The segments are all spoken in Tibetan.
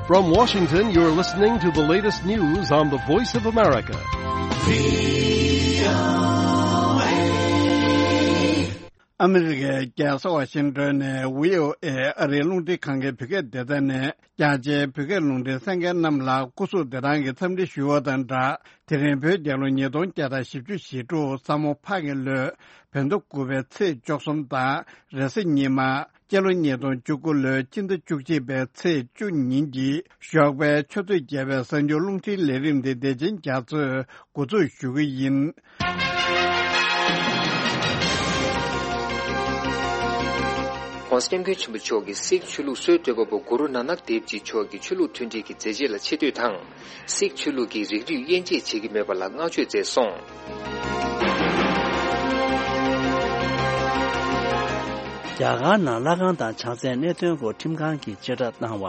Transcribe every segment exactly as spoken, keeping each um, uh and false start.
From Washington, you're listening to the latest news on the Voice of America. ཨ་མི་རི་ཀའི་རྒྱལ་ས་ཝ་ཤིང་ཏོན་ནས་བྷི་ཨོ་ཨེ་ཨ་རིའི་རླུང་འཕྲིན་ཁང་གི་བོད་སྐད་སྡེ་ཚན་ནས་རྒྱ་ཆེའི་བོད་སྐད་རླུང་འཕྲིན་གསན་མཁན་རྣམས་ལ་སྐུ་གཟུགས་བདེ་ཐང་གི་འཚམས་འདྲི་ཞུ་བ་དང་སྦྲགས། དེ་རིང་བོད་རྒྱལ་ལོ་ཉིས་སྟོང་བརྒྱ་དང་བཞི་བཅུ་ཞེ་དྲུག་ས་མོ་ཕག་གི་ལོའི་བོད་ཟླ་དགུ་པའི་ཚེས་བཅུ་གསུམ་དང་། རེས་གཟའ་ཉི་མ། སྤྱི་ལོ་ཉིས་སྟོང་བཅུ་དགུ་ལོའི་སྤྱི་ཟླ་བཅུ་གཅིག་པའི་ཚེས་བཅུ་ཉིན་གྱི་ཞོགས་པའི་ཆུ་ཚོད་བརྒྱད་པའི་གསར་འགྱུར་རླུང་འཕྲིན་ལས་རིམ་དེ་བདེ་ཆེན་རྒྱ་མཚོས་འགོ་འཛུགས་ཞུ་གི་ཡིན། ྋགོང་ས་ྋསྐྱབས་མགོན་ཆེན་པོ་མཆོག་གིས་སིག་ཆོས་ལུགས་སྲོལ་གཏོད་པ་པོ་གུ་རུ་ནཱ་ནག་དེབ་ཇི་མཆོག་གི་ཆོས་ལུགས་མཐུན་སྒྲིལ་གྱི་མཛད་རྗེས་ལ་ཆེ་བསྟོད་དང་། སིག་ཆོས་ལུགས་ཀྱི་རིགས་རུས་དབྱེ་འབྱེད་བྱེད་ཀྱི་མེད་པ་ལ་བསྔགས་བརྗོད་མཛད་སོང་། རྒྱ་གར་ནང་ལྷ་ཁང་དང་བྱང་རྩེའི་གནད་དོན་སྐོར་ཁྲིམས་ཁང་གིས་བཅད་ཁྲ་བཏང་བ།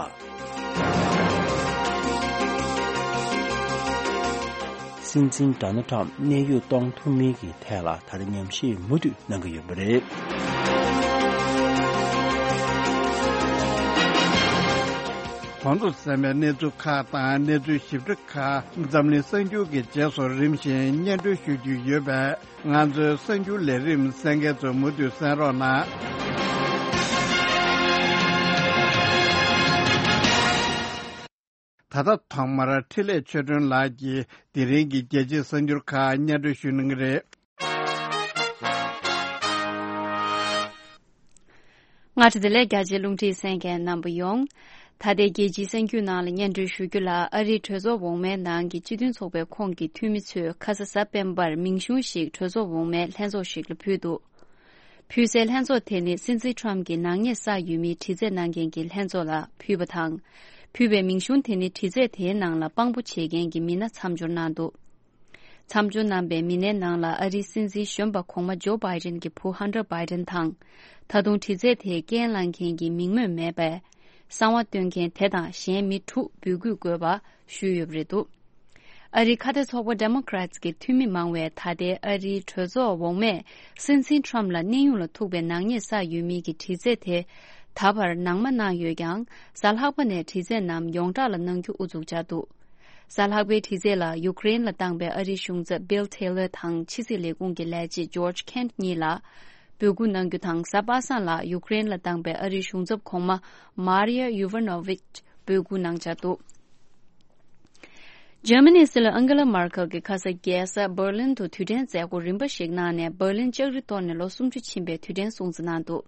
སྲིད་འཛིན་ཌོ་ནལ་ཊམ་གནས་དབྱུང་གཏོང་ཐུབ་མིན་གྱི་ཐད་ལ་ད་ལྟ་ཉམས་ཞིབ་མུ་མཐུད་གནང་གི་ཡོད་པ་རེད། གོང་དུ་གསན་པའི་གནས་ཚུལ་ཁག་དང་གནས་ཚུལ་ཞིབ་ཕྲ་ཁག་འཛམ་གླིང་གསར་འགྱུར་གྱི་རྗེས་སུ་རིམ་བཞིན་སྙན་སྒྲོན་ཞུ་རྒྱུ་ཡོད་པས། ང་ཚོའི་གསར་འགྱུར་ལས་རིམ་གསན་མཁན་ཚོས་མུ་མཐུད་གསན་རོགས་གནང་། ད་ལྟ་ཐོག་མར་འཕྲིན་ལས་ཆོས་སྒྲོན་ལགས་ཀྱིས་དེ་རིང་གི་རྒྱལ་སྤྱིའི་གསར་འགྱུར་ཁག་སྙན་སྒྲོན་ཞུ་གནང་གི་རེད། སྔ་དྲོ་བདེ་ལེགས། རྒྱ་ཆེའི་རླུང་འཕྲིན་གསན་མཁན་རྣམ་པ་ཡོངས། ད་ལྟའི་རྒྱལ་སྤྱིའི་གསར་འགྱུར་ནང་ལ་སྙན་སྒྲོན་ཞུ་རྒྱུ་ལ། ཨ་རིའི་གྲོས་ཚོགས་འོག་མའི་ནང་གི་སྤྱི་མཐུན་ཚོགས་པའི་ཁོངས་ཀྱི་འཐུས་མི་ཚོས་ཁ་ས་གཟའ་སྤེན་པར་མིང་གཞུང་ཞིག་གྲོས་ཚོགས་འོག་མའི་ལྷན་ཚོགས་ཤིག་ལ་ཕུལ་འདུག་ཕུལ་སའི་ལྷན་ཚོགས་དེ་ནི་སྲིད་འཛིན་ཊམ་གྱི་ནག་ཉེས་བསགས་ཡོད་མིའི་དྲི་རྩད་གནང་མཁན་གྱི་ལྷན་ཚོགས་ལ་ཕུལ་བ་དང་། ཕུལ་བའི་མིང་གཞུང་དེ་ནི་དྲི་རྩད་དེའི་ནང་ལ་དཔང་པོ་བྱེད་མཁན་གྱི་མི་སྣ་མཚམས་སྦྱོར་གནང་འདུག་མཚམས་སྦྱོར་གནང་པའི་མི་སྣའི་ནང་ལ་ཨ་རིའི་སྲིད་འཛིན་གཞོན་པ་གོང་མ་ཇོ་བྷའི་ཌེན་གྱི་བུ་ཧན་ཊར་བྷའི་ཌེན་དང་། ད་དུང་དྲི་རྩད་དེའི་རྐྱེན་བླངས་མཁན་གྱི་མིང་སྨོས་མེད་པའི་གསང་བ་སྟོན་མཁན་དེ་དང་གཞན་མི་དྲུག་འབོད་སྐུལ་དགོས་པ་ཞུས་ཡོད་པ་རེད་འདུག་ཨ་རིའི་ཁ་གཏད་ཚོགས་པ་ཌེ་མོ་ཀ་རེ་ཊི་ཀྱི་འཐུས་མི་མང་བས་ད་ལྟའི་ཨ་རིའི་གྲོས་ཚོགས་འོག་མས་སྲིད་འཛིན་ཊམ་ལ་གནས་དབྱུང་ལ་ཐུག་པའི་ནག་ཉེས་བསགས་ཡོད་མིན་གྱི་དྲི་རྩད་དེ་ད་བར་ནང་མ་གནང་ཡོད་ཀྱང་། གཟའ་ལྷག་པ་ནས་དྲི་རྩད་རྣམས་ཡོངས་གྲགས་ལ་གནང་རྒྱུ་ཨུ་ཚུགས་བྱས་འདུག་གཟའ་ལྷག་པའི་དྲི་རྩད་ལ་ཡུ་ཀེ་རེན་ལ་བཏང་པའི་ཨ་རིའི་གཞུང་ཚབ་བྷིལ་ཐེ་ལར་དང་ཕྱི་སྲིད་ལས་ཁུངས་ཀྱི་ལས་བྱེད་ཇོརྗ་ཁེན་གཉིས་ལ་འབོད་སྐུལ་གནང་རྒྱུ་དང་། གཟའ་པ་སངས་ལ་ཡུ་ཀེ་རེན་ལ་བཏང་པའི་ཨ་རིའི་གཞུང་ཚབ་གོང་མ་མཱ་རི་ཡ་ཡུ་ཝ་ནོ་ཝིཆ་འབོད་སྐུལ་གནང་འཆར་འདུག་ཇར་མ་ནིའི་སྲིད་བློན་ཨང་གེ་ལ་མར་ཁལ་གྱིས་ཁ་ས་རྒྱལ་ས་འབར་ལིན་དུ་དུས་དྲན་མཛད་སྒོ་རིམ་པ་ཞིག་གནང་ནས། འབར་ལིན་ལྕགས་རི་གཏོར་ནས་ལོ་སུམ་ཅུ་ཕྱིན་པའི་དུས་དྲན་སྲུང་བརྩི་གནང་འདུག་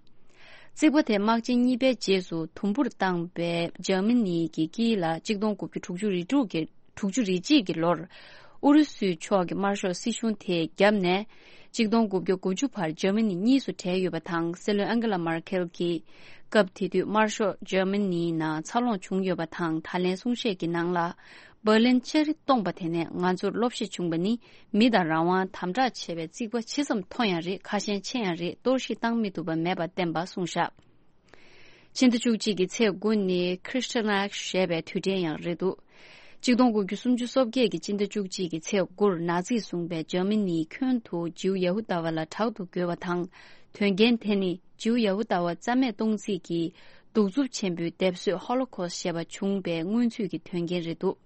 རྩིག་པ་དེ་དམག་ཆེན་གཉིས་པའི་རྗེས་སུ་དུམ་བུར་བཏང་བའི་འཇར་མ་ནི་གི་དཀྱིལ་ལ་གཅིག་སྟོང་དགུ་བརྒྱ་དྲུག་ཅུ་རེ་དྲུག་གི་དྲུག་ཅུ་རེ་གཅིག་གི་ལོར་ཨུ་རུ་སུའི་ཕྱོགས་ཀྱི་དམར་ཤོག་སྲིད་གཞུང་དེས་བརྒྱབ་ནས། གཅིག་སྟོང་དགུ་བརྒྱ་དགུ་བཅུ་བར་འཇར་མ་ནི་གཉིས་སུ་བྲལ་ཡོད་པ་དང་། སྲིད་བློན་ཨང་གེ་ལ་མར་ཁེལ་གྱིས་སྐབས་དེ་དུས་དམར་ཤོག་འཇར་མ་ནིའི་ནང་འཚར་ལོངས་བྱུང་ཡོད་པ་དང་། ད་ལན་གསུང་བཤད་ཀྱི་ནང་ལ། འབར་ལིན་ལྕགས་རི་སྟོངས་པ་དེ་ནས་ང་ཚོར་སློབ་གཞི་བྱུང་བ་ནི། མི་དང་རང་དབང་དམ་དྲག་བྱེད་པའི་རྩིག་པ་ཇི་ཙམ་མཐོ་ཡང་རེད། ཁ་ཞེང་ཆེ་ཡང་རེད། གཏོར་བཤིག་བཏང་མི་ཐུབ་པ་མེད་པ་བསྟན་པ་གསུངས་བཞག་ཕྱི་ཟླ་བཅུ་གཅིག་གི་ཚེས་དགུ་ནི་Kristallnacht ཞེས་པའི་དུས་དྲན་ཡང་རེད་འདུག་གཅིག་སྟོང་དགུ་བརྒྱ་སུམ་ཅུ་སོ་བརྒྱད་ཀྱི་སྤྱི་ཟླ་བཅུ་གཅིག་གི་ཚེས་དགུར་ནཱ་ཛིས་བཟུང་བའི་འཇར་མ་ནིའི་ཁྱོན་དུ་ཇིའུ་ཡ་ཧུ་དཱ་བ་ལ་དྲག་ཏུ་རྒོལ་བ་དང་། དོན་རྐྱེན་དེ་ནི་ཇིའུ་ཡ་ཧུ་དཱ་བ་རྩ་མེད་གཏོང་རྩིས་ཀྱི་གདུག་རྩུབ་ཆེན་པོའི་སྡེབ་གསོད་Holocaust ཞེས་པ་བྱུང་བའི་སྔོན་ཚུད་ཀྱི་དོན་རྐྱེན་རེད་འདུག་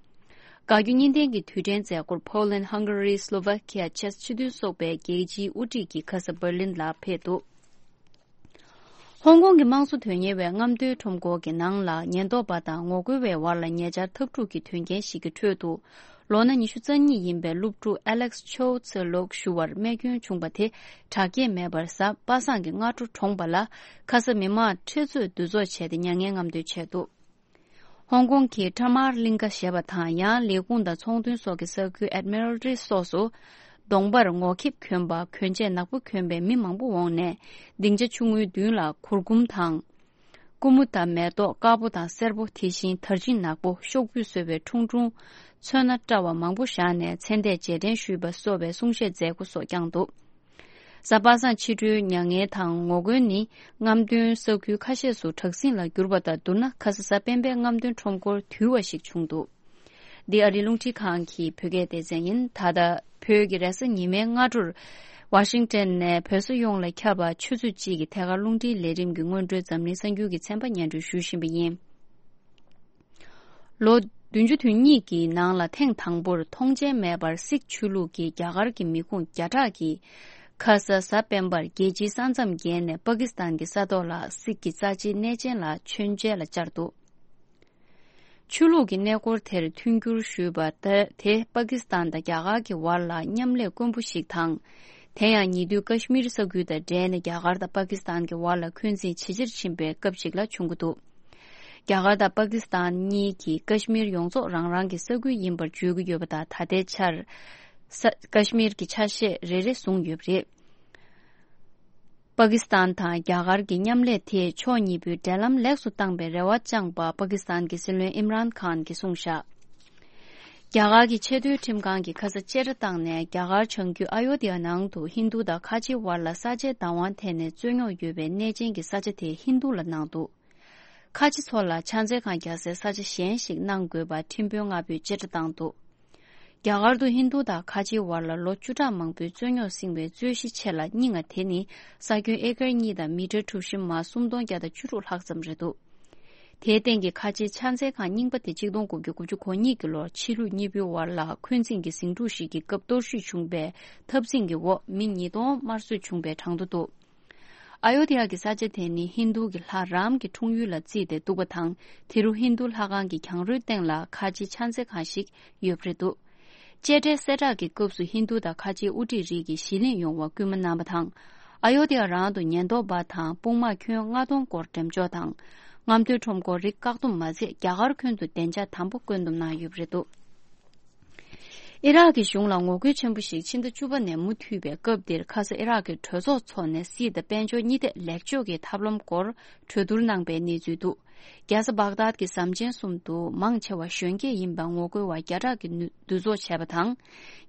དགའ་སྐྱོ་གཉིས་ལྡན་གྱི་དུས་དྲན་མཛད་སྒོར་Poland, Hungary, Slovakia བཅས་ཕྱི་དོན་ཚོགས་པའི་རྒྱལ་སྤྱིའི་དབུ་ཁྲིད་ཀྱིས་ཁ་ས་འབར་ལིན་ལ་ཕེབས་འདུག་ཧོང་ཀོང་གི་དམངས་གཙོ་དོན་གཉེར་བའི་རྔམ་སྟོན་ཁྲོམ་སྐོར་གྱི་ནང་ལ་ཉེན་རྟོག་པ་དང་ངོ་རྒོལ་བའི་བར་ལ་ཉེ་ཆར་འཐབ་འཁྲུག་གི་དོན་རྐྱེན་ཞིག་གི་ཁྲོད་དུ། ལོ་ན་ཉི་ཤུ་རྩ་གཉིས་ཡིན་པའི་སློབ་ཕྲུག་Alex Chow Tse Lok ཞུ་བར་རྨས་སྐྱོན་བྱུང་བ་དེ་དྲག་སྐྱེད་མེད་པར་གཟའ་པ་སངས་ཀྱི་སྔ་དྲོ་གྲོངས་པ་ལ། ཁ་ས་མི་མང་ཁྲེ་ཚོས་འདུ་ཚོགས་བྱས་ཏེ་མྱ་ངན་རྔམ་སྟོན་བྱས་འདུག་ཧོང་ཀོང་གི་ཊ་མར་གླིང་ཀ་ཞེས་པ་དང་། ཡང་ལས་ཁུངས་དང་ཚོང་དོན་སོགས་ཀྱི་ས་ཁུལ་Admiralty སོགས་སུ། གདོང་པར་ངོ་ཁེབས་གྱོན་པ། གྱོན་ཆས་ནག་པོ་གྱོན་པའི་མི་མང་པོ་འོངས་ནས། སྡིངས་ཆ་ཆུང་ངུའི་མདུན་ལ་གུར་གུམ་དང་། ཀུ་མུ་དང་མེ་ཏོག་དཀར་པོ་དང་སེར་པོ། དེ་བཞིན་དར་ཆིན་ནག་པོ། ཤོག་བུས་བཟོས་པའི་ཁྲུང་ཁྲུང་། ཚོན་སྣ་བཀྲ་བ་མང་པོ་བཞག་ནས་མཚན་ལྟས་རྗེས་དྲན་ཞུས་པ་སོགས་པའི་གསུང་བཤད་མཛད་སྒོ་སོགས་བསྐྱངས་འདུག་གཟའ་པ་སངས་ཕྱི་དྲོའི་མྱ་ངན་དང་ངོ་རྒོལ་ནི་རྔམ་སྟོན་ས་ཁུལ་ཁ་ཤས་སུ་དྲག་ཟིང་ལ་གྱུར་པ་དང་བསྡུར་ན། ཁ་ས་གཟའ་སྤེན་པའི་རྔམ་སྟོན་ཁྲོམ་སྐོར་དུལ་བ་ཞིག་བྱུང་འདུག་འདི་ཨ་རིའི་རླུང་འཕྲིན་ཁང་གི་བོད་སྐད་སྡེ་ཚན་ཡིན། ད་ལྟ་བོད་ཀྱི་རེས་གཟའ་ཉི་མའི་སྔ་དྲོར་ཝ་ཤིང་ཏན་ནས་བོད་ས་ཡོངས་ལ་ཁྱབ་པ་ཆུ་ཚོད་གཅིག་གི་ཐད་ཀར་རླུང་འཕྲིན་ལས་རིམ་གྱི་སྔོན་འགྲོའི་འཛམ་གླིང་གསར་འགྱུར་གྱི་ཚན་པ་སྙན་སྒྲོན་ཞུ་བཞིན་པ་ཡིན། ལོ་བདུན་ཅུ་དོན་གཉིས་ཀྱི་ནང་ལ་ཐེངས་དང་པོར་མཐོང་མཆན་མེད་པར་སིག་ཆོས་ལུགས་ཀྱིས་རྒྱ་གར་གྱི་མི་ཁུངས་བརྒྱ་ཕྲག་གིས་ཁ་ས་གཟའ་སྤེན་པར་རྒྱལ་སྤྱིའི་ས་མཚམས་བརྒལ་ནས་པ་ཀི་སི་ཐན་གྱི་ས་ཐོག་ལ་སིག་གི་རྩ་ཆེའི་གནས་ཆེན་ལ་མཆོད་མཇལ་ལ་བཅར་འདུག་ཆོས་ལུགས་ཀྱི་གནས་སྐོར་དེར་མཐུན་འགྱུར་ཞུས་པ་དེ་དེ་པ་ཀི་སི་ཐན་དང་རྒྱ་གར་གྱི་བར་ལ་མཉམ་ལས་དཀོན་པོ་ཞིག་དང་། དེ་ཡང་ཉེ་དུས་ཀ་ཤི་མིར་ས་ཁུལ་དང་འབྲེལ་ནས་རྒྱ་གར་དང་པ་ཀི་སི་ཐན་གྱི་བར་ལ་འཁོན་འཛིན་ཇེ་ཆེར་ཕྱིན་པའི་སྐབས་ཤིག་ལ་བྱུང་གི་འདུག་རྒྱ་གར་དང་པ་ཀི་སི་ཐན་གཉིས་ཀྱིས་ཀ་ཤི་མིར་ཡོངས་རྫོགས་རང་རང་གི་ས་ཁུལ་ཡིན་པར་བརྗོད་ཀྱི་ཡོད་པ་དང་། ད་ལྟའི་ཆར་ས་ཀ་ཤི་མིར་གྱི་ཆ་ཤས་རེ་རེ་བཟུང་ཡོད་པ་རེད། པ་ཀི་སི་ཐན་དང་རྒྱ་གར་གྱི་མཉམ་ལས་དེས་ཕྱོགས་གཉིས་པོའི་འབྲེལ་ལམ་ལེགས་སུ་བཏང་པའི་རེ་བ་བཅངས་པ་པ་ཀི་སི་ཐན་གྱི་སྲིད་བློན་ཨིམ་རཱན་ཁཱན་གྱིས་གསུངས་བཞག་རྒྱ་གར་གྱི་ཆེས་མཐོའི་ཁྲིམས་ཁང་གིས་ཁ་ས་བཅད་ཁྲ་བཏང་ནས་རྒྱ་གར་བྱང་རྒྱུད་ཨ་ཡོ་དྷི་ཡ་ནང་དུ་ཧིན་རྡུ་དང་ཁ་ཆེའི་བར་ལ་ས་ཆའི་བདག་དབང་ཐད་ནས་རྩོད་རྙོག་ཡོད་པའི་གནས་ཆེན་གྱི་ས་ཆ་དེ་ཧིན་རྡུ་ལ་གནང་འདུག་ཁ་ཆེ་ཚོ་ལ་ཕྱག་འཚལ་ཁང་རྒྱག་སའི་ས་ཆ་གཞན་ཞིག་གནང་དགོས་པ་ཁྲིམས་དཔོན་ལྔ་པོས་བཅད་ཁྲ་བཏང་འདུག་རྒྱ་གར་དུ་ཧིན་རྡུ་དང་ཁ་ཆེའི་བར་ལ་ལོ་བཅུ་ཕྲག་མང་པོའི་རྩོད་རྙོག་བསྲིངས་པའི་རྩོད་གཞི་ཆེ་ལ་རྙིང་བ་དེ་ནི་ས་ཁྱོན་ཨེ་ཀར་གཉིས་དང་མི་ཊར་གྲུ་བཞི་མ་སུམ་སྟོང་བརྒྱ་དང་བཅུ་དྲུག་ལྷག་ཙམ་རེད་འདུག་དེའི་སྟེང་གི་ཁ་ཆེའི་ཕྱག་འཚལ་ཁང་རྙིང་པ་དེ་གཅིག་སྟོང་དགུ་བརྒྱ་དགུ་བཅུ་གོ་གཉིས་ཀྱི་ལོར་ཕྱི་ལུགས་གཉིས་པོའི་བར་ལ་འཁོན་འཛིན་གྱི་ཟིང་འཁྲུག་ཞིག་གི་སྐབས་གཏོར་བཤིག་བྱུང་བའི་འཐབ་འཛིང་གི་འོག་མི་ཉིས་སྟོང་དམར་གསོད་བྱུང་པའི་གྲངས་ཐོ་འདུག་ཨ་ཡོ་དྷི་ཡ་གི་ས་ཆ་དེ་ནི་ཧིན་རྡུ་གི་ལྷ་རཱམ་གྱི་འཁྲུངས་ཡུལ་ལ་བརྩིས་ཏེ་འདུག་པ་དང་། དེ་རུ་ཧིན་རྡུ་ལྷ་ཁང་གི་གྱང་རོའི་སྟེང་ལ་ཁ་ཆེའི་ཕྱག་འཚལ་ཁང་ཞིག་ཡོད་པ་རེད་འདུག་བཅད་ཁྲའི་གསལ་བསྒྲགས་ཀྱི་སྐབས་སུ་ཧིན་རྡུ་དང་ཁ་ཆེའི་དབུ་ཁྲིད་རིགས་ཀྱིས་གཞིས་ལེན་ཡོང་བར་སྐུལ་མ་གནང་བ་དང་། ཨ་ཡོ་དྷི་ཡ་རང་དུ་ཉེན་རྟོག་པ་དང་དཔུང་དམག་ཁྱོན་ལྔ་སྟོང་སྐོར་འགྲེམས་འཇོག་དང་། རྔམ་སྟོན་ཁྲོམ་སྐོར་རིགས་བཀག་སྡོམ་མ་ཚད་རྒྱ་གར་ཁྱོན་དུ་བདེ་འཇགས་དམ་པོ་བཀོད་འདོམས་གནང་ཡོད་པ་རེད་འདུག་ཨི་རག་གི་གཞུང་ལ་ངོ་རྒོལ་ཆེན་པོ་ཞིག་ཕྱི་ཟླ་བཅུ་པ་ནས་མུ་མཐུད་པའི་སྐབས་འདིར་ཁ་ས་ཨི་རག་གི་གྲོས་ཚོགས་འཚོགས་ནས་སྲིད་དང་དཔལ་འབྱོར་གཉིས་ཐད་ལེགས་བཅོས་ཀྱི་ཐབས་ལམ་སྐོར་གྲོས་བསྡུར་གནང་པའི་གནས་ཚུལ་འདུག་རྒྱལ་ས་བག་དཱད་ཀྱི་ཟམ་ཆེན་གསུམ་དུ་མང་ཆེ་བ་གཞོན་སྐྱེས་ཡིན་པའི་ངོ་རྒོལ་བ་བརྒྱ་ཕྲག་གིས་འདུ་འདུ་འཛོམས་བྱས་པ་དང་།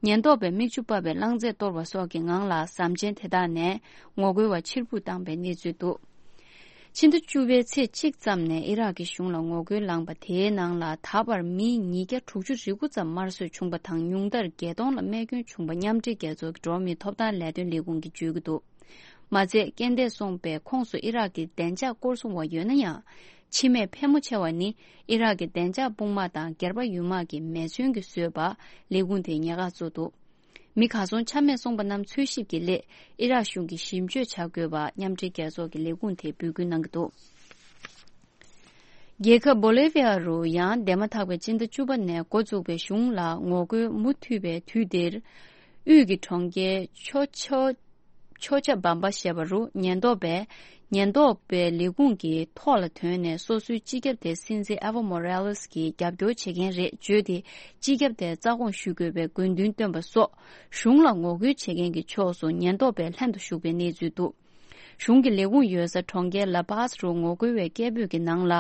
ཉེན་རྟོག་པས་མིག་ཆུ་ཕབ་པའི་རླངས་རྫས་གཏོར་བ་སོགས་ཀྱི་ངང་ལ་ཟམ་ཆེན་དེ་དག་ནས་ངོ་རྒོལ་བ་ཕྱིར་འབུད་བཏང་པའི་གནས་ཚུལ་འདུག་ཕྱི་ཟླ་བཅུ་པའི་ཚེས་གཅིག་ཙམ་ནས་ཨི་རག་གི་གཞུང་ལ་ངོ་རྒོལ་ལངས་པ་དེའི་ནང་ལ་ད་བར་མི་ཉིས་བརྒྱ་དྲུག་ཅུ་རེ་དགུ་ཙམ་དམར་གསོད་བྱུང་པ་དང་། ཉུང་མཐར་བརྒྱད་སྟོང་ལ་རྨས་སྐྱོན་བྱུང་པ་མཉམ་འབྲེལ་རྒྱལ་ཚོགས་ཀྱི་འགྲོ་བ་མིའི་ཐོབ་ཐང་ལས་དོན་ལས་ཁུངས་ཀྱིས་བརྗོད་ཀྱི་འདུག་མ་ཚད་རྐྱེན་འདས་སོང་པའི་ཁོངས་སུ་ཨི་རག་གི་བདེ་འཇགས་སྐོར་སྲུང་བ་ཡོད་ན་ཡང་། འཆི་རྨས་ཕལ་མོ་ཆེ་བ་ནི་ཨི་རག་གི་བདེ་འཇགས་དཔུང་དམག་དང་སྒེར་པ་ཡུལ་དམག་གིས་མེ་མཚོན་གྱིས་བཟོས་པ་ལས་ཁུངས་དེས་ཉེན་ཁ་བཟོས་འདུག་མི་གར་སོང་ཆ་མེད་སོང་པ་རྣམས་འཚོལ་ཞིབ་ཀྱི་སླད་ཨི་རག་གཞུང་གིས་ཞིབ་དཔྱོད་བྱ་དགོས་པ་མཉམ་འབྲེལ་རྒྱལ་ཚོགས་ཀྱི་ལས་ཁུངས་དེས་འབོད་སྐུལ་གནང་གི་འདུག་རྒྱལ་ཁབ་བོ་ལེ་བྷི་ཡ་རུ་ཡང་འདས་མ་ཐག་པའི་སྤྱི་ཟླ་བཅུ་པ་ནས་འགོ་བཙུགས་པའི་གཞུང་ལ་ངོ་རྒོལ་མུ་མཐུད་པའི་དུས་འདིར། དབུས་ཀྱི་གྲོང་ཁྱེར་ཆོ་ཆོ་ཆོ་ཆ་བམ་པ་ཞེས་པ་རུ་ཉེན་རྟོག་པས་ཉེན་རྟོག་པའི་ལས་ཁུངས་ཀྱི་ཐོག་ལ་ཐོན་ནས་སོ་སོའི་སྤྱི་ཁྱབ་དེ་སྲིད་འཛིན་ཨེ་ཝོ་མོ་རེ་ལེ་སི་ཀྱི་རྒྱབ་སྐྱོར་བྱེད་མཁན་རེད་བརྗོད་དེ། སྤྱི་ཁྱབ་དེར་རྩ་དགོངས་ཞུ་དགོས་པའི་དགོས་འདུན་བཏོན་པ་སོགས་གཞུང་ལ་ངོ་རྒོལ་བྱེད་མཁན་གྱི་ཕྱོགས་སུ་ཉེན་རྟོག་པས་ལྷན་དུ་ཞུགས་པའི་གནས་ཚུལ་འདུག་གཞུང་གི་ལས་ཁུངས་ཡོད་ས་གྲོང་ཁྱེར་ལ་པཱས་རུ་ངོ་རྒོལ་བའི་སྐད་འབོད་ཀྱི་ནང་ལ།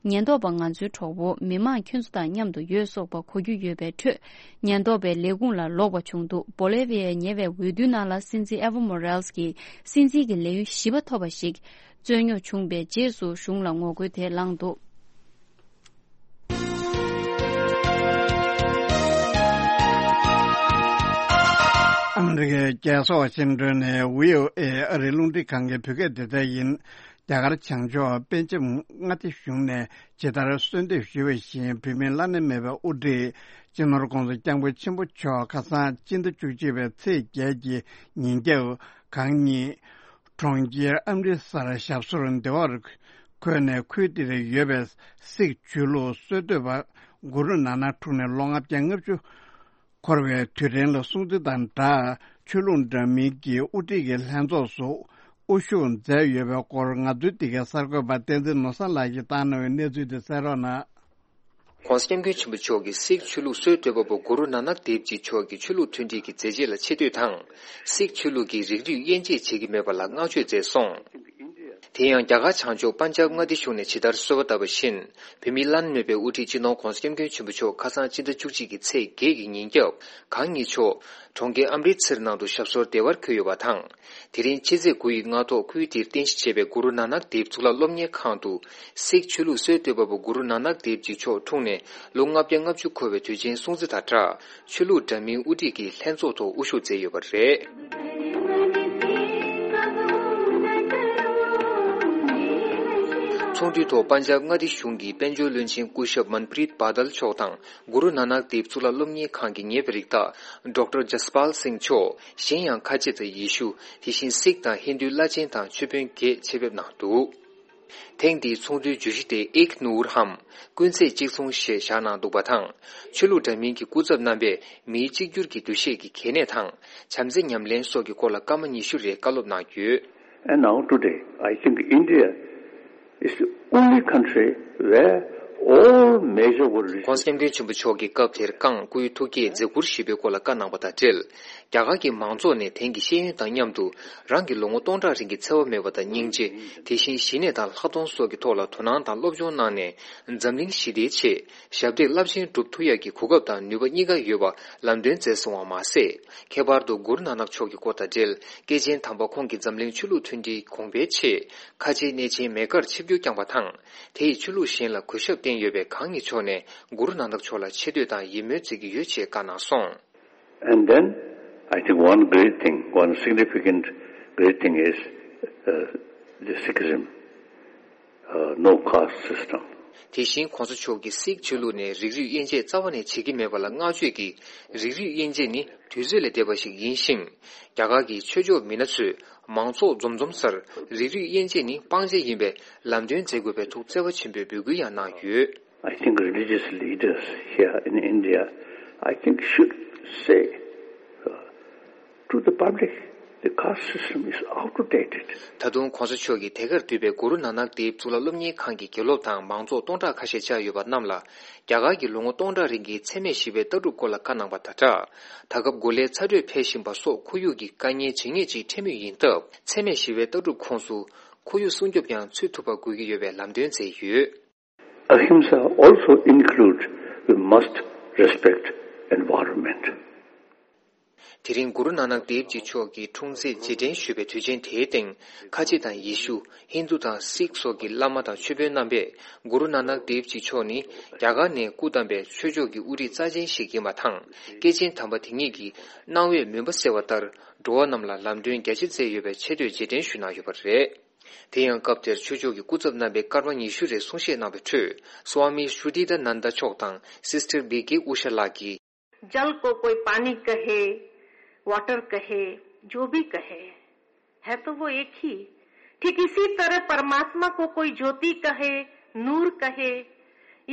ཉེན་རྟོག་པ་ང་ཚོའི་གྲོགས་པོ་མི་མང་ཁྱོད་ཚོ་དང་མཉམ་དུ་ཡོད་སོགས་པ་གོ་རྒྱུ་ཡོད་པའི་ཁྲོད། ཉེན་རྟོག་པའི་ལས་ཁུངས་ལ་ལོག་པ་བྱུང་འདུག་བོ་ལེ་བྷི་ཡའི་ཉེ་བའི་འོས་བསྡུའི་ནང་ལ་སྲིད་འཛིན་ཨེ་ཝོ་མོ་རེ་ལེ་སི་ཀྱིས་སྲིད་འཛིན་གྱི་ལས་ཡུན་བཞི་པ་ཐོབ་པ་ཞིག་རྩོད་རྙོག་བྱུང་པའི་རྗེས་སུ་གཞུང་ལ་ངོ་རྒོལ་དེ་ལངས་འདུག་ཨ་མི་རི་ཀའི་རྒྱལ་ས་ཝ་ཤིང་ཏོན་ནས་བྷི་ཨོ་ཨེ་ཨ་རིའི་རླུང་འཕྲིན་ཁང་གི་བོད་སྐད་སྡེ་ཚན་ཡིན། རྒྱ་གར་བྱང་ཕྱོགས་པེ་ཅིང་མངའ་སྡེ་གཞུང་ནས་ཇི་ལྟར་གསོལ་འདེབས་ཞུས་པ་བཞིན། བོད་མིའི་བླ་ན་མེད་པའི་དབུ་ཁྲིད་སྤྱི་ནོར་༧གོང་ས་༧སྐྱབས་མགོན་ཆེན་པོ་མཆོག་ཁ་སང་སྤྱི་ཟླ་བཅུ་གཅིག་པའི་ཚེས་བརྒྱད་ཀྱི་ཉིན་རྒྱབ་གང་ཉིད། གྲོང་ཁྱེར་ཨམ་རི་སར་ཞབས་སོར་བདེ་བར་འཁོད་ནས། ཁུལ་དེར་ཡོད་པའི་སིག་ཆོས་ལུགས་སྲོལ་གཏོད་པ་གུ་རུ་ནཱ་ནག་འཁྲུངས་ནས་ལོ་ལྔ་བརྒྱ་ལྔ་བཅུ་འཁོར་བའི་དུས་དྲན་ལ་སྲུང་བརྩི་དང་སྦྲགས། ཆོས་ལུགས་འདྲ་མིན་གྱི་དབུ་ཁྲིད་ཀྱི་ལྷན་ཚོགས་སུ་དབུ་བཞུགས་མཛད་ཡོད་པའི་སྐོར། ང་ཚོའི་འདི་གའི་གསར་འགོད་པ་བསྟན་འཛིན་ནོར་བཟང་ལགས་ཀྱིས་བཏང་གནང་བའི་གནས་ཚུལ་དེ་གསན་རོགས་གནང་། ༧གོང་ས་༧སྐྱབས་མགོན་ཆེན་པོ་མཆོག་གིས་སིག་ཆོས་ལུགས་སྲོལ་གཏོད་པ་པོ་གུ་རུ་ནཱ་ནག་དེབ་ཇི་མཆོག་གི་ཆོས་ལུགས་མཐུན་སྒྲིལ་གྱི་མཛད་རྗེས་ལ་ཆེ་བསྟོད་དང་། སིག་ཆོས་ལུགས་ཀྱིས་རིགས་རུས་དབྱེ་འབྱེད་བྱེད་ཀྱི་མེད་པ་ལ་བསྔགས་བརྗོད་མཛད་སོང་། དེ་ཡང་རྒྱ་གར་བྱང་ཕྱོགས་པན་ཇབ་མངའ་སྡེ་གཞུང་ནས་ཇི་ལྟར་གསོལ་བ་བཏབ་པ་བཞིན། བོད་མིའི་བླ་ན་མེད་པའི་དབུ་ཁྲིད་སྤྱི་ནོར་༧གོང་ས་༧སྐྱབས་མགོན་ཆེན་པོ་མཆོག་ཁ་སང་སྤྱི་ཟླ་བཅུ་གཅིག་གི་ཚེས་བརྒྱད་ཀྱི་ཉིན་རྒྱབ་གང་ཉིད་མཆོག་གྲོང་ཁྱེར་ཨམ་རི་ཚིར་ནང་དུ་ཞབས་སོར་བདེ་བར་འཁོད་ཡོད་པ་དང་། དེ་རིང་ཕྱི་ཚེས་དགུ་ཡི་སྔ་ཐོག་ཁུལ་དེར་རྟེན་གཞི་བྱས་པའི་གུ་རུ་ནཱ་ནག་དེབ་གཙུག་ལག་སློབ་གཉེར་ཁང་དུ། སིག་ཆོས་ལུགས་སྲོལ་གཏོད་པ་པོ་གུ་རུ་ནཱ་ནག་དེབ་ཇི་མཆོག་འཁྲུངས་ནས་ལོ་ལྔ་བརྒྱ་ལྔ་བཅུ་འཁོར་བའི་དུས་ཆེན་སྲུང་བརྩི་དང་སྦྲགས། ཆོས་ལུགས་འདྲ་མིན་དབུ་ཁྲིད་ཀྱི་ལྷན་ཚོགས་ཐོག་དབུ་བཞུགས་མཛད་ཡོད་པ་རེད། ཚོགས་འདུའི་ཐོག་པན་ཇབ་མངའ་སྡེ་གཞུང་གི་དཔལ་འབྱོར་བློན་ཆེན་སྐུ་ཞབས་མན་པྲིད་བྷ་དལ་མཆོག་དང་། གུ་རུ་ནཱ་ནག་དེབ་གཙུག་ལག་སློབ་གཉེར་ཁང་གི་ཉེ་བའི་རིགས་བདག་ཌོག་ཊར་ཇ་སི་པཱལ་སིང་མཆོག་གཞན་ཡང་ཁ་ཆེ་དང་ཡེ་ཤུ། དེ་བཞིན་སིག་དང་ཧིན་རྡུའི་བླ་ཆེན་དང་ཆོས་དཔོན་བརྒྱད་ཆེད་ཕེབས་གནང་འདུག་ཐེངས་འདིའི་ཚོགས་འདུའི་བརྗོད་གཞི་དེ་ཨིག་ནུར་ཧམ། ཀུན་ཚེ་གཅིག་མཚུངས་ཞེས་བཞག་གནང་འདུག་པ་དང་། ཆོས་ལུགས་འདྲ་མིན་གྱི་སྐུ་ཚབ་རྣམ་པས་མིའི་གཅིག་གྱུར་གྱི་འདུ་ཤེས་ཀྱི་གལ་གནད་དང་། བྱམས་བརྩེ་ཉམས་ལེན་སོགས་ཀྱི་སྐོར་ལ་སྐར་མ་ཉི་ཤུ་རེ་བཀའ་སློབ་གནང་ཡོད། And now today, I think India is the only country where all major world religions. ྋགོང་ས་ྋསྐྱབས་མགོན་ཆེན་པོ་མཆོག་གིས་སྐབས་དེར་བསྐངས་སྐུའི་ཐུགས་བསྐྱེད་མཛད་ཁུར་ཞེས་པའི་སྐོར་ལ་བཀའ་གནང་བ་དང་འབྲེལ། རྒྱ་གར་གྱི་མང་ཚོགས་ནས་དེང་གི་ཤེས་ཡོན་དང་མཉམ་དུ་རང་གི་ལོ་ངོ་སྟོང་ཕྲག་རིང་གི་འཚེ་བ་མེད་པ་དང་སྙིང་རྗེ། དེ་བཞིན་ཞི་གནས་དང་ལྷག་མཐོང་སོགས་ཀྱི་ཐོག་ལ་དོ་སྣང་དང་སློབ་སྦྱོང་གནང་ནས། འཛམ་གླིང་ཞི་བདེའི་ཆེད་ཞབས་འདེགས་རླབས་ཆེན་སྒྲུབ་ཐུབ་ཡག་གི་གོ་སྐབས་དང་ནུས་པ་གཉིས་ཀ་ཡོད་པ་ལམ་སྟོན་མཛད་སོང་བ་མ་ཟད། ཁྱད་པར་དུ་གུ་རུ་ནཱ་ནག་མཆོག་གི་སྐོར་དང་འབྲེལ། སྐྱེས་ཆེན་དམ་པ་ཁོང་གིས་འཛམ་གླིང་ཆོས་ལུགས་མཐུན་སྒྲིལ་གོང་འཕེལ་ཆེད་ཁ་ཆེའི་གནས་ཆེན་མེ་ཀར་ཆིབས་བསྒྱུར་བསྐྱངས་པ་དང་། དེ་ཡིས་ཆོས་ལུགས་གཞན་ལ་གུས་ཞབས་བསྟན་ཡོད་པས། གང་ཉིད་མཆོག་ནས་གུ་རུ་ནཱ་ནག་མཆོག་ལ་ཆེ་བསྟོད་དང་ཡིད་སྨོན་མཛད་ཀྱི་ཡོད་ཅེས་བཀའ་གནང་སོང་། And then, I think one great thing, one significant great thing is, uh, the Sikhism, uh, no caste system. དེ་བཞིན་ྋགོང་ས་མཆོག་གིས་སིག་ཆོས་ལུགས་ནས་རིགས་རུས་དབྱེ་འབྱེད་རྩ་བ་ནས་བྱེད་ཀྱི་མེད་པ་ལ་བསྔགས་བརྗོད་ཀྱིས། རིགས་རུས་དབྱེ་འབྱེད་ནི་དུས་ཚོད་ལས་འདས་པ་ཞིག་ཡིན་ཞིང་། རྒྱ་གར་གྱི་ཆོས་ཕྱོགས་མི་སྣ་ཚོས་མང་ཚོགས་འཛོམས་འཛོམས་སར་རིགས་རུས་དབྱེ་འབྱེད་ནི་སྤང་བྱ་ཡིན་པའི་ལམ་སྟོན་མཛད་དགོས་པའི་ཐུགས་བརྩེ་བ་ཆེན་པོས་འབོད་སྐུལ་ཡང་གནང་ཡོད། I think religious leaders here in India, I think, should say, uh, to the public, the caste system is outdated. ད་དུང་ྋགོང་ས་མཆོག་གིས་དེ་གར་འདུས་པའི་གུ་རུ་ནཱ་ནག་དེབ་གཙུག་ལག་སློབ་གཉེར་ཁང་གི་དགེ་སློབ་དང་མང་ཚོགས་སྟོང་ཕྲག་ཁ་ཤས་བཅར་ཡོད་པ་རྣམས་ལ། རྒྱ་གར་གྱི་ལོ་ངོ་སྟོང་ཕྲག་རིང་གི་འཚེ་མེད་ཞི་བའི་ལྟ་གྲུབ་སྐོར་ལ་བཀའ་གནང་བ་དང་སྦྲགས། ད་སྐབས་གོ་ལའི་ཚ་དྲོད་འཕེལ་བཞིན་པ་སོགས་ཁོར་ཡུག་གི་དཀའ་ངལ་ཇི་སྙེད་ཅིག་འཕྲད་མུས་ཡིན་སྟབས། འཚེ་མེད་ཞི་བའི་ལྟ་གྲུབ་ཁོངས་སུ་ཁོར་ཡུག་སྲུང་སྐྱོབ་ཀྱང་ཚུད་ཐུབ་པ་དགོས་ཀྱི་ཡོད་པའི་ལམ་སྟོན་མཛད་ཡོད། Ahimsa also include we must respect environment. དེ་རིང་གུ་རུ་ནཱ་ནག་དེབ་ཇི་མཆོག་གི་འཁྲུངས་ཚེས་རྗེས་དྲན་ཞུས་པའི་དུས་ཆེན་དེའི་སྟེང་། ཁ་ཆེ་དང་ཡེ་ཤུ། ཧིན་རྡུ་དང་སིག་སོགས་ཀྱི་བླ་མ་དང་ཆོས་དཔོན་རྣམ་པས། གུ་རུ་ནཱ་ནག་དེབ་ཇི་མཆོག་ནི་རྒྱ་གར་ནས་སྐུ་བལྟམས་པའི་ཆོས་ཕྱོགས་ཀྱི་དབུ་ཁྲིད་རྩ་ཆེན་ཞིག་ཡིན་པ་དང་། སྐྱེས་ཆེན་དམ་པ་དེ་ཉིད་ཀྱིས་གནང་བའི་མུན་པ་སེལ་བ་ལྟར། འགྲོ་བ་རྣམས་ལ་ལམ་སྟོན་རྒྱ་ཆེ་མཛད་ཡོད་པའི་ཆེ་བསྟོད་རྗེས་དྲན་ཞུས་གནང་ཡོད་པ་རེད། དེ་ཡང་སྐབས་དེར་ཆོས་ཕྱོགས་ཀྱི་སྐུ་ཚབ་རྣམ་པས་སྐར་མ་ཉི་ཤུ་རེ་གསུང་བཤད་གནང་བའི་ཁྲོད། སྭ་མི་ཤྲུ་ཏི་ད་ནན་ད་མཆོག་དང་སིས་ཊར་བི་ཀེ་ཨུ་ཤ་ལགས་ཀྱིས། जल को कोई पानी कहे, वाटर कहे, जो भी कहे, है तो वो एक ही। ठीक इसी तरह परमात्मा को कोई ज्योति कहे, नूर कहे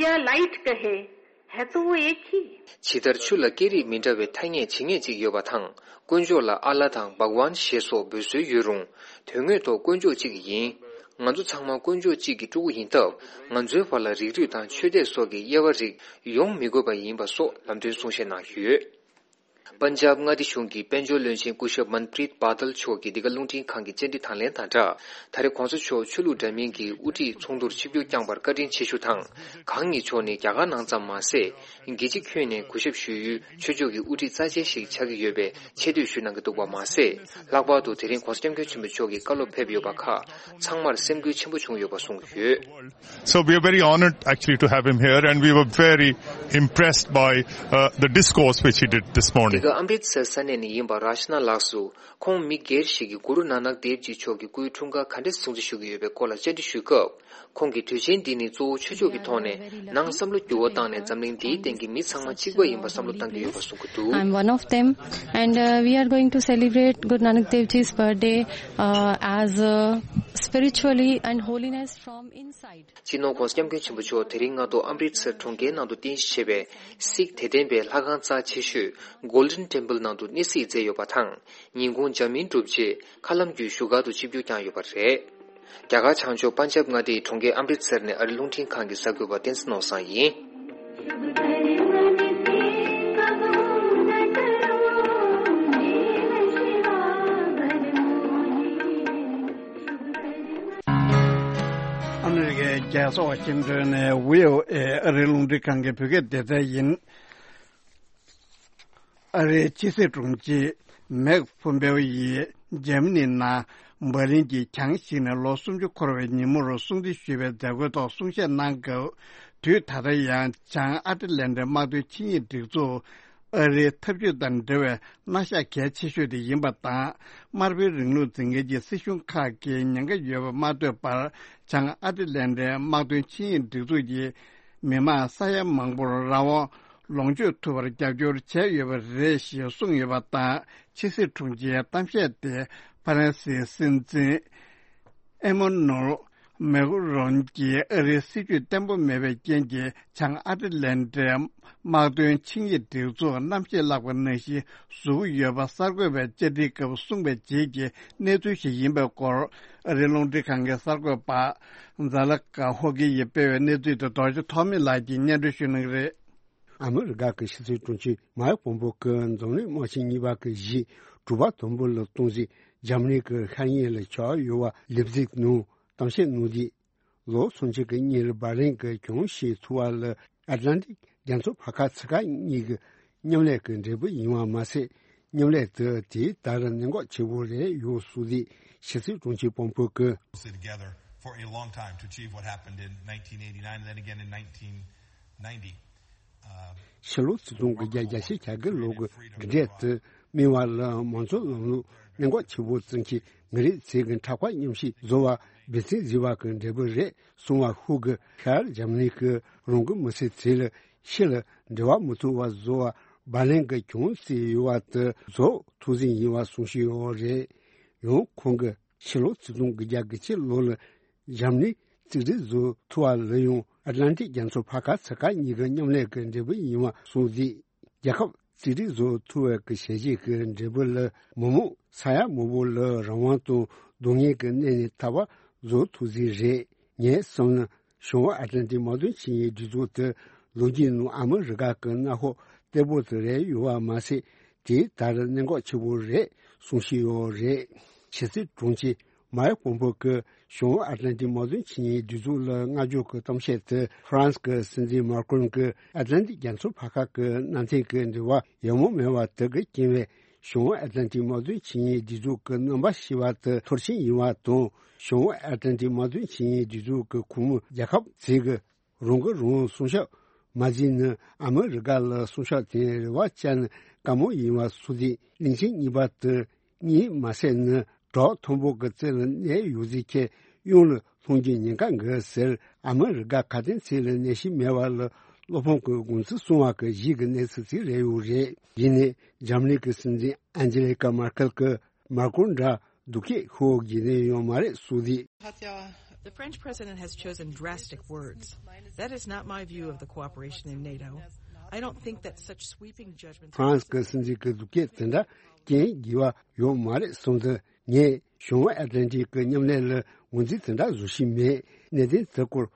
या लाइट कहे, है तो वो एक ही। ཇི་ལྟར་ཆུ་ལ་སྐད་རིགས་མི་འདྲ་བའི་ཐ་སྙད་ཇི་སྙེད་ཅིག་ཡོད་པ་དང་། དཀོན་མཆོག་ལ་ཨ་ལ་དང་བྷག་ཝཱན་ཞེས་སོགས་འབོད་སྲོལ་ཡོད་རུང་། དོན་དངོས་ཐོག་དཀོན་མཆོག་གཅིག་ཡིན། ང་ཚོ་ཚང་མ་དཀོན་མཆོག་གཅིག་གི་ཕྲུ་གུ་ཡིན་སྟབས། ང་ཚོའི་བར་ལ་རིགས་རུས་དང་ཆོས་དད་སོགས་ཀྱི་དབྱེ་བ་རིགས་ཡོང་མི་དགོས་པ་ཡིན་པ་སོགས་ལམ་སྟོན་གསུང་བཤད་གནང་ཡོད། པན་ཇབ་མངའ་སྡེ་གཞུང་གི་དཔལ་འབྱོར་བློན་ཆེན་སྐུ་ཞབས་མན་པྲིད་བྷ་དལ་མཆོག་གིས་འདི་ག་རླུང་འཕྲིན་ཁང་གི་བཅར་འདྲི་དང་ལེན་དང་སྦྲགས། ད་རེས་ྋགོང་ས་མཆོག་ཆོས་ལུགས་འདྲ་མིན་གྱི་དབུ་ཁྲིད་ཚོགས་འདུར་ཆིབས་བསྒྱུར་བསྐྱངས་པར་བཀའ་དྲིན་ཆེ་ཞུ་དང་། གང་ཉིད་མཆོག་ནི་རྒྱ་གར་ནང་ཙམ་མ་ཟད། རྒྱལ་སྤྱི་ཁྱོན་ནས་གུས་ཞབས་ཞུ་ཡུལ་ཆོས་ཕྱོགས་ཀྱི་དབུ་ཁྲིད་རྩ་ཆེན་ཞིག་ཆགས་ཀྱི་ཡོད་པའི་ཆེ་བསྟོད་ཞུ་གནང་གི་འདུག་པ་མ་ཟད། ལྷག་པར་དུ་དེ་རིང་ྋགོང་ས་ྋསྐྱབས་མགོན་ཆེན་པོ་མཆོག་གི་བཀའ་སློབ་ཕེབས་ཡོད་པ་ཁག་ཚང་མར་སེམས་འགུལ་ཆེན་པོ་བྱུང་ཡོད་པ་གསུངས་ཡོད། So we are very honored actually to have him here, and we were very impressed by, uh, the discourse which he did this morning. འདི་ག་ཨམ་རིད་སར་ས་གནས་ནས་ཡིན་པ་རཱཤ་ན་ལགས་སུ། ཁོང་མི་སྒེར་ཞིག་གིས་གུ་རུ་ནཱ་ནག་དེབ་ཇི་མཆོག་གི་སྐུའི་འཁྲུངས་སྐར་ག་འདྲ་སྲུང་བརྩི་ཞུ་གི་ཡོད་པའི་སྐོར་ལ་བཅར་འདྲི་ཞུས་སྐབས། ཁོང་གིས་དུས་ཆེན་འདི་ནི་གཙོ་བོ་ཆོས་ཕྱོགས་ཀྱི་ཐོག་ནས་ནང་བསམ་བློ་འགྱུར་བ་བཏང་ནས་འཛམ་གླིང་འདིའི་སྟེང་གི་མི་ཚང་མ་གཅིག་པ་ཡིན་པ་བསམ་བློ་བཏང་གི་ཡོད་པ་གསུང་གི་འདུག I'm one of them, and, uh, we are going to celebrate Guru Nanak Dev Ji's birthday, uh, as, uh, spiritually and holiness from inside. སྤྱི་ནོར་ྋགོང་ས་ྋསྐྱབས་མགོན་ཆེན་པོ་མཆོག་དེ་རིང་སྔ་དྲོ་ཨམ་རིད་སར་གྲོང་ཁྱེར་ནང་དུ་རྟེན་གཞི་བྱས་པའི་སིག་དད་ལྡན་པའི་ལྷ་ཁང་རྩ་ཆེ་ཤོས་Golden Temple ནང་དུ་གནས་གཟིགས་མཛད་ཡོད་པ་དང་། ཉིན་གུང་འཇར་མན་གྲུབ་རྗེས་མཁའ་ལམ་བརྒྱུད་བཞུགས་སྒར་དུ་ཆིབས་བསྒྱུར་བསྐྱངས་ཡོད་པ་རེད། རྒྱ་གར་བྱང་ཕྱོགས་པན་ཇབ་མངའ་སྡེའི་གྲོང་ཁྱེར་ཨམ་རིད་སར་ནས་ཨ་རི་རླུང་འཕྲིན་ཁང་གི་གསར་འགོད་པ་བསྟན་འཛིན་ནོར་བཟང་ཡིན། ཨ་མི་རི་ཀའི་རྒྱལ་ས་ཝ་ཤིང་ཏོན་ནས་བྷི་ཨོ་ཨེ་ཨ་རིའི་རླུང་འཕྲིན་ཁང་གི་བོད་སྐད་སྡེ་ཚན་ཡིན། ཨ་རིའི་ཕྱི་སྲིད་དྲུང་ཆེ་མེག་ཕོམ་པེའོ་ཡིས་འཇར་མ་ནིའི་ནང་འབར་ལིན་གྱི་གྱང་བཤིག་ནས་ལོ་སུམ་ཅུ་འཁོར་བའི་ཉིན་མོར་སྲུང་བརྩི་ཞུས་པའི་མཛད་སྒོའི་ཐོག་གསུང་བཤད་གནང་སྐབས། དུས་ད་ལྟ་ཡང་བྱང་ཨ་ཊ་ལན་ཊའི་དམག་དོན་ཆིངས་ཡིག་སྒྲིག་འཛུགས་ ཨ་རིའི་འཐབ་ཇུས་དང་འབྲེལ་བའི་མནའ་ཤག་གལ་ཆེ་ཤོས་དེ་ཡིན་པ་དང་། དམར་པོའི་རིང་ལུགས་འཛིན་མཁན་གྱི་སྲིད་གཞུང་ཁག་གིས་ཉེན་ཁ་ཡོད་པ་མ་ཐོས་པར། བྱང་ཨ་ཏི་ལན་ཏའི་དམག་དོན་ཆིངས་ཡིག་སྒྲིག་འཛུགས་ཀྱིས་མི་མང་ས་ཡ་མང་པོར་རང་དབང་ལོངས་སྤྱོད་ཐུབ་པར་རྒྱབ་སྐྱོར་བྱས་ཡོད་པ་རེད་ཞེས་གསུངས་ཡོད་པ་དང་། ཕྱི་སྲིད་དྲུང་ཆེའི་གཏམ་བཤད་དེ་ཧྥ་རན་སིའི་སྲིད་འཛིན་ཨེ་མོ་ནུལ་མེག་རོན་གྱིས་ཨ་རིའི་སྲིད་ཇུས་བརྟན་པོ་མེད་པའི་རྐྱེན་གྱིས། བྱང་ཨ་ཏི་ལན་ཏའི་དམག་དོན་ཆིངས་ཡིག་སྒྲིག་འཛུགས་རྣམ་ཤེས་བརླག་པ་ནང་བཞིན་བཟོ་གི་ཡོད་པ། གསར་འགོད་པས་བཅར་འདྲིའི་སྐབས་གསུངས་པའི་རྗེས་ཀྱི་གནས་ཚུལ་ཞིག་ཡིན་པའི་སྐོར། ཨ་རིའི་རླུང་འཕྲིན་ཁང་གི་གསར་འགོད་པ་ཛ་ལ་ཀ་ཧོ་ཀི་ཡིས་སྤེལ་བའི་གནས་ཚུལ་དེ་རྡོ་རྗེ་ཐོགས་མེད་ལགས་ཀྱིས་སྙན་སྒྲོན་ཞུ་གནང་གི་རེད། ཨ་མི་རི་ཀ་གི་ཕྱི་སྲིད་དྲུང་ཆེ་མཱིག་པོམ་པོ་གིས་འཛམ་གླིང་དམག་ཆེན་གཉིས་པ་གི་གཞི་དྲུག་པ་དུམ་བུ་ལ་གཏོང་རྩིས་འཇར་མ་ནི་གི་ཤར་ཉེ་ལ་ཆགས་ཡོད་པ་ལེབ་ཛིག་ནང་གཏམ་བཤད་གནང་དུས། ལོ་སུམ་ཅུ་གི་སྔོན་ལ་འབར་ལིན་གྱི་གྱོང་ཞིག་ཐུག་པ་ལ་ཨེཊ་ལན་ཊིག་རྒྱ་མཚོ་ཕར་ཁ་ཚུར་ཁ་གཉིས་ཀྱི་མཉམ་ལས་ཀྱི་འབྲས་བུ་ཡིན་པ་མ་ཟད། མཉམ་ལས་དེ་དེའི་ལྟར་གནད་འགག་ཆེ་པོ་རེད་ཡོད་སུ་དེ་ཕྱི་སྲིད་དྲུང་ཆེ་པོམ་པོ་གིས། Closely together for a long time to achieve what happened in nineteen eighty-nine and then again in nineteen ninety. ཕྱི་ལོ་ཆིག་སྟོང་དགུ་བརྒྱ་གྱ་བརྒྱད་ལོ་གི་འབྲེལ་དུ་མི་བ་ལ་མང་གཙོ་ལམ་ལུགས་གནད་འགག་ཆེ་པོ་བཙུགས་ཀྱི་ངེད་རིགས་ཚེ་གི་འཕྲག་པ་མཉམ་ཞིག་བཟོ་བ་འབད་བརྩོན་བཟོས་པ་གི་འབྲས་བུ་རེད་གསུང་བ་ཧུ་གི་ཤར་འཇར་མ་ནི་གི་རང་གི་མི་སེར་ཚེ་ལ་ཕྱི་ལ་འབྲེལ་བ་མི་ཐུབ་པ་བཟོ་བ་འབར་ལིན་གི་གྱོང་རྩིས་ཡོད་པ་དུ་བཟོ་ཐུགས་འཛིན་ཡིན་པ་གསུང་བཞིན་ཡོད་རེད། ཡང་ཁོང་གི་ཕྱི་ལོ་ཆིག་སྟོང་དགུ་བརྒྱ་གྱ་གཅིག་ལོ་ལ་འཇར་མ་ནི་རྩིས་སྒྲིག་བཟོ་ཐུབ་པ་ལ་ཡང་ཨེཊ་ལན་ཊིག་རྒྱ་མཚོ་ཕར་ཁ་ཚུར་ཁ་གཉིས་ཀྱི་མཉམ་ལས་ཀྱི་འབྲས་བུ་ཡིན་པ་གསུངས་ཏེ། རྒྱལ་ཁབ་རྩིས་སྒྲིག་བཟོ་ཐུབ་པའི་གི་བྱས་རྗེས་ཀྱི་འབྲས་བུ་ལ་མི་མང་ས་ཡ་མང་པོ་ལ་རང་དབང་དང་སྡུག་བསྔལ་གྱི་གནས་ནས་ཐར་བ་བཟོ་ཐུབ་རྩིས་རེད། ངས་བསམ་ན་བྱང་ཨེཊ་ལན་ཊིག་དམག་དོན་ཆིངས་ཡིག་སྒྲིག་འཛུགས་དེ་ལོ་རྒྱུས་ནང་ཨ་མི་རི་ཀ་གི་གནམ་འོག་བརྟན་པོ་དེ་རེད་ཡོད་པ་མ་ཟད། དེའི་ལྟར་གནད་འགག་ཆེ་པོ་རེད་གསུང་བཞིན་ཡོད་རེད། ཕྱི་སྲིད་དྲུང་ཆེ་མཱིག་པོམ་པོ་གིས་བྱང་ཨེཊ་ལན་ཊིག་དམག་དོན་ཆིངས་ཡིག་སྒྲིག་འཛུགས་ལ་བསྔགས་བརྗོད་ཀྱི་གཏམ་བཤད་དེ་ཧྥ་རན་སི་གི་སྲིད་འཛིན་མཱ་ཀྲོན་གྱིས་ཨེཊ་ལན་ཊིག་རྒྱ་མཚོ་ཕར་ཁ་གི་མནའ་མཐུན་གྱི་འབྲེལ་བ་ཡག་མོ་མེད་པ་དེ་གི་རྐྱེན་པས་བྱང་ཨེཊ་ལན་ཊིག་དམག་དོན་ཆིངས་ཡིག་སྒྲིག་འཛུགས་ཀྱི་རྣམ་པ་ཤེས་པ་དེ་མཐོར་ཕྱིན་ཡིན་པ་དང་། བྱང་ཨེཊ་ལན་ཊིག་དམག་དོན་ཆིངས་ཡིག་སྒྲིག་འཛུགས་ཀྱི་ཁོངས་མི་རྒྱལ་ཁབ་ཚོས་ཀྱི་རང་གིས་རང་སྲུང་སྐྱོབ་མ་བྱས་ན་ཨ་མི་རི་ཀ་ལ་སྲུང་སྐྱོབ་དེ་རེ་བ་བཅངས་ན་དཀའ་མོ་ཡིན་པ་སོགས་ཏེ་གླིང་ཆེན་གཉིས་པ་དེ་གཉིད་མ་སད་ན་བྲག་མཐོན་པོ་གི་རྩེ་ལ་གནས་ཡོད་ཚད་ཁྱེད་གཡུལ་ལ་ལྷུང་རྒྱུའི་ཉེན་ཁ་འགའ་ཟེར། ཨ་མི་རི་ཀ་ཁ་དན་ཚིག་ལ་གནས་ཤིང་མེད་པ་ལ་བློ་ཕམ་གྱི་དགོངས་ཚུལ་གསུང་བ་གི་གཞི་གི་གནས་ཚུལ་ཅིག་རེད་ཡོད་རེད། ཡིན་ནའི་འཇར་མ་ནི་གི་སྲིད་འཛིན་ཨན་ཇེ་ལི་ཀ་མར་ཀེལ་གྱིས་མར་ཀོན་འདྲ་སྡུག་སྐད་ཤོར་དགོས་ནི་ཡོད་མ་རེད་གསུངས་ཏེ། The French president has chosen drastic words. That is not my view of the cooperation in NATO. I don't think that such sweeping judgments. ཧྥ་རན་སི་གི་སྲིད་འཛིན་གྱི་སྡུག་སྐད་དེ་འདྲ་སྐྱོན་དགོས་པ་ཡོད་མ་རེད་གསུངས་ཏེ། ངས་བྱང་ཨེཊ་ལན་ཊིག་གི་མཉམ་ལས་ལ་ངོས་འཛིན་དེ་འདྲ་བཟོ་བཞིན་མེད། གནད་དོན་དེ་སྐོར་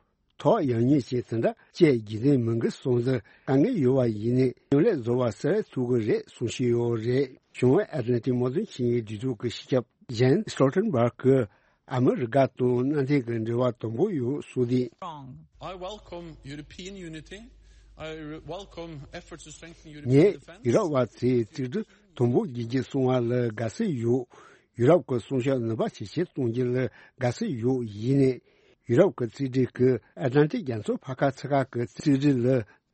ཐོག་ཡང་ཉེས་ཅན་དེ་འདྲ་བཅས་རྒྱུ་མཚན་མི་འགི་སོང་ཙང་དཀའ་ངལ་ཡོད་པ་ཡིན་ནའི་མཉམ་ལས་བཟོ་བ་གསལ་ཐུབ་ཀྱི་རེད་གསུང་བཞིན་ཡོད་རེད། བྱང་ཨེཊ་ལན་ཊིག་དམག་དོན་ཆིངས་ཡིག་སྒྲིག་འཛུགས་ཀྱི་སྤྱི་ཁྱབ་ཇན་སི་ཊོལ་ཊེན་བྷག་གིས་ཨ་མི་རི་ཀ་དང་མནའ་མཐུན་གྱི་འབྲེལ་བ་དམ་པོ་ཡོད་གསུངས་ཏེ། Wrong. I welcome European unity. I re- welcome efforts to strengthen European ངས་defense. ཡུ་རོབ་པ་ཚོས་རྩིས་སྤྲོད་དམ་པོ་བགྱིད་རྒྱུ་སོང་བ་ལ་དགའ་བསུ་ཡོད། ཡུ་རོབ་ཀྱི་སྲུང་སྐྱོབ་ནུས་པ་ཇེ་ཆེར་གཏོང་རྒྱུ་ལ་དགའ་བསུ་ཡོད། ཡིན་ནའི། ཡུ་རོབ་ཀྱི་རྩིས་སྤྲོད་ཀྱིས་ཨེཊ་ལན་ཊིག་རྒྱ་མཚོ་ཕར་ཁ་ཚུར་ཁ་གི་རྩིས་སྤྲོད་ལ་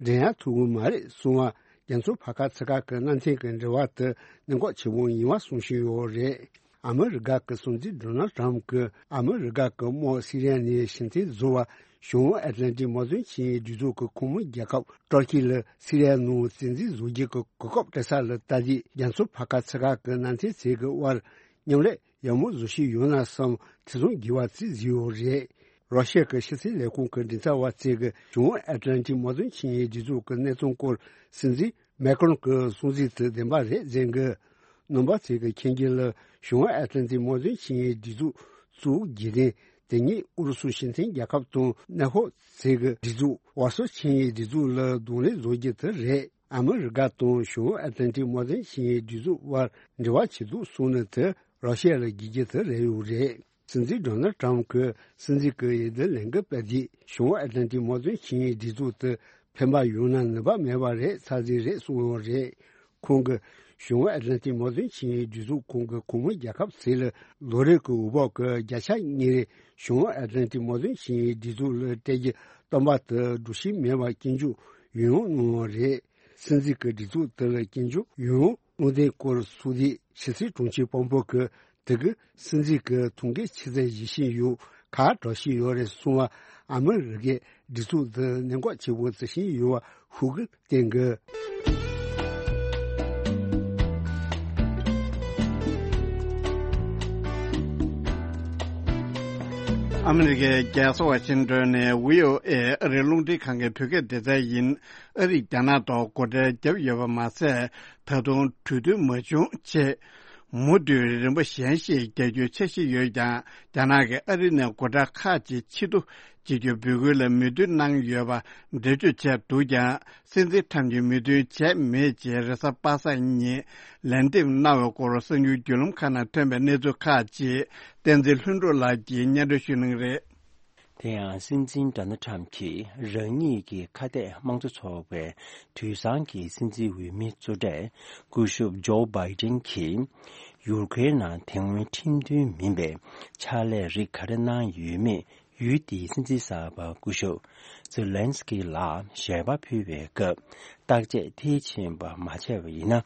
འགྲན་ཡ་ཐུབ་ཀྱི་མ་རེད་གསུང་བ། རྒྱ་མཚོ་ཕར་ཁ་ཚུར་ཁ་གི་མནའ་མཐུན་གྱི་འབྲེལ་བ་དེ་གནད་འགག་ཆེན་པོ་ཡིན་པ་གསུང་བཞིན་ཡོད་རེད། ཨ་མི་རི་ཀ་གི་སྲིད་འཛིན་ཌོ་ནལ་ཊམ་གྱིས་ཨ་མི་རི་ཀ་གི་དམག་སི་རི་ཡ་ནས་ཕྱིར་འཐེན་བཟོ་བར་བྱང་ཨེཊ་ལན་ཊིག་དམག་དོན་ཆིངས་ཡིག་སྒྲིག་འཛུགས་ཀྱི་ཁོངས་མི་རྒྱལ་ཁབ་ཏུར་ཀི་ལ་སི་རི་ཡ་ནང་བཙན་འཛུལ་བཟོ་རྒྱུ་གི་གོ་སྐབས་སྤྲད་ས་ལ་ལྟ་དུས། རྒྱ་མཚོ་ཕར་ཁ་ཚུར་ཁ་གི་མནའ་མཐུན་ཚོས་ཀྱི་དབར་མཉམ་ལས་ཡག་མོ་བཟོ་བཞིན་ཡོད་ན་བསམ་ཐེ་ཚོམ་རྒྱས་པ་ཅིག་བཟོས་ཡོད་རེད། རོ་ཤི་ཡ་གི་ཕྱི་སྲིད་ལས་ཁུངས་ཀྱི་མགྲིན་ཚབ་པ་ཚོས་ཀྱི་བྱང་ཨེཊ་ལན་ཊིག་དམག་དོན་ཆིངས་ཡིག་སྒྲིག་འཛུགས་ཀྱི་གནས་སྟངས་སྐོར་སྲིད་འཛིན་མེ་ཀྲོན་གྱི་གསུང་ཚིག་དེ་བདེན་པ་རེད་ཟེར་གི། རྣམ་པ་ཚོས་ཀྱི་མཁྱེན་རྒྱུ་ལ་བྱང་ཨེཊ་ལན་ཊིག་དམག་དོན་ཆིངས་ཡིག་སྒྲིག་འཛུགས་བཙུགས་རྒྱུ་དེ་དེ་ཉིད་ཨུ་རུ་སུ་སྤྱི་མཐུན་རྒྱལ་ཁབ་དང་ནེ་ཧོ་ཚོས་ཀྱི་སྒྲིག་འཛུགས་ཝར་སོ་ཆིངས་ཡིག་སྒྲིག་འཛུགས་ལ་གདོང་ལེན་བཟོ་རྒྱུ་དེ་རེད། ཨ་མི་རི་ཀ་དང་བྱང་ཨེཊ་ལན་ཊིག་དམག་དོན་ཆིངས་ཡིག་སྒྲིག་འཛུགས་དབར་འབྲེལ་བ་བྱེད་འདུག་གསུངས་ནས་དེ་རོ་ཤི་ཡ་ལ་དགོས་རྒྱུ་དེ་རེད་ཡོད་རེད། སྲིད་འཛིན་ཌོ་ནལ་ཊམ་གྱིས་སྲིད་འཛིན་གྱི་འོས་བསྡུ་ལས་འགུལ་སྤེལ་དུས་བྱང་ཨེཊ་ལན་ཊིག་དམག་དོན་ཆིངས་ཡིག་སྒྲིག་འཛུགས་དེ་ཕན་པ་ཡོང་ན་ནུས་པ་མེད་པ་རེད་ཚར་གཅིག་རེད་གསུངས་ཡོད་རེད། ཁོང་གིས་བྱང་ཨེཊ་ལན་ཊིག་དམག་དོན་ཆིངས་ཡིག་སྒྲིག་འཛུགས་ཁོངས་ཀྱི་ཁོངས་མི་རྒྱལ་ཁབ་ཚོ་ལ་ལོ་རེའི་གི་འོས་འབབ་ཀྱི་བརྒྱ་ཆ་གཉིས་རེ་བྱང་ཨེཊ་ལན་ཊིག་དམག་དོན་ཆིངས་ཡིག་སྒྲིག་འཛུགས་ལ་སྤྲད་རྒྱུ་བཏོན་པ་དེ་སྒྲུབ་བཞིན་མེད་པ་སྐྱོན་བརྗོད་ཡང་ཡང་གནང་ཡོད་རེད། སྲིད་འཛིན་གྱི་སྒྲིག་འཛུགས་དེ་ལ་སྐྱོན་བརྗོད་ཡོང་། བློ་བདེ་སྐོར་སུ་དེ་ཕྱི་སྲིད་དྲུང་ཆེ་དཔོན་པོ་གི་དེ་གི་སྲིད་འཛིན་གྱི་ཐུགས་འགན་ཆེ་ཚད་བཞེས་བཞིན་ཡོད། ཁ་གྲག་བཞིན་ཡོད་རེད་གསུངས་བ། ཨ་མི་རི་ཀའི་སྒྲིག་འཛུགས་འདི་གནད་འགག་ཆེ་བོ་བརྩི་བཞིན་ཡོད་པ་ཤུགས་ཀྱིས་བསྟན་གི། ཨ་མི་རི་ཀའི་རྒྱལ་ས་ཝ་ཤིང་ཏོན་ནས་བྷི་ཨོ་ཨེ་ཨ་རིའི་རླུང་འཕྲིན་ཁང་གི་བོད་སྐད་སྡེ་ཚན་ཡིན། ཨ་རིས་རྒྱ་ནག་ཐོག་སྒོ་ཁྲལ་བརྒྱབ་ཡོད་པ་མ་ཟད། ད་དུང་གྲོས་མཐུན་མ་བྱུང་ཆེད། མུ་མཐུད་རིམ་པ་གཞན་ཞིག་རྒྱག་རྒྱུའི་འཆར་གཞི་ཡོད་ཀྱང་། རྒྱ་ནག་གིས་ཨ་རི་ནས་སྒོ་ཁྲལ་ཁག་ཅིག་ཕྱིར་བསྡུ་བྱེད་རྒྱུའི་འབོད་སྐུལ་ལ་མོས་མཐུན་གནང་ཡོད་པ་འགྲེལ་བརྗོད་བྱས་འདུག་ཀྱང་། སྲིད་འཛིན་ཁྲམ་གྱིས་མོས་མཐུན་བྱས་མེད་ཅེས་རེས་གཟའ་པ་སངས་ཉིན་ལན་འདེབས་གནང་བའི་སྐོར་གསར་འགྱུར་བརྒྱུད་ལམ་ཁག་ནང་ཐོན་པའི་གནས་ཚུལ་ཁག་ཅིག་བསྟན་འཛིན་ལྷུན་གྲུབ་ལགས་ཀྱིས་སྙན་སྒྲོན་ཞུ་གནང་གི་རེད། དེ་ཡང་སྲིད་འཛིན་ཌོ་ནལ་ཁྲམ་གྱིས་རང་ཉིད་ཀྱི་ཁ་གཏད་དམངས་གཙོ་ཚོགས་པའི་དུས་སང་གི་སྲིད་འཛིན་འོས་མི་གཙོ་གྲས་སྐུ་ཞབས་ཇོ་བྷའི་ཏིན་གྱིས་ཡུ་ཀེ་རེན་ནང་དེ་སྔོན་ཁྲིམས་མཐུན་མིན་པའི་ཕྱག་ལས་རིགས་ག་རེ་གནང་ཡོད་མེད། ཡུལ་དེའི་སྲིད་འཛིན་གསར་པ་སྐུ་ཞབས་ཛེ་ལན་སི་ཀི་ལ་ཞལ་པར་ཕུལ་བའི་སྐབས། བརྟག་དཔྱད་མཐིལ་ཕྱིན་པ་མ་བྱས་པ་ཡིན་ན།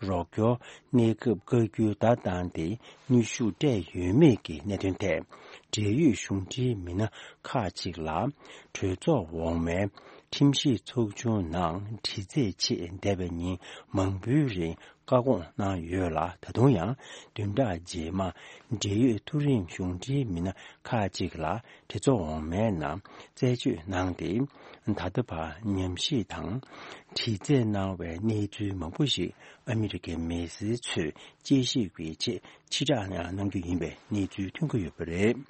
རོགས་སྐྱོར་གནས་སྐབས་བཀའ་བཀྱོན་བརྡ་བཏང་སྟེ་གནོན་ཤུགས་སྤྲད་ཡོད་མེད་ཀྱི་གནད་དོན་ཐད། འབྲེལ་ཡོད་གཞུང་འབྲེལ་མི་སྣ་ཁག་ཅིག་ལ་གྲོས་ཚོགས་འོག་མའི་ཁྲིམས་ཞིབ་ཚོགས་ཆུང་ནང་དྲི་རྩད་ཆེད་འདས་པའི་ཉིན་མང་པོའི་རིང་བཀའ་དགོངས་གནང་ཡོད་ལ། ད་དུང་ཡང་བདུན་ཕྲག་རྗེས་མ་འབྲེལ་ཡོད་མཐོ་རིམ་གཞུང་འབྲེལ་མི་སྣ་ཁག་ཅིག་ལ་གྲོས་ཚོགས་འོག་མའི་ནང་རྩད་གཅོད་གནང་སྟེ། ད་ལྟ་བར་ཉམས་ཞིབ་དང་དྲི་རྩད་གནང་བའི་གནས་ཚུལ་མང་པོ་ཞིག་ཨ་མི་རི་ཀའི་མི་སེར་ཚོས་དཔྱད་ཞིབ་ཀྱི་ཆེད་ཕྱིར་བསྒྲགས་གནང་རྒྱུ་ཡིན་པའི་གནས་ཚུལ་ཐོན་གྱི་ཡོད་པ་རེད།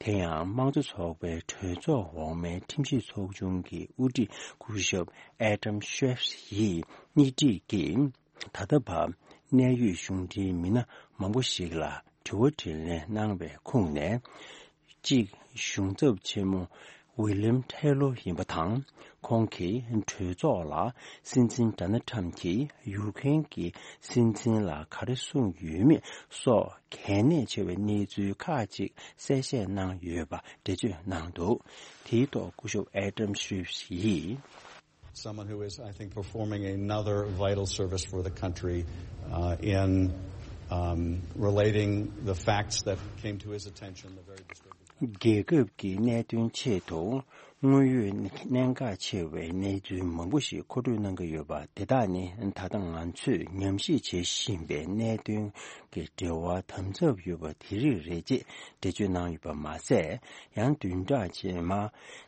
དེ་ཡང་དམངས་གཙོ་ཚོགས་པའི་གྲོས་ཚོགས་འོག་མའི་ཁྲིམས་ཞིབ་ཚོགས་ཆུང་གི་དབུ་ཁྲིད་སྐུ་ཞབས་ཨེ་ཌམ་ཤེ་ཕི་ཡིས་སྙན་སྒྲོན་གྱིས། ད་ལྟ་བར་གནད་ཡོད་གཞུང་འབྲེལ་མི་སྣ་མང་པོ་ཞིག་ལ་དྲི་བ་དྲིས་ལན་གནང་བའི་ཁོངས་ནས། གཅིག་གཞུང་ཚབ་ཆེན་མོ་ཝི་ལིམ་ཐེ་ལོ་ཡིན་པ་དང་། ཁོང་གིས་གྲོས་ཚོགས་ལ་སྲིད་འཛིན་ཌོ་ནལ་ཁྲམ་གྱིས་ཡུ་ཀེ་རེན་གྱི་སྲིད་འཛིན་ལ་ག་རེ་གསུངས་ཡོད་མེད་སོགས་གལ་གནད་ཆེ་བའི་གནས་ཚུལ་ཁག་ཅིག་གསལ་བཤད་གནང་ཡོད་པ་འགྲེལ་བརྗོད་གནང་འདུག་དེའི་ཐོག་སྐུ་ཞབས་ཨེ་ཌམ་ཤེ་ཕི་ཡིས། Someone who is, I think, performing another vital service for the country, uh, in, um, relating the facts that came to his attention, the very disturbing facts. རྒྱལ་ཁབ་ཀྱི་གནད་དོན་ཆེད་དུ་དངོས་ཡོད་གནད་འགག་ཆེ་བའི་གནས་ཚུལ་མང་པོ་ཞིག་མཁོ་སྤྲོད་གནང་གི་ཡོད་པ། དེ་དག་ནི་ད་ལྟ་ང་ཚོས་ཉམས་ཞིབ་བྱེད་བཞིན་པའི་གནད་དོན་གྱི་འབྲེལ་བ་དམ་ཟབ་ཡོད་པ་དེ་རིགས་རེད་ཅེས་འགྲེལ་བརྗོད་གནང་ཡོད་པ་མ་ཟད། ཡང་བདུན་ཕྲག་རྗེས་མ་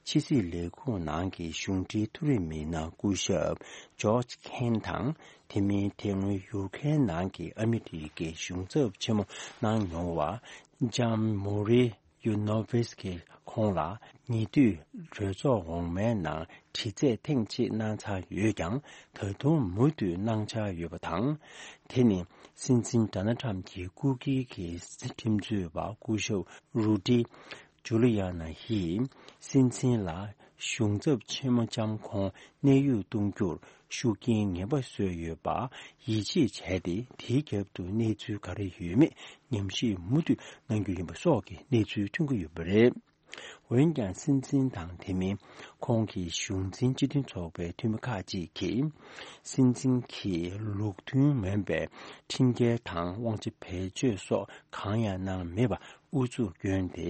ཕྱི་སྲིད་ལས་ཁུངས་ནང་གི་གཞུང་འབྲེལ་མཐོ་རིམ་མི་སྣ་སྐུ་ཞབས་ཇོརྗ་ཁེན་དང་། དེ་མིན་དེ་སྔོན་ཡུ་ཀེ་རེན་ནང་གི་ཨ་མི་རི་ཀའི་གཞུང་ཚབ་ཆེན་མོ་གནང་མྱོང་བ་ཇམ་མོ་རི་ཡུ་ནོ་ཝིས་ཀྱིས་ཁོང་ལ་ཉེ་དུས་གྲོས་ཚོགས་འོག་མའི་ནང་དྲི་རྩད་ཐེངས་གཅིག་གནང་ཚར་ཡོད་ཀྱང་། ད་དུང་མུ་མཐུད་གནང་འཆར་ཡོད་པ་དང་། དེ་ནི་སྲིད་འཛིན་ཌོ་ནལ་ཁྲམ་གྱི་སྐུ་སྒེར་གྱི་ཁྲིམས་རྩོད་པ་སྐུ་ཞབས་རུ་ཌི་ཇུ་ལི་ཡ་ན་ཡིས་སྲིད་འཛིན་ལ་གཞུང་ཚབ་ཆེན་མོ་ལྕམ་ཁོང་གནས་དབྱུང་གཏོང་རྒྱུར་ཤུགས་རྐྱེན་ངན་པ་བཟོས་ཡོད་པ་ཡིད་ཆེས་བྱས་ཏེ། དེའི་རྒྱབ་ཏུ་གནས་ཚུལ་ག་རེ་ཡོད་མེད་ཉམས་ཞིབ་མུ་མཐུད་གནང་རྒྱུ་ཡིན་པ་སོགས་ཀྱི་གནས་ཚུལ་ཐོན་གྱི་ཡོད་པ་རེད། འོན་ཀྱང་། སྲིད་འཛིན་དང་དེ་མིན་ཁོང་གི་གཞུང་འཛིན་སྤྱི་མཐུན་ཚོགས་པའི་འཐུས་མི་ཁག་ཅིག་གིས། སྲིད་འཛིན་གྱིས་ལུགས་མཐུན་མིན་པའི་ཁྲིམས་འགལ་དང་དབང་ཆ་བེད་སྤྱོད་སོགས་གང་ཡང་གནང་མེད་པ་ཨུ་ཚུགས་བསྐྱོན་ཏེ།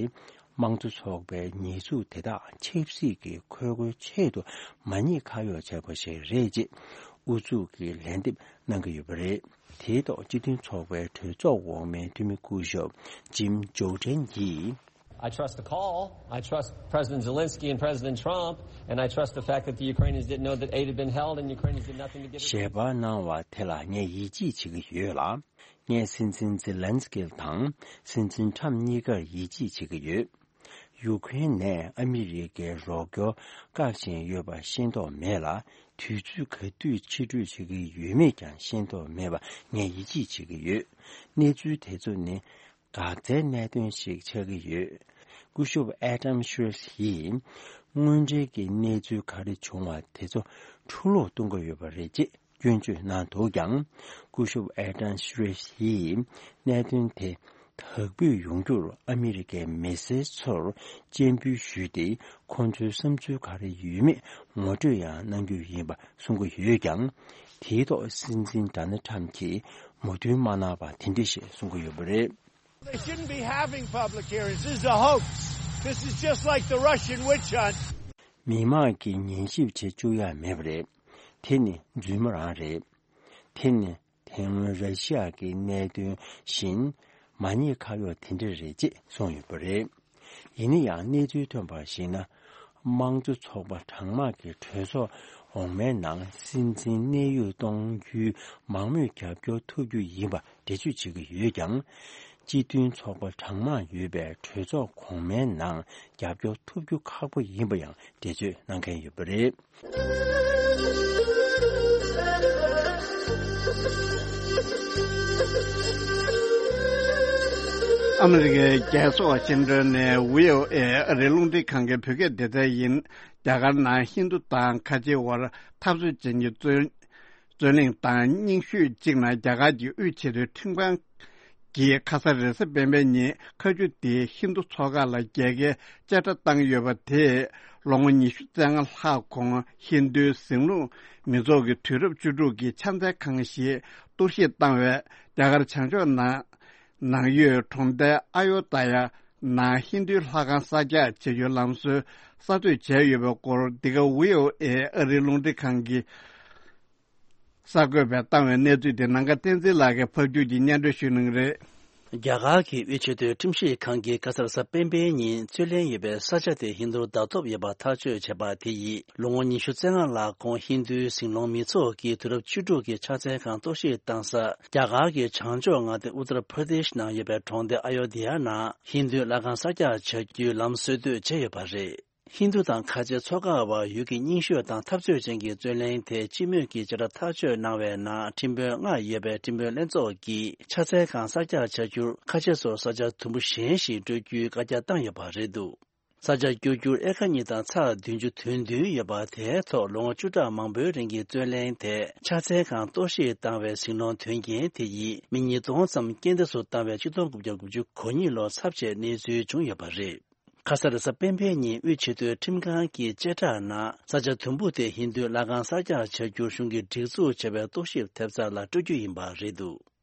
དམངས་གཙོ་ཚོགས་པའི་ཉེས་འཛུགས་དེ་དག་ཆབ་སྲིད་ཀྱི་ཁོལ་རྒོལ་ཆེད་དུ་མ་ཉེས་ཁ་གཡོགས་བྱས་པ་ཞིག་རེད་ཅེས་ཨུ་ཚུགས་ཀྱི་ལན་འདེབས་གནང་གི་ཡོད་པ་རེད། དེའི་ཐོག་སྤྱི་མཐུན་ཚོགས་པའི་གྲོས་ཚོགས་འོག་མའི་འཐུས་མི་སྐུ་ཞབས་ཇིམ་ཇོར་ཌན་གྱིས། I trust the call. I trust President Zelensky and President Trump, and I trust the fact that the Ukrainians didn't know that aid had been held and Ukrainians did nothing to give it. ཞལ་པར་གནང་བ་དེ་ལ་ངས་ཡིད་ཆེས་བྱེད་ཀྱི་ཡོད་ལ། ངས་སྲིད་འཛིན་ཛེ་ལན་སི་ཀི་དང་སྲིད་འཛིན་ཁྲམ་གཉིས་ཀར་ཡིད་ཆེས་བྱེད་ཀྱི་ཡོད། ཡུ་ཀེ་རེན་ནས་ཨ་མི་རི་ཀའི་རོགས་སྐྱོར་བཀག་བཞིན་ཡོད་པ་ཤེས་རྟོགས་མེད་ལ། དུས་ཚོད་ག་དུས་ཕྱིར་སྤྲོད་བྱེད་ཀྱི་ཡོད་མེད་ཀྱང་ཤེས་རྟོགས་མེད་པ་ངས་ཡིད་ཆེས་བྱེད་ཀྱི་ཡོད། གནས་ཚུལ་དེ་ཚོ་ནི་འགག་རྩའི་གནད་དོན་ཞིག་ཆགས་ཀྱི་ཡོད། སྐུ་ཞབས་ཨེ་ཌམ་ཤི་རེས་ཡིས་དངོས་འབྲེལ་གྱི་གནས་ཚུལ་ག་རེ་བྱུང་བ་དེ་ཚོ་འཁྲུ་སློག་གཏོང་གི་ཡོད་པ་རེད་ཅེས་སྐྱོན་བརྗོད་གནང་འདུག་ཀྱང་། སྐུ་ཞབས་ཨེ་ཌམ་ཤི་རེས་ཡིས་གནད་དོན་དེ་ དག་འབུད་ཡོང་རྒྱུར་ཨ་མི་རི་ཀའི་མི་སེར་ཚོར་སྤྱན་འབུལ་ཞུས་ཏེ། ཁོང་ཚོའི་བསམ་ཚུལ་ག་རེ་ཡོད་མེད་ངོ་སྤྲོད་ཡང་གནང་རྒྱུ་ཡིན་པ་གསུང་གི་ཡོད་ཀྱང་། དེའི་ཐོག་སྲིད་འཛིན་ཌོ་ནལ་ཊམ་གྱིས་མོས་མཐུན་མ་གནང་བ་དེ་འདྲ་ཞིག་གསུང་གི་ཡོད་པ་རེད། They shouldn't be having public hearings. This is a hoax. This is just like the Russian witch hunt. མི་མང་གིས་ཉན་ཞིབ་བྱེད་བཅུག་ཡ་མེད་པ་རེད། དེ་ནི་རྫུན་མ་རང་རེད། དེ་ནི་དེ་སྔོན་ར་ཤི་ཡ་གི་གནད་དོན་བཞིན་མ་ཉེས་ཁ་གཡོག་དེ་འདྲ་རེད་ཅེས་གསུངས་ཡོད་པ་རེད། ཡིན་ན་ཡང་གནས་ཚུལ་ཐོན་པར་གཞིགས་ན། དམངས་གཙོ་ཚོགས་པ་གྲངས་མང་གི་གྲོས་ཚོགས་འོག་མའི་ནང་སྲིད་འཛིན་གནས་དབྱུང་གཏོང་རྒྱུའི་མང་མོས་རྒྱབ་སྐྱོར་ཐོབ་རྒྱུ་ཡིན་པ་འགྲེལ་བརྗོད་བྱེད་ཀྱི་ཡོད་ཀྱང་། སྤྱི་མཐུན་ཚོགས་པ་གྲངས་མང་ཡོད་པའི་གྲོས་ཚོགས་གོང་མའི་ནང་རྒྱབ་སྐྱོར་ཐོབ་རྒྱུ་ཁག་པོ་ཡིན་པ་ཡང་འགྲེལ་བརྗོད་གནང་མཁན་ཡོད་པ་རེད། ཨ་མི་རི་ཀའི་རྒྱལ་ས་ཝ་ཤིང་ཏོན་ནས་བྷི་ཨོ་ཨེ་ཨ་རིའི་རླུང་འཕྲིན་ཁང་གི་བོད་སྐད་སྡེ་ཚན་ཡིན། རྒྱ་གར་ནང་ཧིན་རྡུ་དང་ཁ་ཆེའི་དབར་འཐབ་རྩོད་ཅན་གྱི་རྩོད་རྩོད་གླེང་དང་རྙིང་ཤོས་གཅིག་ནང་རྒྱ་གར་གྱི་དབུས་ཆེས་མཐོའི་ཁྲིམས་ཁང་གིས་ཁ་ས་རེས་གཟའ་སྤེན་པའི་ཉིན་ཁ་མཆུ་དེའི་ཧིན་རྡུ་ཚོགས་ཁག་ལ་རྒྱལ་ཁའི་བཅད་ཁྲ་བཏང་ཡོད་པ་དེས་ལོ་ངོ་ཉི་ཤུ་རྩ་ལྔ་ལྷག་གོང་ཧིན་རྡུའི་ཟིང་ལུགས་མི་ཚོགས་ཀྱི་དུས་རབས་བཅུ་དྲུག་གི་ཕྱག་འཚལ་ཁང་ཞིག་གཏོར་བཤིག་བཏང་བས། རྒྱ་གར་བྱང་ཕྱོགས་ནང་ནང་ཡོད་གྲོང་རྡལ་ཨ་ཡོ་དྷ་ཡ་ནང་ཧིན་རྡུའི་ལྷ་ཁང་གསར་རྒྱག་བྱ་རྒྱུའི་ལམ་སྲོལ་གསར་གཏོད་བྱས་ཡོད་པའི་སྐོར། འདི་ག་བྷི་ཨོ་ཨེ་ཨ་རིའི་རླུང་འཕྲིན་ཁང་གི་གསར་འགོད་པས་བཏང་བའི་གནས་ཚུལ་དེ་ནམ་མཁའ་བསྟན་འཛིན་ལགས་ཀྱིས་ཕབ་སྒྱུར་གྱིས་སྙན་སྒྲོན་ཞུ་གནང་གི་རེད། རྒྱ་གར་གྱི་དབུས་ཆེས་མཐོའི་ཁྲིམས་ཞིབ་ཁང་གིས་ཁ་སང་རེས་གཟའ་སྤེན་པའི་ཉིན་རྩོད་ལེན་ཡོད་པའི་ས་ཆ་དེ་ཧིན་རྡུར་བརྡ་ཐོབ་ཡོད་པ་ཐག་གཅོད་བྱས་པ་དེ་ཡིས། ལོ་ངོ་ཉི་ཤུ་རྩ་ལྔ་ལྷག་གོང་ཧིན་རྡུའི་ཟིང་སློང་མི་ཚོགས་ཀྱི་དུས་རབས་བཅུ་དྲུག་གི་ཕྱག་འཚལ་ཁང་གཏོར་བཤིག་བཏང་ས། རྒྱ་གར་གྱི་བྱང་ཕྱོགས་མངའ་སྡེ་ཨུ་ཏར་པར་དེཤ་ནང་ཡོད་པའི་གྲོང་སྡེ་ཨ་ཡོ་དྷི་ཡ་ནང་ཧིན་རྡུའི་ལྷ་ཁང་གསར་རྒྱག་བྱ་རྒྱུའི་ལམ་སྲོལ་གཏོད་བྱས་ཡོད་པ་རེད། ཧིན་རྡུ་དང་ཁ་ཆེ་ཚོགས་ཁག་དབར་ཡུལ་གྱི་རྙིང་ཤོས་དང་འཐབ་རྩོད་ཅན་གྱི་རྩོད་གླེང་དེ་སྤྱི་མོས་ཀྱིས་བྱེ་བྲག་ཐག་གཅོད་གནང་བའི་ནང་ཁྲིམས་དཔོན་ལྔ་ཡོད་པའི་ཁྲིམས་དཔོན་ལྷན་ཚོགས་ཀྱིས་ཕྱག་འཚལ་ཁང་གསར་རྒྱག་བྱ་རྒྱུར་ཁ་ཆེ་སོགས་ས་ཆ་དུམ་བུ་གཞན་ཞིག་སྤྲོད་རྒྱུའི་བཀའ་རྒྱ་བཏང་ཡོད་པ་རེད་འདུག་ས་ཆ་བསྒྱུར་རྒྱུར་ཨེ་ཀར་གཉིས་དང་ཚེག་བདུན་ཅུ་དོན་བདུན་ཡོད་པ་དེའི་ཐོག་ལོ་ངོ་བཅུ་ཕྲག་མང་པོའི་རིང་གི་རྩོད་གླེང་དེ་ཕྱག་འཚལ་ཁང་གཏོར་བཤིག་བཏང་བའི་ཟིང་སློང་དོན་རྐྱེན་དེ་ཡིས་མི་ཉིས་སྟོང་ཙམ་རྐྱེན་འདས་སུ་བཏང་བའི་ཆིག་སྟོང་དགུ་བརྒྱ་དགུ་བཅུ་གོ་གཉིས་ལོར་ཚབས་ཆེའི་གནས་ཚུལ་བྱུང་ཡོད་པ་རེད། ཁ་ས་རེས་གཟའ་སྤེན་པའི་ཉིན་དབུས་ཆེས་མཐོའི་ཁྲིམས་ཁང་གི་བཅད་ཁྲ་ནང་ས་ཆ་དུམ་བུ་དེ་ཧིན་རྡུའི་ལྷ་ཁང་གསར་རྒྱག་བྱ་རྒྱུར་གཞུང་གིས་སྒྲིག་འཛུགས་བྱས་པའི་རྟོག་ཞིབ་ཐེབས་རྩ་ལ་སྤྲོད་རྒྱུ་ཡིན་པ་རེད་འདུག་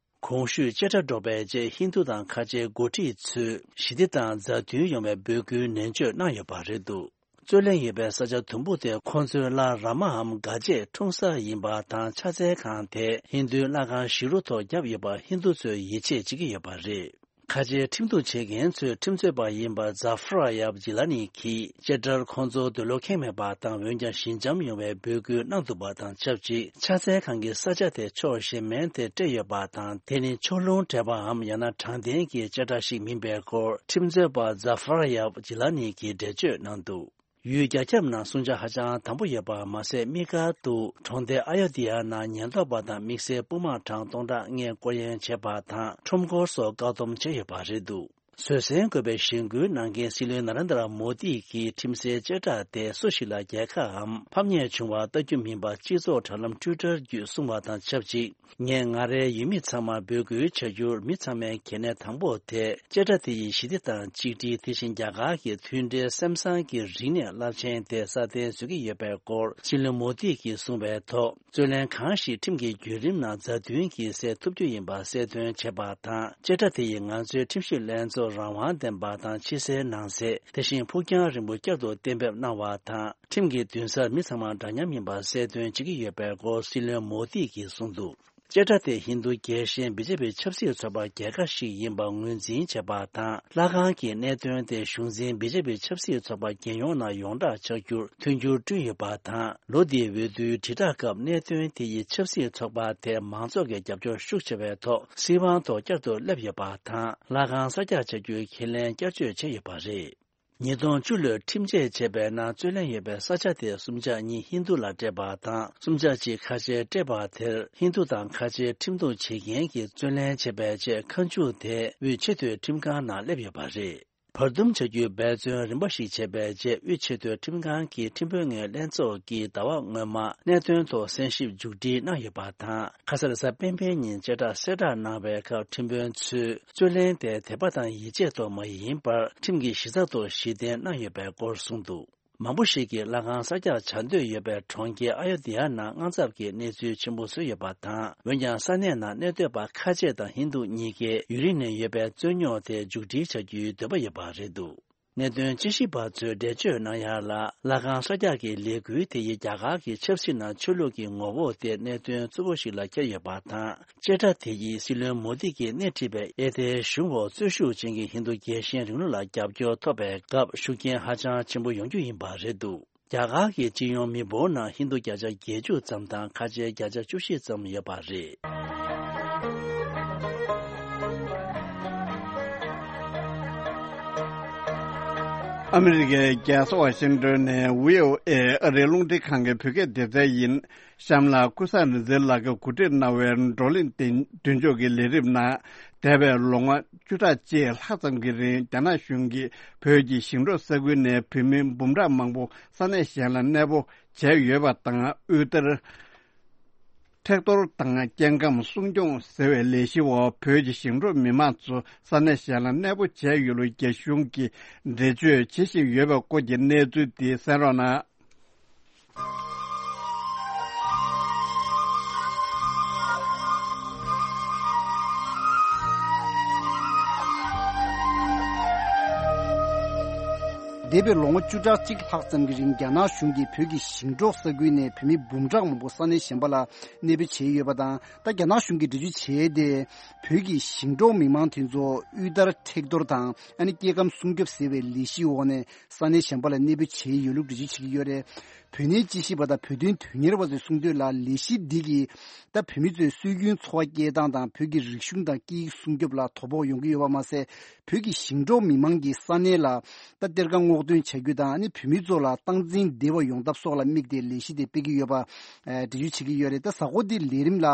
གོང་ཞུས་བཅད་ཁྲ་སྒྲོག་པའི་རྗེས་ཧིན་རྡུ་དང་ཁ་ཆེའི་འགོ་ཁྲིད་ཚོས་ཞི་བདེ་དང་མཛའ་མཐུན་ཡོང་བའི་འབོད་སྐུལ་ནན་བརྗོད་གནང་ཡོད་པ་རེད་འདུག་རྩོད་གླེང་ཡོད་པའི་ས་ཆ་དུམ་བུ་དེ་ཁོང་ཚོའི་ལྷ་ར་མའམ་གྷ་ཇའི་འཁྲུངས་ས་ཡིན་པ་དང་ཕྱག་འཚལ་ཁང་དེ་ཧིན་རྡུའི་ལྷ་ཁང་བཞི་རུ་ཐོག་བརྒྱབ་ཡོད་པ་ཧིན་རྡུ་ཚོས་ཡིད་ཆེས་བྱེད་ཀྱི་ཡོད་པ་རེད། ཁ་ཆེའི་ཁྲིམས་གཏུག་བྱེད་མཁན་ཚོའི་ཁྲིམས་རྩོད་པ་ཡིན་པ་ཛ་ཧྥ་ར་ཡབ་ཇི་ལ་ནི་གིས་བཅད་ཁྲར་ཁོང་ཚོར་འདོད་བློ་ཁེངས་མེད་པ་དང་འོན་ཀྱང་ཞི་འཇམ་ཡོང་བའི་འབོད་སྐུལ་གནང་འདུག་པ་དང་ཆབས་ཅིག་ཕྱག་འཚལ་ཁང་གི་ས་ཆ་དེ་ཕྱོགས་གཞན་མའི་དེར་སྤྲད་ཡོད་པ་དང་དེ་ནི་ཕྱོགས་ལྷུང་སྤྲད་པའམ་ཡང་ན་དྲང་བདེན་གྱི་བཅད་ཁྲ་ཞིག་མིན་པའི་སྐོར་ཁྲིམས་རྩོད་པ་ཛ་ཧྥ་ར་ཡབ་ཇི་ལ་ནི་གིས་འགྲེལ་བརྗོད་གནང་འདུག་ཡུལ་རྒྱ་ཁྱབ་ནང་སྲུང་བྱ་ཧ་ཅང་དམ་པོ་ཡོད་པ་མ་ཟད། དམིགས་བཀར་དུ་གྲོང་སྡེ་ཨ་ཡོ་དྷི་ཡ་ནང་ཉེན་རྟོག་པ་དང་དམིགས་བསལ་དཔུང་དམག་གྲངས་སྟོང་ཕྲག་ལྔས་སྐོར་གཡེང་བྱས་པ་དང་ཁྲོམ་སྐོར་སོགས་བཀག་སྡོམ་བྱས་ཡོད་པ་རེད་འདུག་བཟོད་བསྲན་དགོས་པའི་གཞེན་སྐུལ་གནང་མཁན་སྲིད་བློན་ན་རེན་དྲ་མོ་དི་གིས་ཁྲིམས་སའི་བཅད་ཁྲ་དེ་སུ་ཞིག་ལ་རྒྱལ་ཁའམ་ཕམ་ཉེས་བྱུང་བ་ལྟ་རྒྱུ་མིན་པ་སྤྱི་ཚོགས་དྲ་ལམ་ཊུའི་ཊར་བརྒྱུད་གསུངས་པ་དང་ཆབས་ཅིག་ངས་ང་རའི་ཡུལ་མི་ཚང་མར་འབོད་སྐུལ་བྱ་རྒྱུར་མི་ཚང་མའི་གལ་གནད་དང་པོ་དེ་བཅད་ཁྲ་དེ་ཡིས་ཞི་བདེ་དང་གཅིག་སྒྲིལ། དེ་བཞིན་རྒྱ་གར་གྱི་མཐུན་སྒྲིལ། སེམས་བཟང་གི་རིག་གནས་རླབས་ཆེན་དེ་སྲ་བརྟན་བཟོ་གི་ཡོད་པའི་སྐོར་སྲིད་བློན་མོ་དི་གིས་གསུངས་པའི་ཐོག་རྩོད་གླེང་གང་ཞིག་ཁྲིམས་ཀྱི་བརྒྱུད་རིམ་ནང་མཛའ་མཐུན་གྱིས་སེལ་ཐུབ་རྒྱུ་ཡིན་པ་གསལ་སྟོན་བྱས་པ་དང་། བཅད་ཁྲ་དེ་ཡིས་ང་ཚོའི་ཁྲིམས་ཞིབ་ལྷན་ཚོགས་རང་དབང་ལྡན་པ་དང་ཕྱི་གསལ་ནང་གསལ། དེ་བཞིན་ཕུགས་རྒྱང་རིང་པོ་བསྐྱར་དུ་གཏན་འབེབས་གནང་བ་དང་། ཁྲིམས་ཀྱི་འདུན་སར་མི་ཚང་མ་འདྲ་མཉམ་ཡིན་པ་གསལ་སྟོན་བྱེད་ཀྱི་ཡོད་པའི་སྐོར་སྲིད་བློན་མོ་དི་གིས་གསུངས་འདུག་བཅད་ཁྲ་དེ་ཧིན་རྡུ་རྒྱལ་ཞེན་བི་ཇེ་པི་ཆབ་སྲིད་ཚོགས་པ་རྒྱལ་ཁ་ཞིག་ཡིན་པ་ངོས་འཛིན་བྱས་པ་དང་། ལྷ་ཁང་གི་གནད་དོན་དེ་གཞུང་འཛིན་བི་ཇེ་པི་ཆབ་སྲིད་ཚོགས་པ་རྒྱལ་ཡོངས་ནང་ཡོངས་གྲགས་ཆགས་རྒྱུར་མཐུན་འགྱུར་བསྐྲུན་ཡོད་པ་དང་། ལོ་འདིའི་འོས་བསྡུའི་དྲིལ་བསྒྲགས་སྐབས་གནད་དོན་དེ་ཡིས་ཆབ་སྲིད་ཚོགས་པ་དེ་མང་ཚོགས་ཀྱི་རྒྱབ་སྐྱོར་ཤུགས་ཆེ་བའི་ཐོག་སྲིད་དབང་ཐོག་བསྐྱར་དུ་སླེབས་ཡོད་པ་དང་། ལྷ་ཁང་གསར་རྒྱག་བྱ་རྒྱུའི་ཁས་ལེན་བསྐྱར་བཅོས་བྱས་ཡོད་པ་རེད། ཉིས་སྟོང་བཅུ་ལོའི་ཁྲིམས་ཆད་བྱས་པའི་ནང་རྩོད་གླེང་ཡོད་པའི་ས་ཆ་དེ་གསུམ་ཆ་གཉིས་ཧིན་རྡུ་ལ་སྤྲད་པ་དང་། གསུམ་ཆ་གཅིག་ཁ་ཆེར་སྤྲད་པ་དེར་ཧིན་རྡུ་དང་ཁ་ཆེའི་ཁྲིམས་གཏུག་བྱེད་མཁན་གྱིས་རྩོད་ལེན་བྱས་པའི་རྗེས་ཁ་མཆུ་དེ་དབུས་ཆེས་མཐོའི་ཁྲིམས་ཁང་ནང་སླེབས་ཡོད་པ་རེད། བར་འདུམ་བྱ་རྒྱུའི་འབད་བརྩོན་རིམ་པ་ཞིག་བྱས་པའི་རྗེས། དབུས་ཆེས་མཐོའི་ཁྲིམས་ཁང་གི་ཁྲིམས་དཔོན་ངོས་ལྷན་ཚོགས་ཀྱིས་ཟླ་བ་སྔོན་མ་གནད་དོན་ཐོག་གསན་ཞིབ་མཇུག་སྒྲིལ་གནང་ཡོད་པ་དང་། ཁ་སང་རེས་གཟའ་སྤེན་པའི་ཉིན་བཅད་ཁྲ་གསལ་བསྒྲགས་གནང་བའི་སྐབས། ཁྲིམས་དཔོན་ཚོས་རྩོད་ལེན་དེ་དད་པ་དང་ཡིད་ཆེས་ཐོག་མ་ཡིན་པར། ཁྲིམས་ཀྱི་གཞི་རྩ་ཐོག་གཞི་རྟེན་གནང་ཡོད་པའི་སྐོར་གསུངས་འདུག་མང་པོ་ཞིག་གིས་ལྷ་ཁང་གསར་རྒྱག་བྱ་འདོད་ཡོད་པའི་གྲོང་ཁྱེར་ཨ་ཡོ་དི་ཡ་ནང་དངངས་འཚབ་ཀྱི་གནས་ཚུལ་ཆེན་པོ་བཟོས་ཡོད་པ་དང་། འོན་ཀྱང་ས་གནས་ནང་གནས་སྡོད་པ་ཁ་ཆེ་དང་ཧིན་རྡུ་གཉིས་ཀས་ཡུན་རིང་ནས་ཡོད་པའི་རྩོད་རྙོག་དེ་མཇུག་སྒྲིལ་བྱ་རྒྱུའི་འདོད་པ་ཡོད་པ་རེད་འདུག་གནད་དོན་དཔྱད་ཞིབ་པ་ཚོས་འགྲེལ་བརྗོད་གནང་ཡག་ལ། ལྷ་ཁང་གསར་རྒྱག་གི་ལས་འགུལ་དེ་ཡིས་རྒྱ་གར་གྱི་ཆབ་སྲིད་ནང་ཆོས་ལུགས་ཀྱི་ངོ་བོ་དེ་གནད་དོན་གཙོ་བོ་ཞིག་ལ་འཁྱེར་ཡོད་པ་དང་། བཅད་ཁྲ་དེ་ཡིས་སྲིད་བློན་མོ་དི་གིས་སྣེ་ཁྲིད་པའི་ཨེ་ཐའི་གཞུང་འོག་རྩོད་ཤུགས་ཅན་གྱི་ཧིན་རྡུ་རྒྱལ་ཞེན་རིང་ལུགས་ལ་རྒྱབ་སྐྱོར་ཐོབ་པའི་སྐབས་ཤུགས་རྐྱེན་ཧ་ཅང་ཆེན་པོ་ཡོང་རྒྱུ་ཡིན་པ་རེད་འདུག་རྒྱ་གར་གྱི་སྤྱི་ཡོངས་མི་འབོར་ནང་ཧིན་རྡུ་བརྒྱ་ཆ་བརྒྱད་ཅུ་ཙམ་དང་ཁ་ཆེ་བརྒྱ་ཆ་བཅུ་བཞི་ཙམ་ཡོད་པ་རེད། ཨ་མི་རི་ཀའི་རྒྱལ་ས་ཝ་ཤིང་ཏོན་ནས་བྷི་ཨོ་ཨེ་ཨ་རིའི་རླུང་འཕྲིན་ཁང་གི་བོད་སྐད་སྡེ་ཚན་ཡིན། གཤམ་ལ་ཀུན་བཟང་རིག་འཛིན་ལགས་ཀྱིས་གོ་སྒྲིག་གནང་བའི་བགྲོ་གླེང་དེ་མདུན་ལྕོག་གི་ལས་རིམ་ནང་། འདས་པའི་ལོ་ངོ་བཅུ་ཕྲག་གཅིག་ལྷག་ཙམ་གྱི་རིང་རྒྱ་ནག་གཞུང་གིས་བོད་ཀྱི་ཞིང་འབྲོག་ས་ཁུལ་ནས་བོད་མི་འབུམ་ཕྲག་མང་པོ་ས་གནས་གཞན་ལ་གནས་སྤོ་བྱས་ཡོད་པ་དང་། དབུལ་ཐར་མཁྲེགས་གཏོར་དང་སྐྱེ་ཁམས་སྲུང་སྐྱོང་ཟེར་བའི་ལས་གཞི་འོག་བོད་ཀྱི་ཞིང་འབྲོག་མི་མང་ཚོ་ས་གནས་གཞན་ལ་གནས་སྤོ་བྱས་ཡོད་ལུགས་རྒྱ་གཞུང་གིས་འགྲེལ་བརྗོད་བྱེད་བཞིན་ཡོད་པའི་སྐོར་གྱི་གནས་ཚུལ་དེ་གསན་རོགས་གནང་། འདས་པའི་ལོ་ངོ་བཅུ་ཕྲག་གཅིག་ལྷག་ཙམ་གྱི་རིང་རྒྱ་ནག་གཞུང་གིས་བོད་ཀྱི་ཞིང་འབྲོག་ས་ཁུལ་ནས་བོད་མི་འབུམ་ཕྲག་མང་པོ་ས་གནས་གཞན་པ་ལ་གནས་སྤོ་བྱས་ཡོད་པ་དང་། ད་རྒྱ་ནག་གཞུང་གིས་འགྲེལ་བརྗོད་བྱས་ཏེ། བོད་ཀྱི་ཞིང་འབྲོག་མི་མང་དེ་ཚོ་དབུལ་ཐར་མཁྲེགས་གཏོར་དང་། ཨ་ནི་སྐྱེ་ཁམས་སྲུང་སྐྱོབ་ཟེར་བའི་ལས་གཞིའི་འོག་ནས་ས་གནས་གཞན་པ་ལ་གནས་སྤོ་བྱས་ཡོད་ལུགས་འགྲེལ་བརྗོད་བྱེད་ཀྱི་ཡོད་རེད། བོད་གནས་དཔྱད་ཞིབ་པ་དང་བོད་དོན་དོན་གཉེར་བ་ཚོས་གསུངས་དོན་ལ། ལས་གཞི་འདི་གིས་ད་བོད་མི་ཚོའི་སྲོལ་རྒྱུན་འཚོ་བ་སྐྱེལ་སྟངས་དང་། བོད་ཀྱི་རིག་གཞུང་དང་སྐད་ཡིག་སྲུང་སྐྱོབ་ལ་དོ་ཕོག་ཡོང་གི་ཡོད་པ་མ་ཟད། བོད་ཀྱི་ཞིང་འབྲོག་མི་མང་གིས་ས་གནས་ལ་ད་གཏེར་ཁ་སྔོག་འདོན་བྱ་རྒྱུ་དང་། ཨ་ནི་བོད་མི་ཚོ་ལ་སྟངས་འཛིན་བདེ་བ་ཡོང་ཐབས་སོགས་ལ་དམིགས་ཏེ་ལས་གཞི་དེ་སྤེལ་གྱི་ཡོད་པ། ཨ། འགྲེལ་བརྗོད་བྱེད་ཀྱི་ཡོད་རེད། ད་གཟའ་འཁོར་འདིའི་ལས་རིམ་ལ།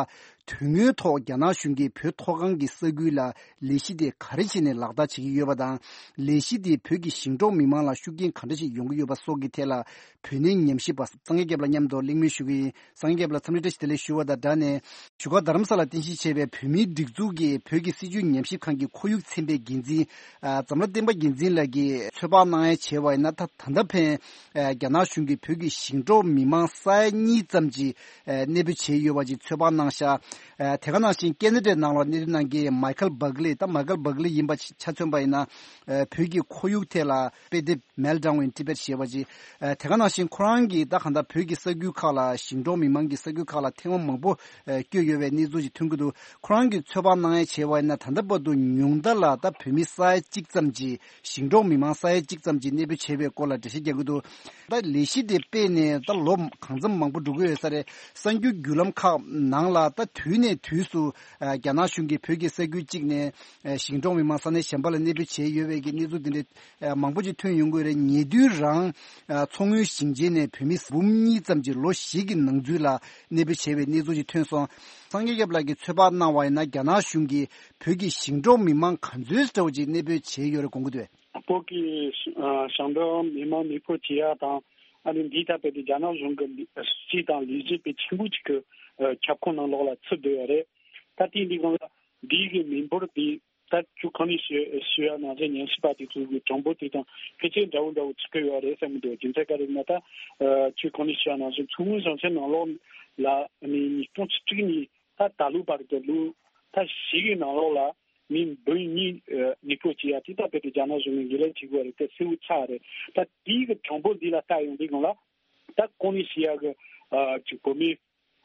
དོན་དངོས་ཐོག་རྒྱ་ནག་གཞུང་གིས་བོད་མཐོ་སྒང་གི་ས་ཁུལ་ལ་ལས་གཞི་དེ་ག་རེ་བྱས་ནས་ལག་བསྟར་བྱེད་ཀྱི་ཡོད་པ་དང་། ལས་གཞི་དེས་བོད་ཀྱི་ཞིང་འབྲོག་མི་མང་ལ་ཤུགས་རྐྱེན་ག་འདྲ་ཞིག་ཡོང་གི་ཡོད་པ་སོགས་ཀྱི་ཐད་ལ། བོད་གནས་ཉམས་ཞིབ་པ་སངས་རྒྱས་སྐྱབས་ལགས་མཉམ་དུ་གླེང་མོལ་ཞུ་གི་ཡིན། སངས་རྒྱས་སྐྱབས་ལགས། འཚམས་འདྲི་བཀྲ་ཤིས་བདེ་ལེགས་ཞུ་བ་དང་སྦྲགས་ནས། བཞུགས་སྒར་རྡ་རམ་ས་ལར་རྟེན་གཞི་བྱས་པའི་བོད་མིའི་སྒྲིག་འཛུགས་ཀྱི་བོད་ཀྱི་སྲིད་བྱུས་ཉམས་ཞིབ་ཁང་གི་ཁོར་ཡུག་ཚན་པའི་འགན་འཛིན། ཨ། འཛམ་ར་བསྟན་པ་རྒྱལ་མཚན་ལགས་ཀྱིས་ཚོད་དཔག་གནང་ཡ་བྱས་པ་ཡིན་ན། ད་ད་ལྟ་ཕན། ཨ། རྒྱ་ནག་གཞུང་གིས་བོད་ཀྱི་ཞིང་འབྲོག་མི་མང་ས་ཡ་གཉིས་ཙམ་གྱི། ཨ། གནས་སྤོ་བྱས་ཡོད་པ་ཅིག་ཚོད་དཔག་གནང་ཤག་ཨ། དེ་ག་ནང་བཞིན་ཁེ་ན་ཌའི་ནང་ལ་གནས་སྡོད་གནང་མཁན་མའི་ཁལ་བྷག་ལི། ད་མའི་ཁལ་བྷག་ལི་ཡིན་པ་ཆ་མཚོན་པ་ཡིན་ན། ཨ། བོད་ཀྱི་ཁོར་ཡུག་ཐད་ལ་དཔེ་དེབ། Meltdown in Tibet ཞེས་པ་ཅིག་ཨ། དེ་ག་ནང་བཞིན་ཁོ་རང་གིས་ད་གང་ལྟར་བོད་ཀྱི་ས་ཁུལ་ཁག་ལ། ཞིང་འབྲོག་མི་མང་གི་ས་ཁུལ་ཁག་ལ་ཐེངས་མ་མང་པོ། ཨ། བསྐྱོད་ཡོད་པའི་གནས་ཚུལ་ཞིག་ཐོན་གྱི་འདུག་ཁོ་རང་གིས་ཚོད་དཔག་གནང་ཡ་བྱས་པ་ཡིན་ན། ད་ལྟ་བར་དུ་ཉུང་མཐའ་ལ་ད་བོད་མི་ས་ཡ་གཅིག་ཙམ་གྱིས། ཞིང་འབྲོག་མི་མང་ས་ཡ་གཅིག་ཙམ་གྱིས་གནས་སྤོ་བྱས་པའི་སྐོར་ལ་འགྲེལ་བཤད་རྒྱག་གི་འདུག་ད་ལས་གཞི་དེ་སྤེལ་ནས་ད་ལོ་གང་འཚམ་མང་པོ་འགྲོ་གི་ཡོད་ས་རེད། གསར་འགྱུར་བརྒྱུད་ལམ་ཁག་ནང་ལ་ད་དུས་ནས་དུས་སུ། ཨ། རྒྱ་ནག་གཞུང་གིས་བོད་ཀྱི་ས་ཁུལ་གཅིག་ནས། ཨ། ཞིང་འབྲོག་མི་མང་ས་གནས་གཞན་པ་ལ་གནས་སྤོ་བྱས་ཡོད་པའི་གི་གནས་ཚུལ་དེ་འདྲ། ཨ། མང་པོ་ཅིག་ཐོན་ཡོང་གི་རེད། ཉེ་དུས་རང་། ཨ། མཚོ་སྔོན་ཞིང་ཆེན་ནས་བོད་མི་འབུམ་གཉིས་ཙམ་གྱིས་ལོ་བཞི་གི་ནང་ཚུད་ལ་གནས་སྤོ་བྱས་པའི་གནས་ཚུལ་ཅིག་ཐོན་སོང་། སངས་རྒྱས་སྐྱབས་ལགས་ཀྱིས་ཚོད་དཔག་གནང་བ་ཡིན་ན། རྒྱ་ནག་གཞུང་གིས་བོད་ཀྱི་ཞིང་འབྲོག་མི་མང་ག་ཚོད་འདྲ་བོ་ཅིག་གནས་སྤོ་བྱས་ཡོད་རེད་དགོངས་ཀྱི་འདུག་བོད་ཀྱི་ཞིང་འབྲོག་མི་མང་གནས་སྤོ་བྱེད་ཡ་དང་། ཨ་ནི་འདི་ལྟ་བུའི་རྒྱ་ནག་གཞུང་གི་སྲིད་དང་ལས་བྱེད་པའི་ཆེན་པོ་ཅིག་གི་ཁྱབ་ཁོངས་ནང་ལོགས་ལ་ཚུད་བསྡད་ཡོད་རེད། ད་ལྟའི་འདི་སྒང་ལ་འདི་གི་མི་འབོར་འདི་ད་ཅུ་གོང་ནས་ཞུ་ཞུ་ཡ་ནང་བཞིན། ཉམས་ཞིབ་པ་དེ་ཚོ་གི་གྲངས་འབོར་དེ་དང་ཕལ་ཆེར་འདྲ་བོ་འདྲ་བོ་ཚུད་ཀྱི་ཡོད་རེད་བསམ་གྱི་འདུག་རྒྱུ་མཚན་ག་རེ་ཡིན་ན། ད་ཅུ་གོང་ནས་ཞུ་ཡ་ནང་བཞིན་མཚོ་སྔོན་ཞིང་ཆེན་ནང་ལོགས་ལ་ཨ་ནི་ཉིས་སྟོང་བཅུ་དྲུག་ནས་ད་ད་ལོ་བར་དུ་ལོ་ད་བཞི་གི་ནང་ལོགས་ལ། མི་འབུམ་གཉིས་ཨ་གནས་སྤོ་བྱེད་ཡ་དེ་ད་དཔེ་དེ་རྒྱ་ནག་གཞུང་གིས་ངོས་ལེན་བྱེད་དགོས་རེད། དེ་གསལ་བོ་ཆགས་རེད། ད་དེའི་གི་གྲངས་འབོར་འདི་ལ་ལྟ་ཡོང་དུས་སྒང་ལ། ད་གོང་ནས་བཤད་ཡ་གི་ཨ་ཅིག་བོད་མི་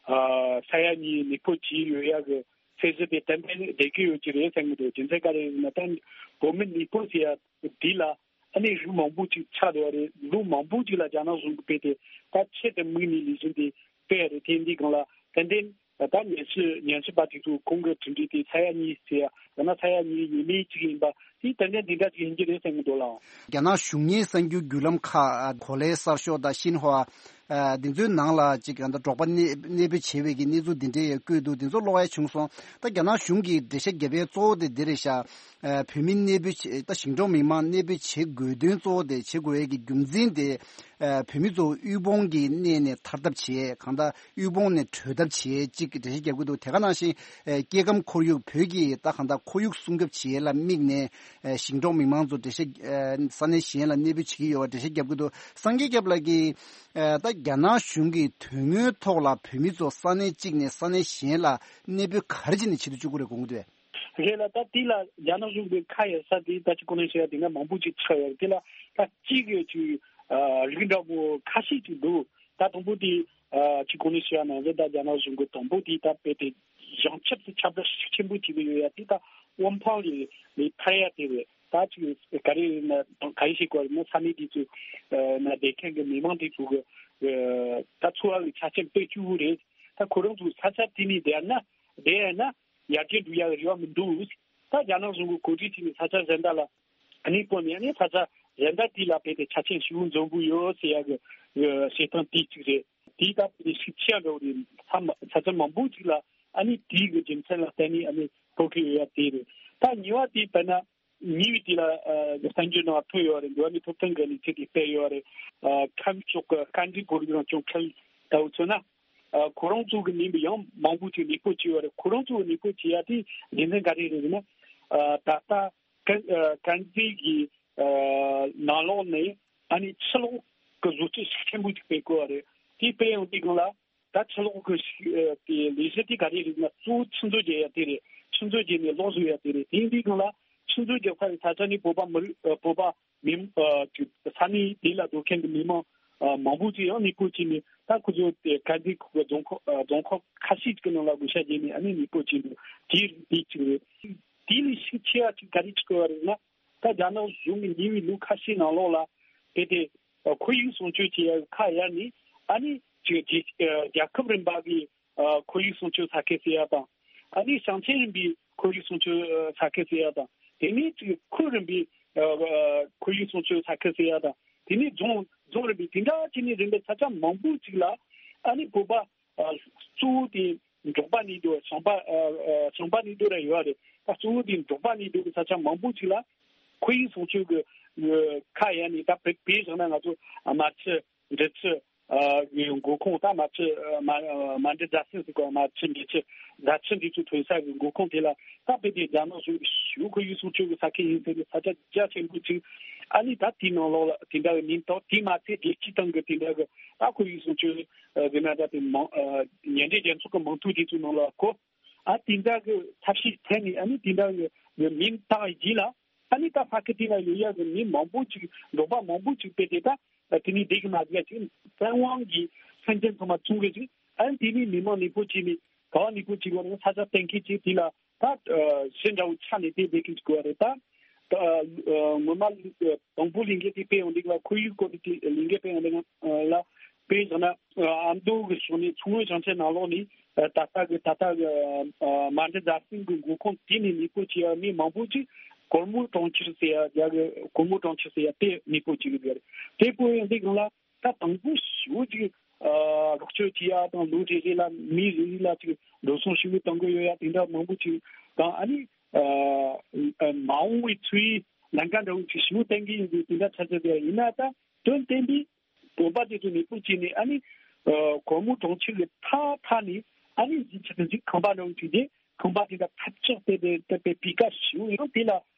ཨ་ས་ཡ་གཉིས་གནས་སྤོ་བྱས་ཡོད་ཡ་གི་ཚད་གཞི་དེ་ཏན་ཏན་བསྡད་ཀྱི་ཡོད་ཀྱི་རེད་བསམ་གྱི་འདུག་རྒྱུ་མཚན་ག་རེ་ཡིན་ན། ད་བོད་མི་གནས་སྤོ་བྱེད་ཡ་འདི་ལ་ཨ་ནི་རིགས་མང་པོ་ཅིག་ཆགས་བསྡད་པ་རེད། ལོ་མང་པོ་ཅིག་ལ་རྒྱ་ནག་གཞུང་གིས་དཔེ་དེ་ད་ཆེད་དུ་དམིགས་ནས་ལས་གཞི་འདི་སྤེལ་ཡ་རེད། དེ་འདི་སྒང་ལ་ཏན་ཏན། ད་ཉམས་ཞིབ་ཉམས་ཞིབ་པ་དེ་ཚོ་ཁོང་གི་གྲུབ་འབྲས་དེ་ས་ཡ་གཉིས་ཟེར་ཡ། ཡང་ན་ས་ཡ་གཉིས་ཡས་མས་གཅིག་ཡིན་པ་དེ་ཏན་ཏན་འདི་འདྲ་ཅིག་ཡིན་གྱི་རེད་བསམ་གྱི་འདུག་ལགས། རྒྱ་ནག་གཞུང་གཉེར་གསར་འགྱུར་བརྒྱུད་ལམ་ཁག་གོ་ལའི་གསར་ཤོག་དང་ཤིན་ཧྭ། ཨ་འདི་ཚོའི་ནང་ལ་ཅིག་ད་འབྲོག་པ་གནས་གནས་སྤོས་བྱས་པའི་གི་གནས་ཚུལ་འདི་འདྲའི་བཀོད་འདུག་འདི་ཚོ་ཀློག་ཡ་བྱུང་སོང་། ད་རྒྱ་ནག་གཞུང་གིས་འགྲེལ་བཤད་རྒྱབ་ཡའི་གཙོ་བོ་དེ་འདི་རེད་ཤག་ཨ་བོད་མི་གནས་སྤོས་བྱས་ད་ཞིང་འབྲོག་མི་མང་གནས་སྤོས་བྱེད་དགོས་དོན་གཙོ་བོ་དེ་བྱེད་དགོས་ཡའི་གི་རྒྱུ་མཚན་དེ། ཨ་བོད་མི་ཚོ་དབུལ་ཕོངས་ཀྱི་གནས་ནས་ཐར་ཐབས་བྱེད་གང་ལྟར་དབུལ་ཕོངས་ནས་གྲོལ་ཐབས་བྱེད་ཅིག་འགྲེལ་བཤད་རྒྱབ་ཀྱི་འདུག་དེ་ག་ནང་བཞིན་ཨ་སྐྱེ་ཁམས་ཁོར་ཡུག་བོད་ཀྱི་ད་གང་ལྟར་ཁོར་ཡུག་སྲུང་སྐྱོབ་བྱེད་ཡས་ལ་དམིགས་ནས་ཨ་ཞིང་འབྲོག་མི་མང་ཚོ་འགྲེལ་བཤད་ཨ་ས་གནས་གཞན་ལ་གནས་སྤོས་བྱེད་ཀྱི་ཡོད་པ་འགྲེལ་བཤད་རྒྱབ་ཀྱི་འདུག་སངས་རྒྱས་སྐྱབས་ལགས་ཀྱིས་ཨ་ད་རྒྱ་ནག་གཞུང་གིས་དོན་དངོས་ཐོག་ལ་བོད་མི་ཚོ་ས་གནས་གཅིག་ནས་ས་གནས་གཞན་ལ་གནས་སྤོས་ག་རེ་བྱས་ནས་བྱེད་དུ་བཅུག་གི་རེད་དགོངས་ཀྱི་འདུག་རེད་ལ། ད་དེ་ལ་རྒྱ་ནག་གཞུང་གི་ཁ་ཡ་ས་དེ་ད་ཅི་གོ་ནས་བཤད་ཡ་དེ་ན་མང་པོ་ཅིག་ཆགས་ཡོད་རེད། དེ་ལ་ད་གཅིག་གི་ཅིག་ཨ་རིགས་འདྲ་པོ་ཁ་ཤས་ཅིག་འདུག་ད་དང་པོ་དེ་ཨ་ཅི་གོ་ནས་བཤད་ཡ་ན་རེད། ད་རྒྱ་ནག་གཞུང་གི་དང་པོ་དེ་ད་དཔེ་དེ་བྱང་ཆུབ་སུ་ཁྱབ་བསྒྲགས་ཤུགས་ཆེན་པོ་བྱེད་ཀྱི་ཡོད་ཡ་དེ་ད་དབུ་འཕང་ལས་ལས་ཐར་ཡ་དེ་རེད། ད་ཅིག་ག་རེ་ཡིན་ན་ག་རེ་ཞིག་གོ་རེད་ན་ས་གནས་དེ་ཚོ་ན་བསྡད་མཁན་གྱི་མི་མང་དེ་ཚོ་གི་ད་འཚོ་བ་གི་ཆ་རྐྱེན་དཔེ་སྐྱིད་པོ་རེད། ད་ཁོ་རང་ཚོ་ས་ཆ་དེ་ནས་བསྡད་ན་བསྡད་ཡ་ན། ཡར་རྒྱས་འགྲོ་ཡག་རེ་བ་མི་འདུག་ད་རྒྱ་ནག་གཞུང་གི་གོ་སྒྲིག་བྱས་ནས་ས་ཆ་གཞན་དག་ལ་གནས་སྤོས་ནས་ནས་ས་ཆ་གཞན་དག་དེ་ལ་བལྟས་ཏེ་ཆ་རྐྱེན་ཞེ་པོ་འཛོམས་པོ་ཡོད་ཟེར་ཡག་གི་བཤད་སྟངས་དེ་གཅིག་རེད། དེའི་སྟབས་ཀྱིས་ཤུགས་ཆེ་འགྲོ་རེད། ས་མ་ས་ཆ་མང་པོ་ཅིག་ལ་ཨ་ནི་དེའི་གི་རྒྱུ་མཚན་ལ་བརྟེན་ནས་ཨ་ནི་སྤོ་གི་ཡོད་ཡ་དེ་རེད། ད་གཉིས་པ་དེ་དཔེར་ན་གཉིས་པའི་དེ་ལ་གསར་འགྱུར་ནང་ཐོན་ཡོད་རེད། འགྲོ་བ་མིའི་ཐོབ་ཐང་གི་གནས་ཚུལ་དེ་སྤེལ་ཡོད་རེད། ཁམས་ཕྱོགས་ཀྱི་བཀའ་འདྲི་གོ་སྒྲིག་རང་སྐྱོང་ཁུལ་ལྟ་བུ་མཚོན་ན། ཨ་ཁོ་རང་ཚོ་གི་མིང་དུ་ཡང་མང་པོ་ཅིག་གནས་སྤོས་བྱས་ཡོད་རེད། ཁོ་རང་ཚོ་གི་གནས་སྤོས་བྱས་ཡ་དེ་རྒྱུ་མཚན་ག་རེ་རེད་ཟེར་ན། ཨ་ད་ལྟ་དཀར་ཨ་དཀར་མཛེས་ཀྱི་ཨ་ནང་ལོགས་ནས་ཨ་ནི་ཕྱི་ལོགས་ཀྱི་བཟོ་བཅོས་ཤུགས་ཆེན་པོ་ཅིག་སྤེལ་དགོས་པ་རེད། དེ་སྤེལ་ཡོང་དུས་སྒང་ལ་ད་ཕྱི་ལོགས་ཀྱི་ཤུགས་ཨ་དེ་ལས་གཞི་དེ་ག་རེ་རེད་ན་གཙོ་བོ་ཆུ་མཛོད་བརྒྱབ་ཡ་དེ་རེད། ཆུ་མཛོད་བརྒྱབ་ནས་གློག་བཟོ་ཡ་དེ་རེད། དེ་ཡིན་དུས་སྒང་ལ་ཆུ་མཛོད་རྒྱབ་ས་རེད། ས་ཆ་ནི་བོད་པ་མི་རིགས་ཨ་བོད་པ་མི་ཨ་ཅིག་ས་གནས་དེ་ལ་སྡོད་མཁན་གྱི་མི་མང་ཨ་མང་པོ་ཅིག་ཡང་གནས་སྤོས་བྱས་ནས་ད་ཁོ་ཚོ་དེ་དཀར་མཛེས་ཁུལ་གྱི་རྫོང་ཁག་ཨ་རྫོང་ཁག་ཁ་ཤས་ཅིག་གི་ནང་ལ་བགོ་བཤའ་བརྒྱབ་ནས་ཨ་ནི་གནས་སྤོས་བྱས་འདུག་དེ་དེ་གཅིག་རེད། དེ་ལས་ཤུགས་ཆེ་བ་ཅིག་ག་རེ་ཅིག་དགོས་པ་རེད་ན། ད་རྒྱ་ནག་གཞུང་གིས་ཉེ་བའི་ལོ་ཁ་ཤས་ནང་ལོགས་ལ་དེ་དེ་ཁོར་ཡུག་སྲུང་སྐྱོབ་བྱེད་ཡ་ཁ་གཡར་ནས་ཨ་ནི་ཅིག་རྒྱལ་རྒྱལ་ཁབ་རིམ་པ་གི་ཨ་ཁོར་ཡུག་སྲུང་སྐྱོབ་ས་ཁུལ་ཟེར་ཡ་དང་། ཨ་ནི་ཞིང་ཆེན་རིམ་པའི་ཁོར་ཡུག་སྲུང་སྐྱོབ་ས་ཁུལ་ཟེར་ཡ་དང་། དེ་ནས་ཅིག་ཁུལ་རིམ་པའི་ཨ་ཁོར་ཡུག་སྲུང་སྐྱོབ་ས་ཁུལ་ཟེར་ཡ་དང་། དེ་ནས་རྫོང་རྫོང་རིམ་པའི་དེ་འདྲ་བྱས་ནས་རིམ་པའི་ས་ཆ་མང་པོ་ཅིག་ལ་ཨ་ནི་བོད་པ་ཨ་གཙོ་བོ་དེ་འབྲོག་པ་གནས་སྡོད་ཞིང་པ་ཨ་ཨ་ཞིང་པ་གནས་སྡོད་ར་ཡོད་རེད། ད་གཙོ་བོ་དེ་འབྲོག་པ་གནས་སྡོད་ཀྱི་ས་ཆ་མང་པོ་ཅིག་ལ་ཁོར་ཡུག་སྲུང་སྐྱོབ་ཀྱི་ཨ་ཁ་གཡར་ནས་ད་བོད་བོད་བཞག་ན་ང་ཚོ་རྨ་ཆུ། འབྲི་ཆུ། ཨ་གི་མགོ་ཁུངས་ད་རྨ་ཆུ་ཨ་རྨ་ཨ་རྨ་འབྲི་རྫ་ཆུ་ཟེར་གོ་རྨ་ཆུ་འབྲི་ཆུ་རྫ་ཆུ་འདི་ཚོ་ཐོན་ས་གི་མགོ་ཁུངས་དེ་ལ་ད་དཔེ་དེ་རྒྱ་ནག་གཞུང་གི་ཞུ་ཁོར་ཡུག་སྲུང་སྐྱོབ་ཀྱི་ས་ཁུལ་ཡིན་ཟེར་ནས་ས་ཆ་རྒྱ་ཆེན་པོ་ཅིག་ཨ་ནི་ད་དེའི་ནང་ལོགས་ལ་དེ་འདྲ་གི་མིང་ཐོགས་དེ་མ་ཚད་རྒྱལ་སྤྱིའི་སྟེང་གི་དེ་འདྲ་གི་ད་ཁོར་ཡུག་སྲུང་སྐྱོབ་ཨ་གི་ན་ད་དེ་མང་ཨ་ཉེ་འབྲེལ་རྒྱལ་ཚོགས་ཀྱི་མིང་ཐོ་དེ་ཚོའི་ནང་ལ་གོ་ཨ་དེ་འདྲ་གི་ཐབས་ཤེས་བྱས་ནས་ཨ་ནི་དེ་འདྲ་གི་མིང་བཏགས་རྗེས་ལ། ཨ་ནི་ད་ས་ཁུལ་དེ་ལ་ཡོད་ཡག་གི་མི་མང་པོ་ཅིག་འབྲོག་པ་མང་པོ་ཅིག་དཔེ་དེ་ད་དེ་ནི་བསྡད་གི་མ་བསྡད་ཅིག་བཙན་དབང་གིས་སེམས་ཅན་ཚང་མ་བཙོང་གི་ཅིག་ཨ་ནི་དེ་ནི་མི་མང་གནས་སྤོ་བྱས་ནས་ག་བ་གནས་སྤོ་བྱེད་དགོས་རེད་ས་ཆ་གཏན་འཁེལ་ཅིག་དེ་ལ་ད་ཞི་འདྲ་བོ་ཆ་ནས་དེ་བསྡད་གི་ཅིག་དགོས་རེད་ད། ད་ངོ་མ་དང་པོ་ལས་འགུལ་དེ་སྤེལ་ཡོང་དུས་ལ་ཁོར་ཡུག་སྐོར་དེ་ལས་འགུལ་སྤེལ་ཡོང་དུས་ལ་དཔེ་བཞག་ན། ཨ་མདོ་གི་ཕྱོགས་ནས་མཚོ་སྔོན་ཞིང་ཆེན་ནང་ལོགས་ནས་ད་ལྟ་གི་ད་ལྟ་གི་རྨ་འབྲི་རྫ་ཆུ་གི་མགོ་ཁུངས་དེ་ནས་གནས་སྤོ་བྱས་པ་མི་མང་པོ་ཅིག་གོར་མོ་གྲོང་ཁྱེར་ཟེར་ཡ་རྒྱ་གི་གོར་མོ་གྲོང་ཁྱེར་ཟེར་ཡ་དེ་གནས་སྤོ་བྱས་ཡོད་རེད། དེ་སྤོ་ཡོང་དུས་སྒང་ལ་ད་དང་པོ་ཞེ་པོ་ཅིག་རོགས་སྐྱོར་བྱེད་ཡ་དང་ལོ་རེ་རེ་ལ་མི་རེ་རེ་ལ་ཅིག་འགྲོ་སོང་ཞེ་པོ་གཏོང་གི་ཡོད་ཡ་དེ་འདྲ་མང་པོ་ཅིག་དང་ཨ་ནི་མ་འོངས་པའི་འཚོ་བའི་ལམ་ཁ་འདྲ་བོ་ཅིག་ཞེ་པོ་བསྟན་གི་ཡོད་པའི་དེ་འདྲ་ཆ་ཚང་དེ་ཡིན་ན་ད་དོན་བསྟན་པའི། བོད་པ་དེ་ཚོ་གནས་སྤོ་བྱས་ནས་ཨ་ནི་ཨ་གོར་མོ་གྲོང་ཁྱེར་གྱི་མཐའ་མཐའ་ནས་ཨ་ནི་གཞིས་ཆགས་གཞིས་ཁང་པ་འདྲ་བོ་བྱས་ཏེ་ཁང་པ་དེ་འདྲ་ཐབས་ཆག་དེ་དེ་དེ་དེ་སྤུས་ཀ་ཞེ་པོ་ཡང་དེ་ལ་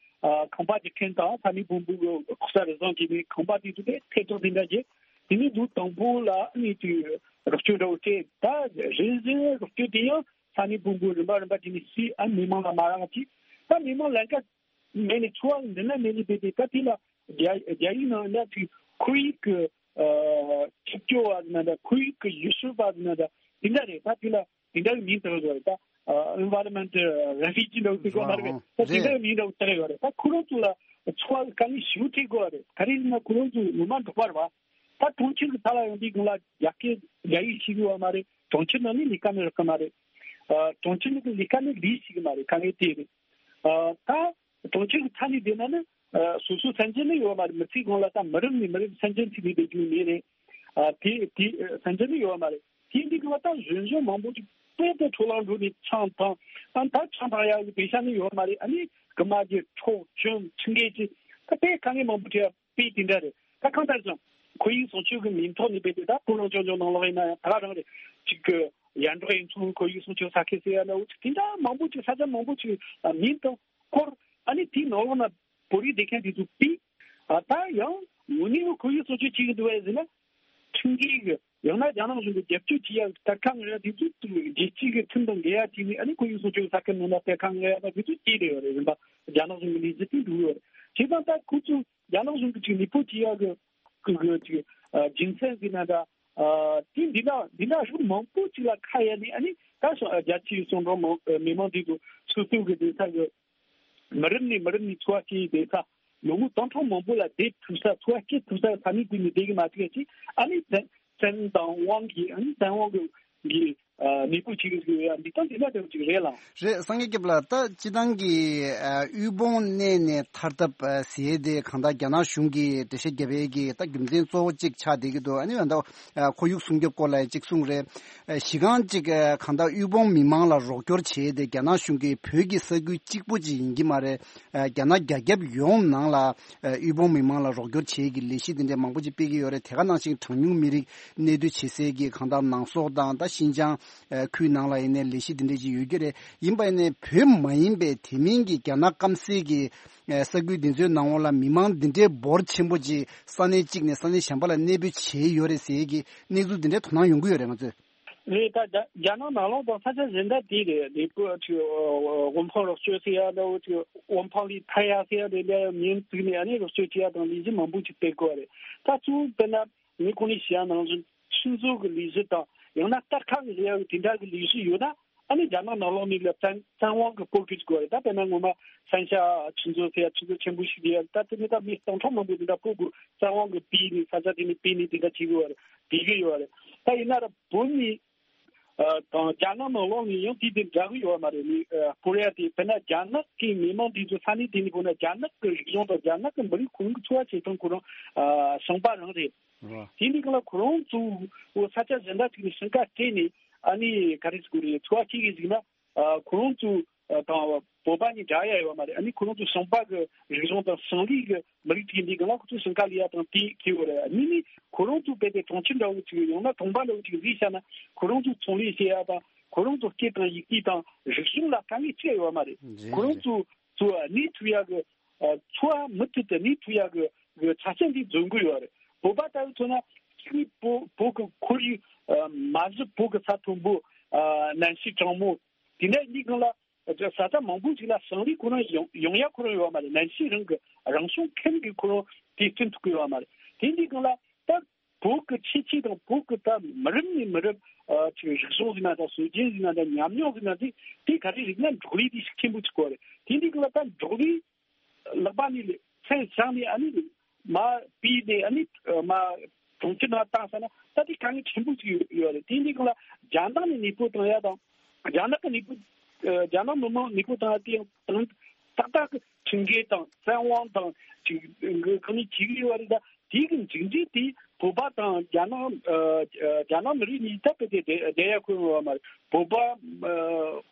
ཨ་ཁང་པ་རྒྱག་མཁན་དང་ས་གནས་བོན་པོ་གི་ལྐོག་ཟ་རུལ་སུངས་བྱས་ནས་ཁང་པ་དེ་ཚོ་དེ་ཐེ་གཏོགས་དེ་འདྲ་བྱས་དེ་ནས་ལོ་དང་པོ་ལ་ཨ་ནི་དེ་རོགས་སྐྱོར་འདྲ་བོ་སྤྲད་ད་རེས་རེས་རོགས་སྐྱོར་དེ་ཡང་ས་གནས་བོན་པོ་རིམ་པ་རིམ་པ་དེ་ནས་སུས་ཨ་མི་མང་ལ་མ་རག་ཅིག་ད་མི་མང་ལས་ཀ་མེད་ནས་འཚོ་བ་འདི་ན་མེད་ནས་བསྡད་དེ་ད་དེ་ལ་རྒྱ་རྒྱ་ཡིག་ནང་ལ་ཅིག་ཁོར་ཡུག་གི་ཨ་ཆུ་སྐྱོ་བ་ཟེར་ན་འདྲ་ཁོར་ཡུག་གི་ཡུལ་ཤུལ་བ་ཟེར་ན་འདྲ་དེ་འདྲ་རེད། ད་དེ་ལ་དེ་འདྲ་གི་མིང་བཏགས་ཡོད་རེད། ད་ཨ་environment refugee འདྲ་བོ་ཟེར་གོ་མ་རེད། ད་དེ་འདྲ་གི་མིང་འདྲ་བོ་བཏགས་ཡོད་རེད། ད་ཁོ་རང་ཚོ་ལ་འཚོ་བ་གི་དཀའ་ངལ་ཞེ་པོ་འཕྲད་དགོས་པ་རེད། ག་རེ་ཡིན་ན་ཁོ་རང་ཚོ་ངོ་མ་འབྲོག་པ་རེད་བ། ད་གྲོང་ཁྱེར་གི་ཐད་ལ་ཡོང་དུས་སྒང་ལ་རྒྱ་སྐད་རྒྱ་ཡིག་ཤེས་ཀྱི་ཡོད་མ་རེད། གྲོང་ཁྱེར་ནང་ནས་ལས་ཀ་ནི་རག་གི་མ་རེད། ཨ་གྲོང་ཁྱེར་ནང་གི་ལས་ཀ་ནི་ལས་ཤེས་ཀྱི་མ་རེད། དཀའ་ངལ་དེ་རེད། ཨ་ད་གྲོང་ཁྱེར་གྱི་མཐའ་ནས་བསྡད་ན་ནི་ཨ་སོ་སོ་སེམས་ཅན་ནི་ཡོད་མ་རེད། མི་ཚེ་གང་ལ་ད་མི་རབས་ནས་མི་རབས་སེམས་ཅན་ཚིག་ནས་བསྡད་རྒྱུ་མེད་རེད། ཨ་དེ་དེ་ཨ་ཟིན་རྒྱུ་ནི་ཡོད་མ་རེད། དེ་འདི་གི་བ་ད་གཞོན་གཞོན་མང་པོ་ཅིག་དཔེ་དེ་འཕྲོ་བརླག་འགྲོ་ནས་ཆང་འཐུང་། ཨ་ད་ཆང་འཐུང་ཡག་གི་དེ་ཤ་ནི་ཡོད་མ་རེད། ཨ་ནི་རྐུ་མ་གི་འཕྲོག་བཅོམ་ཁྲིམས་འགལ་གྱི་ད་དཔེ་དཀའ་ངལ་མང་པོ་འཕྲད་ཡ་དཔེ་དེ་འདྲ་རེད། ད་གང་ལྟར་ཀྱང་ཁོར་ཡུག་སྲུང་སྐྱོབ་ཀྱི་མིང་ཐོག་ནས་དཔེ་དེ་ད་ཕོ་བྲང་ལྗོངས་ལྗོངས་ནང་ལོགས་ཡིན་ན་ཡང་ད་ག་རང་རེད། གཅིག་གི་ཡར་འབྲོག་ཡུལ་ཚོའི་ཁོར་ཡུག་སྲུང་སྐྱོབ་ས་ཁུལ་ཟེར་ཡ་ལ་འུ་ཅག་དེ་འདྲ་མང་པོ་ཅིག་ས་ཆ་མང་པོ་ཅིག་མིང་དང་སྐོར། ཨ་ནི་དེའི་ནང་ལོགས་ན་བོད་རིགས་སྡོད་མཁན་དེ་ཚོ་དཔེ། ཨ་ད་ཡང་དངོས་གནས་ཁོར་ཡུག་སྲུང་སྐྱོབ་བྱེད་ཀྱི་འདུག་བས་ཟེར་ན། ཁྲིམས་འགལ་གྱི་ཡང་ན་རྒྱ་ནག་གཞུང་གི་རྒྱབ་སྐྱོར་བྱེད་ཡག་གི་གཏེར་ཁ་ངོས་ཡ་དེ་ཚོ་རྒྱལ་སྤྱི་གི་ཁྲིམས་དང་འགལ་ཡ་བྱས་ནས། ཨ་ནི་ཁོར་ཡུག་སྲུང་སྐྱོབ་ས་ཁུལ་ནང་ལ་གཏེར་ཁ་ངོས་ཡ་ད་དེ་ཚོ་སྐྱེས་བསྡད་ཡོད་རེད། རིམ་པ་རྒྱ་ནག་གཞུང་གི་ལས་གཞི་དེ་འགྲོ་གི་ཡོད་རེད། བྱས་ཙང་ད་ཁོ་ཚོ་རྒྱ་ནག་གཞུང་གི་ཅིག་ནུས་པ་བྱེད་ཡག་གི་གི་གི་ཅིག་ཨ་རྒྱུ་མཚན་ཟེར་ན་འདྲ། ཨ་དེ་འདི་འདྲ་འདི་འདྲ་ཤུགས་མང་པོ་ཅིག་ལ་ཁ་གཡར་ནས། ཨ་ནི་ད་ཤོ་རྒྱ་ཆེའི་གསུང་སྒྲོག་མང་མི་མང་འདི་ཚོ་སོ་སོ་གི་སྡོད་ས་གི་མི་རབས་ནས་མི་རབས་ནས་འཚོ་བ་སྐྱེལ་བསྡད་ས། ལོ་ངོ་སྟོང་ཕྲག་མང་པོ་ལ་བསྡད་ཐུབ་ས། འཚོ་བ་སྐྱེལ་ཐུབ་ས་ས་གནས་དེ་ནས་བསྡད་གི་མ་བཅུག་ཅིག་ཨ་ནི་བཙན་བཙན་དབང་གིས། ཨ་ནི་བཙན་དབང་གི་གི་ཨ་ནུས་པ་བྱེད་གི་ཡོད་ཡ་འདི་སྟངས་དེ་འདྲ་དེ་ཅིག་རེད་ལ། རེད། སངས་རྒྱས་སྐྱབས་ལགས། ད་སྤྱི་བཏང་གི་ཨ་དབུལ་ཕོངས་གནས་ནས་ཐར་ཐབས་ཨ་ཟེར་དེ་གང་ལྟར་རྒྱ་ནག་གཞུང་གིས་འགྲེལ་བཤད་བརྒྱབ་པའི་གི་ད་རྒྱུ་མཚན་གཙོ་བོ་གཅིག་ཆགས་བསྡད་ཀྱི་འདུག་ཨ་ནི་ཡང་ད་ཨ་ཁོར་ཡུག་སྲུང་སྐྱོབ་སྐོར་ལ་ཡང་གཅིག་གསུངས་རེད། ཨ་གཞི་རྐང་གཅིག་ཨ་གང་ལྟར་དབུལ་ཕོངས་མི་མང་ལ་རོགས་སྐྱོར་བྱས་ཏེ་རྒྱ་ནག་གཞུང་གིས་བོད་ཀྱི་ས་ཁུལ་གཅིག་པོ་ཅིག་ཡིན་གྱི་མ་རེད། ཨ་རྒྱ་ནག་རྒྱ་ཁྱབ་ཡོངས་ནང་ལ་ཨ་དབུལ་ཕོངས་མི་མང་ལ་རོགས་སྐྱོར་བྱེད་ཀྱི་ལས་གཞི་དེ་འདྲ་མང་པོ་ཅིག་སྤེལ་གྱི་ཡོད་རེད། དེ་ག་ནང་བཞིན་གྲངས་ཉུང་མི་རིགས་གནས་སྡོད་བྱེད་སའི་གི་གང་ལྟར་ནང་སོག་དང་ད་ཤིན་ཅང་ཨ་ཁུལ་ནང་ལ་ཡིན་ནའི་ལས་གཞི་དེ་འདྲ་ཅིག་ཡོད་ཀྱི་རེད། ཡིན་པ་ཡིན་ནའི་བོད་མ་ཡིན་པའི་དེ་མིན་གྱི་རྒྱ་ནག་སྐམ་སའི་གི་ཨ་ས་ཁུལ་འདི་ཚོའི་ནང་ལོགས་ལ་མི་མང་འདི་འདྲའི་འབོར་ཆེན་པོ་ཅིག་ས་གནས་གཅིག་ནས་ས་གནས་གཞན་པ་ལ་གནས་སྤོས་བྱས་ཡོད་རེད་ཟེར་གྱི་གནས་ཚུལ་འདི་འདྲའི་དོ་སྣང་ཡོང་གི་ཡོད་རེད། ང་ཚོས། རེད། ད་རྒྱ་རྒྱ་ནག་ནང་ལོགས་དང་ས་ཆ་གཞན་དག་དེ་རེད། ལས་པོ་ཅིག་དབུལ་ཕོངས་རོགས་སྐྱོར་ཟེར་ཡ་འདྲ་བོ་ཅིག་དབུལ་ཕོངས་ལས་ཐར་ཡ་ཟེར་ཡ་དེ་འདྲ་མིང་བཙུགས་ནས་ཨ་ནི་རོགས་སྐྱོར་བྱེད་ཡ་དང་ལས་གཞི་མང་པོ་ཅིག་སྤེལ་དགོས་རེད། ད་གཙོ་བོ་དཔེར་ན་ངས་གོང་ནས་བཤད་ཡ་ནང་བཞིན་ཆུ་མཛོད་ཀྱི་ལས་གཞི་དང་ཡང་ན་གཏེར་ཁ་གི་ཟེར་ཡ་གི་དེ་འདྲ་གི་ལས་གཞི་ཡོད་ན། ཨ་ནི་རྒྱ་ནག་ནང་ལོགས་ནས་ལ་བཙན་བཙན་དབང་གི་སྤོ་གི་དགོས་རེད། ད་དཔེར་ན་ངོ་མ་ཧྥན་ཤ་ཆུ་མཛོད་ཟེར་ཡ་ཆུ་མཛོད་ཆེན་པོ་ཞིག་རེད། ད་དེ་ནི་ད་མི་སྟོང་ཕྲག་མང་པོ་དེ་འདྲ་སྤོ་དགོས། བཙན་དབང་གི་སྤོས་ནས་ས་ཆ་དེ་ནས་སྤོས་ནས་དེ་འདྲ་བྱེད་གི་ཡོད་རེད། བྱེད་གི་ཡོད་རེད། ད་ཡིན་ན་ར་བོད་ནས་ཨ་དང་རྒྱ་ནག་ནང་ལོགས་ནས་ཡང་དེ་དེ་འདྲ་གི་ཡོད་མ་རེད། ནི་ཨ་སྤོ་ཡ་དེ་དཔེར་ན་རྒྱ་ནག་གི་མི་མང་དེ་ཚོ་ས་གནས་དེ་ནས་སྤོ་ན་རྒྱ་ནག་གི་རིག་གཞུང་དང་རྒྱ་ནག་གི་མི་རིགས་ཁོ་རང་གི་འཚོ་བ་བྱེད་སྟངས་ཁོ་རང་ཨ་ཞིང་པ་རང་རེད། རེད། དེ་འདི་གང་ལ་ཁོ་རང་ཚོ་ས་ཆ་གཞན་དག་ཅིག་ནས་ཞིང་ཁ་སྤྲད་ནས་ཨ་ནི་ག་རེ་ཟེར་དགོས་རེད། འཚོ་བ་སྐྱེལ་གི་ཟིག་ན། ཨ་ཁོ་རང་ཚོ་ཨ་དང་བོད་པ་གཉིས་འདྲ་ཡ་ཡོད་མ་རེད། ཨ་ནི་ཁོ་རང་ཚོ་ཞིང་པ་གི་རིག་གཞུང་དང་ཞིང་ལས་གི་མི་རིགས་ཅིག་འདི་གང་ལ་ཁོ་ཚོ་ཞིང་ཁ་ལས་ཡ་དང་དེ་ཁེལ་ཡོད་རེད། ཨ་ནི་ནི་ཁོ་རང་ཚོ་དཔེ་དེ་གྲོང་ཁྱེར་འདྲ་བོ་ཅིག་ཡང་ན་གྲོང་པ་འདྲ་བོ་ཅིག་བཟོས་བཞག་ན་ཁོ་རང་ཚོ་ཚོང་ལས་བྱེད་ཡ་དང་ཁོ་རང་ཚོ་སྐད་དང་ཡིག་གེ་དང་རིག་གཞུང་ལ་དཀའ་ངལ་ཅི་ཡ་ཡོད་མ་རེད། རེད། ཁོ་རང་ཚོ་ཚོ་གནས་ཐུབ་ཡ་གི་ཨ་འཚོ་བ་མུ་མཐུད་དུ་གནས་ཐུབ་ཡག་གི་གི་ཆ་རྐྱེན་འདི་འཛོམས་ཀྱི་ཡོད་རེད། བོད་པ་ལྟ་བུ་མཚོན་ན་གཅིག་ནི་བོད་བོད་ཀྱི་ཁོར་ཡུག་ཨ་མ་གཞི་བོད་ཀྱི་ས་མཐོན་པོ་ཨ་གནམ་གཤིས་གྲང་མོ། དེ་ནས་གཉིས་སྒང་ལ་ས་ཆ་མང་པོ་ཞིག་ལ་ཞིང་ལས་ཁོ་རང་ཡོང་ཡོང་ཡ་ཁོ་རང་ཡོད་མ་རེད། གནམ་གཤིས་རང་གི་རང་བྱུང་ཁམས་ཀྱི་ཁོ་རང་དེ་བསྐྲུན་ཐུབ་ཀྱི་ཡོད་མ་རེད། དེ་འདི་སྒང་ལ་ད་བོད་ཀྱི་ཁྱད་ཆོས་དང་བོད་ཀྱི་ད་མི་རབས་ནས་མི་རབས་ཨ་ཅིག་རིག་གཞུང་ཟེར་ན་དང་སྲོལ་རྒྱུན་ཟེར་ན་དང་ཉམས་མྱོང་ཟེར་ན་དེ་དེ་ག་རེ་རིག་ན་འབྲོག་ལས་དེ་ཤུགས་ཆེན་པོ་ཅིག་དགོས་རེད། དེ་འདི་སྒང་ལ་ད་འབྲོག་ལས་ལག་པ་ནས་མཚན་བཞག་ནས་ཨ་ནི་མར་ཕུད་ནས་ཨ་ནི་མར་གྲོང་ཁྱེར་ནང་བཏང་ས་ན་ད་དེ་དཀའ་ངལ་ཆེན་པོ་ཞིག་ཡོད་ཡོད་རེད། དེ་འདི་སྒང་ལ་རྒྱ་ནག་ནས་ནུས་པ་བཏང་ཡ་དང་རྒྱ་ནག་གི་ནུས་པ་ཨ་རྒྱ་ནག་མི་མང་ནུས་པ་བཏང་ཡ་དེ་ཡང་དང་ཏག་ཏག་གི་ཁྲིམས་འགལ་དང་བཙན་དབང་དང་ཅིག་གི་གང་ནས་བྱེད་ཀྱི་ཡོད་རེད། ད་དེ་གི་མཇུག་འབྲས་དེ་བོད་པ་དང་རྒྱ་ནག་ཨ་རྒྱ་ནག་མི་རིགས་གཉིས་ད་དཔེ་དེ་བསྡད་ཡ་ཁོ་ཡོད་མ་རེད། བོད་པ་ཨ་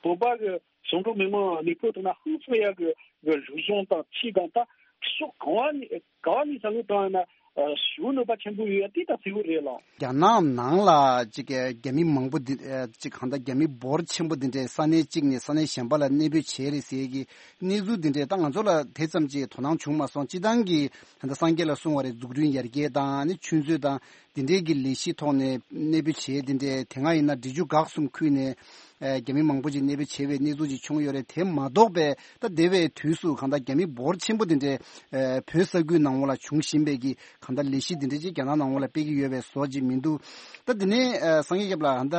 བོད་པ་གི་ཞིང་འབྲོག་མི་མང་ནུས་པ་བཏང་ན་ཧང་སང་ཡག་གི་གི་རིག་གཞུང་དང་ཆོས་དང་ད་ཕྱོགས་གང་བ་ནས་གང་བ་ནས་བསམ་བློ་བཏང་ཡ་ན་ཞེ་པོ་གནོད་པ་ཆེན་པོ་ཡོད་ཡ་དེ་ད་གསལ་པོ་རེད་ལགས། རྒྱ་ནག་ནང་ལ་ཅིག་རྒྱ་མི་མང་པོ་འདི་ཅིག་གང་ལྟར་རྒྱ་མི་འབོར་ཆེན་པོ་འདི་འདྲས་ས་གནས་གཅིག་ནས་ས་གནས་གཞན་པ་ལ་གནས་སྤོས་བྱས་རེད་ཟེར་གི་གནས་ཚུལ་འདི་འདྲས་ད་ང་ཚོ་ལ་དེ་ཙམ་ཅིག་དོ་སྣང་བྱུང་མ་སོང་། སྤྱི་བཏང་གི་ད་ལྟ་སངས་རྒྱས་ལགས་གསུངས་པ་རེད། འཛུགས་སྐྲུན་ཡར་རྒྱས་དང་ནི་ཆུ་མཛོད་དང་དེ་འདྲས་ཀྱི་ལས་གཞི་ཐོག་ནས་གནས་སྤོས་བྱས་དེ་འདྲས་དེ་སྔ་ཡིན་ན་འབྲི་ཆུ་འགག་གསུམ་ཁུལ་ནས་ཨ་རྒྱ་མི་མང་པོ་ཅིག་གནས་སྤོས་བྱས་པའི་གནས་ཚུལ་ཅིག་བྱུང་ཡོད་རེད། དེ་མ་གཏོགས་པའི་ད་འདས་པའི་དུས་སུ་གང་ལྟར་རྒྱ་མི་འབོར་ཆེན་པོ་དེ་འདྲས་ཨ་བོད་ས་ཁུལ་ནང་ལ་བྱུང་བཞིན་པའི་གི་གང་ལྟར་ལས་གཞི་དེ་འདྲས་ཅིག་རྒྱ་ནག་ནང་ལ་སྤེལ་གྱི་ཡོད་པའི་བཟོ་ཅིག་མི་འདུག་ད་དེ་ནས་ཨ་སངས་རྒྱས་སྐྱབས་ལགས་ད་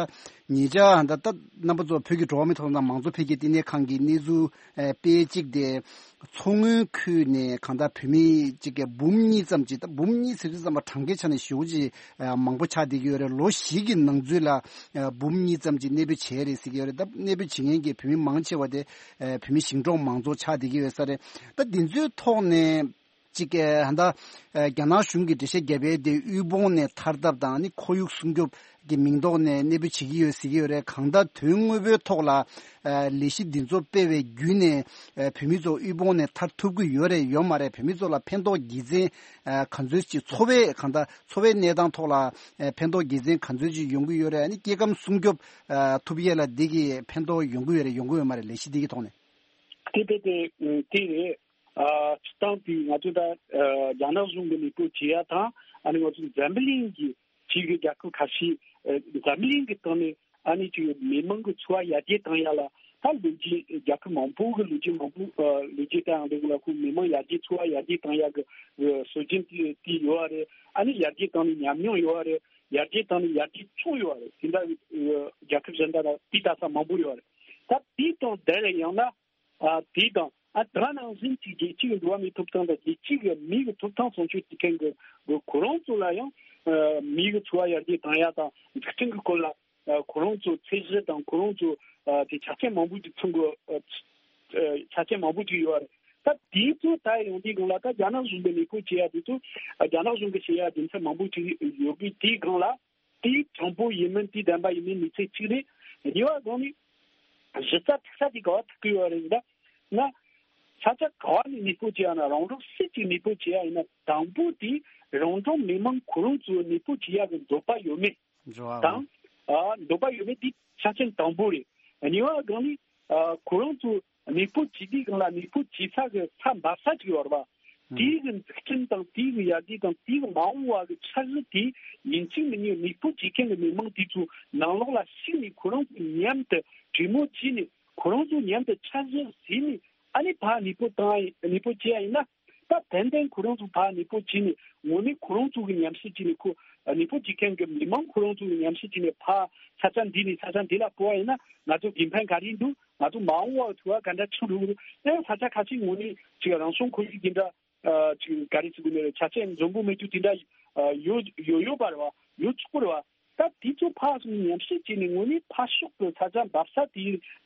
ཉེ་ཆར་ད་ལྟ་རྣམ་པ་ཚོ་བོད་ཀྱི་འགྲོ་བ་མིའི་ཐོབ་ཐང་དང་མང་གཙོ་འཕེལ་རྒྱས་བསྟི་གནས་ཁང་གི་གནས་ཚུལ་ཨ་དཔེ་གཅིག་དེ། མཚོ་སྔོན་ཁུལ་ནས་གང་ལྟར་བོད་མི་གཅིག་གི་འབུམ་གཉིས་ཙམ་ཅིག་ད་འབུམ་གཉིས་ཟེར་དུས་ཙམ་པ་གྲངས་ཀའི་ཆ་ནས་ཞེ་པོ་ཅིག་ཨ་མང་པོ་ཆགས་བསྡད་ཀྱི་ཡོད་རེད། ལོ་བཞི་གི་ནང་ཚུད་ལ་ཨ་འབུམ་གཉིས་ཙམ་ཅིག་གནས་སྤོས་བྱས་རེད་ཟེར་གྱི་ཡོད་རེད། ད་གནས་སྤོས་བྱེད་མཁན་གྱི་བོད་མི་མང་ཆེ་བ་དེ་ཨ་བོད་མི་ཞིང་འབྲོག་མང་ཚོགས་ཆགས་བསྡད་ཀྱི་ཡོད་ས་རེད། ད་འདི་ཚོའི་ཐོག་ནས་ གཅིག་གི་ཧ་ད་རྒྱ་ནག་གཞུང་གི་འགྲེལ་བཤད་བརྒྱབ་པའི་དེ་དབུལ་ཕོངས་ནས་ཐར་ཐབས་དང་ནི་ཁོར་ཡུག་སྲུང་སྐྱོབ་ཀྱི་མིང་ཐོག་ནས་གནས་སྤོ་བྱེད་ཀྱི་ཡོད་ཟེར་གྱི་ཡོད་རེད། གང་ལྟར་དོན་དངོས་པོའི་ཐོག་ལ་ལས་གཞི་འདི་ཚོ་སྤེལ་བའི་བརྒྱུད་ནས་བོད་མི་ཚོ་དབུལ་ཕོངས་ནས་ཐར་ཐུབ་ཀྱི་ཡོད་རེད་ཡོད་མ་རེད། བོད་མི་ཚོ་ལ་ཕན་ཐོགས་དགེ་མཚན་ག་ཚོད་ཅིག་འཚོ་བའི་གང་ལྟར་འཚོ་བའི་གནས་སྟངས་ཐོག་ལ་ཕན་ཐོགས་དགེ་མཚན་ག་ཚོད་ཅིག་ཡོང་གི་ཡོད་རེད། ཨ་ནི་སྐྱེ་ཁམས་སྲུང་སྐྱོབ་ཐུབ་ཡས་ལ་འདི་གི་ཕན་ཐོགས་ཡོང་གི་ཡོད་རེད་ཡོང་གི་ཡོད་མ་རེད། ལས་གཞི་འདི་གི་ཐོག་ནས། དེ་དེ་དེ་དེ་རེད། ཨ་སྤྱིར་བཏང་དེ་ང་ཚོ་ད་ཨ་རྒྱ་ནག་གཞུང་གི་མེས་པོ་བྱེད་ཡ་དང་ཨ་ནི་ང་ཚོ་འཛམ་བུ་གླིང་གི་ཅིག་གི་རྒྱལ་ཁབ་ཁ་ཤས་ཨ་འཛམ་བུ་གླིང་གི་སྟེང་ནས་ཨ་ནི་ཅིག་མི་མང་གི་འཚོ་བ་ཡར་རྒྱས་བཏང་ཡ་ལ་ད་ལོ་རྒྱུས་རྒྱལ་ཁབ་མང་པོ་གི་ལོ་རྒྱུས་མང་པོ་ཨ་ལོ་རྒྱུས་བལྟ་ཡང་འདུག་ལ། ཁོ་མི་མང་ཡར་རྒྱས་འཚོ་བ་ཡར་རྒྱས་བཏང་ཡ་གི་གི་སྲོལ་རྒྱུན་དེ་དེ་ཡོད་རེད། ཨ་ནི་ཡར་རྒྱས་བཏང་ནས་ཉམས་མྱོང་ཡོད་རེད། ཡར་རྒྱས་བཏང་ནས་ཡར་རྒྱས་བྱུང་ཡོད་རེད། དེ་འདྲ་གི་ཨ་རྒྱལ་ཁབ་གཞན་དག་ལ་དེ་ལྟ་ས་མང་པོ་ཡོད་རེད། ད་དེ་དང་དེ་ལས་ཡང་ན། ཨ་དེ་དང་ཨ་ད་ནང་བཞིན་གྱི་རྒྱལ་སྤྱི་གི་འགྲོ་བ་མིའི་ཐོབ་ཐང་དང་རྒྱལ་སྤྱི་གི་མི་གི་ཐོབ་ཐང་སྲུང་སྐྱོབ་བྱེད་མཁན་གྱི་གི་ཁོ་རང་ཚོ་ལ་ཡང་ཨ་མི་གི་འཚོ་བ་ཡར་རྒྱས་བཏང་ཡ་དང་འཛུགས་སྐྲུན་གྱི་སྐོར་ལ་ཨ་ཁོ་རང་ཚོ་ཚད་གཞི་དང་ཁོ་རང་ཚོ་ཨ་དེ་ཆ་རྐྱེན་མང་པོ་ཅིག་ཚང་གི་ཨ་ཆ་རྐྱེན་མང་པོ་ཅིག་ཡོད་རེད། ད་དེ་ཚོ་ད་ཡོང་དུས་སྒང་ལ་ད་རྒྱ་ནག་གཞུང་གི་མེས་པོ་བྱེད་ཡ་དེ་ཚོ་ཨ་རྒྱ་ནག་གཞུང་གི་བྱེད་ཡ་རྒྱུ་མཚན་མང་པོ་ཅིག་ཡོད་པའི་དེའི་སྒང་ལ། དེའི་དྲང་པོ་ཡིན་མིན་དེའི་བདེན་པ་ཡིན་མིན་མི་ཚེ་གཅིག་རེད། གཉིས་པ་སྒང་ནས་གཞི་རྩ་ཐིག་ས་དེ་ག་བ་ཐུག་གི་ཡོད་རེད་ཟེར་ན། ས་ཆ་ག་བ་ནས་མེས་པོ་བྱེད་ཡ་ན་རང་རང་སུ་གཅིག་མེས་པོ་བྱེད་ཡ་ཡིན་ན་དང་པོ་དེ་རང་རང་མི་མང་ཁོ་རང་ཚོ་མེས་པོ་བྱེད་ཡ་གི་འདོད་པ་ཡོད་མེད་འགྲོ་བ་དང་། ཨ་འདོད་པ་ཡོད་མེད་དེ་ཆ་རྐྱེན་དང་པོ་རེད། གཉིས་པ་སྒང་ནས་ཨ་ཁོ་རང་ཚོ་མེས་པོ་བྱེད་དུས་སྒང་ལ་མེས་པོ་བྱེད་ས་གི་ས་འབབ་ས་ཅིག་ཡོད་རེད་པ། དེའི་གི་འཛུགས་སྐྲུན་དང་དེའི་གི་ཡར་རྒྱས་དང་དེའི་གི་མ་འོངས་པ་གི་འཆར་གཞི་དེ་ཡིན་གཅིག་མིན་གཉིས་མེས་པོ་བྱེད་མཁན་གི་མི་མང་དེ་ཚོ་ནང་ལོགས་ལ་ཞུགས་ནས་ཁོ་རང་ཚོ་མཉམ་དུ་གྲོས་མོལ་བྱས་ནས་ཁོ་རང་ཚོ་མཉམ་དུ་འཆར་གཞི་བཟོས་ནས་ཨ་ནི་ཕར་མེས་པོ་བཏང་ཡ་མེས་པོ་བྱེད་ཡ་ཡིན་ན། ད་ཏན་ཏན་ཁོ་རང་ཚོ་ཕར་མེས་པོ་བྱས་ནས་དངོས་གནས་ཁོ་རང་ཚོ་གི་ཉམས་ཞིབ་བྱས་ནས་ཁོ་མེས་པོ་བྱེད་མཁན་གི་མི་མང་ཁོ་རང་ཚོ་གི་ཉམས་ཞིབ་བྱས་ནས་ཕར་ས་ཆ་འདི་ནས་ས་ཆ་འདི་ལ་སྤོ་བ་ཡིན་ན་ང་ཚོ་དགེ་ཕན་ག་རེ་འདུག་ང་ཚོ་མ་འོངས་པ་འཚོ་བ་ག་འདྲ་ཆགས་འགྲོ་གི་རེད། ཨེ་ས་ཆ་ཁ་ཤས་ངོས་ནས་ཅིག་རང་བྱུང་ཁོར་ཡུག་དེ་འདྲ་ཨ་ཅིག་ག་རེ་ཟེར་དགོས་ནི་རེད། ཆ་རྐྱེན་འཛོམས་པོ་མེད་རྒྱུ་དེ་འདྲ་ཨ་ཡོད་ཡོད་ཡོད་པ་རེད་བ། ཡོད་ཆོག་གི་རེད་བ། ད་དེ་ཚོ་ཕར་སོང་ཉམས་ཞིབ་བྱས་ནས་དངོས་གནས་ཕར་ཕྱོགས་ཀྱི་ས་ཆ་འབབ་ས་དེ་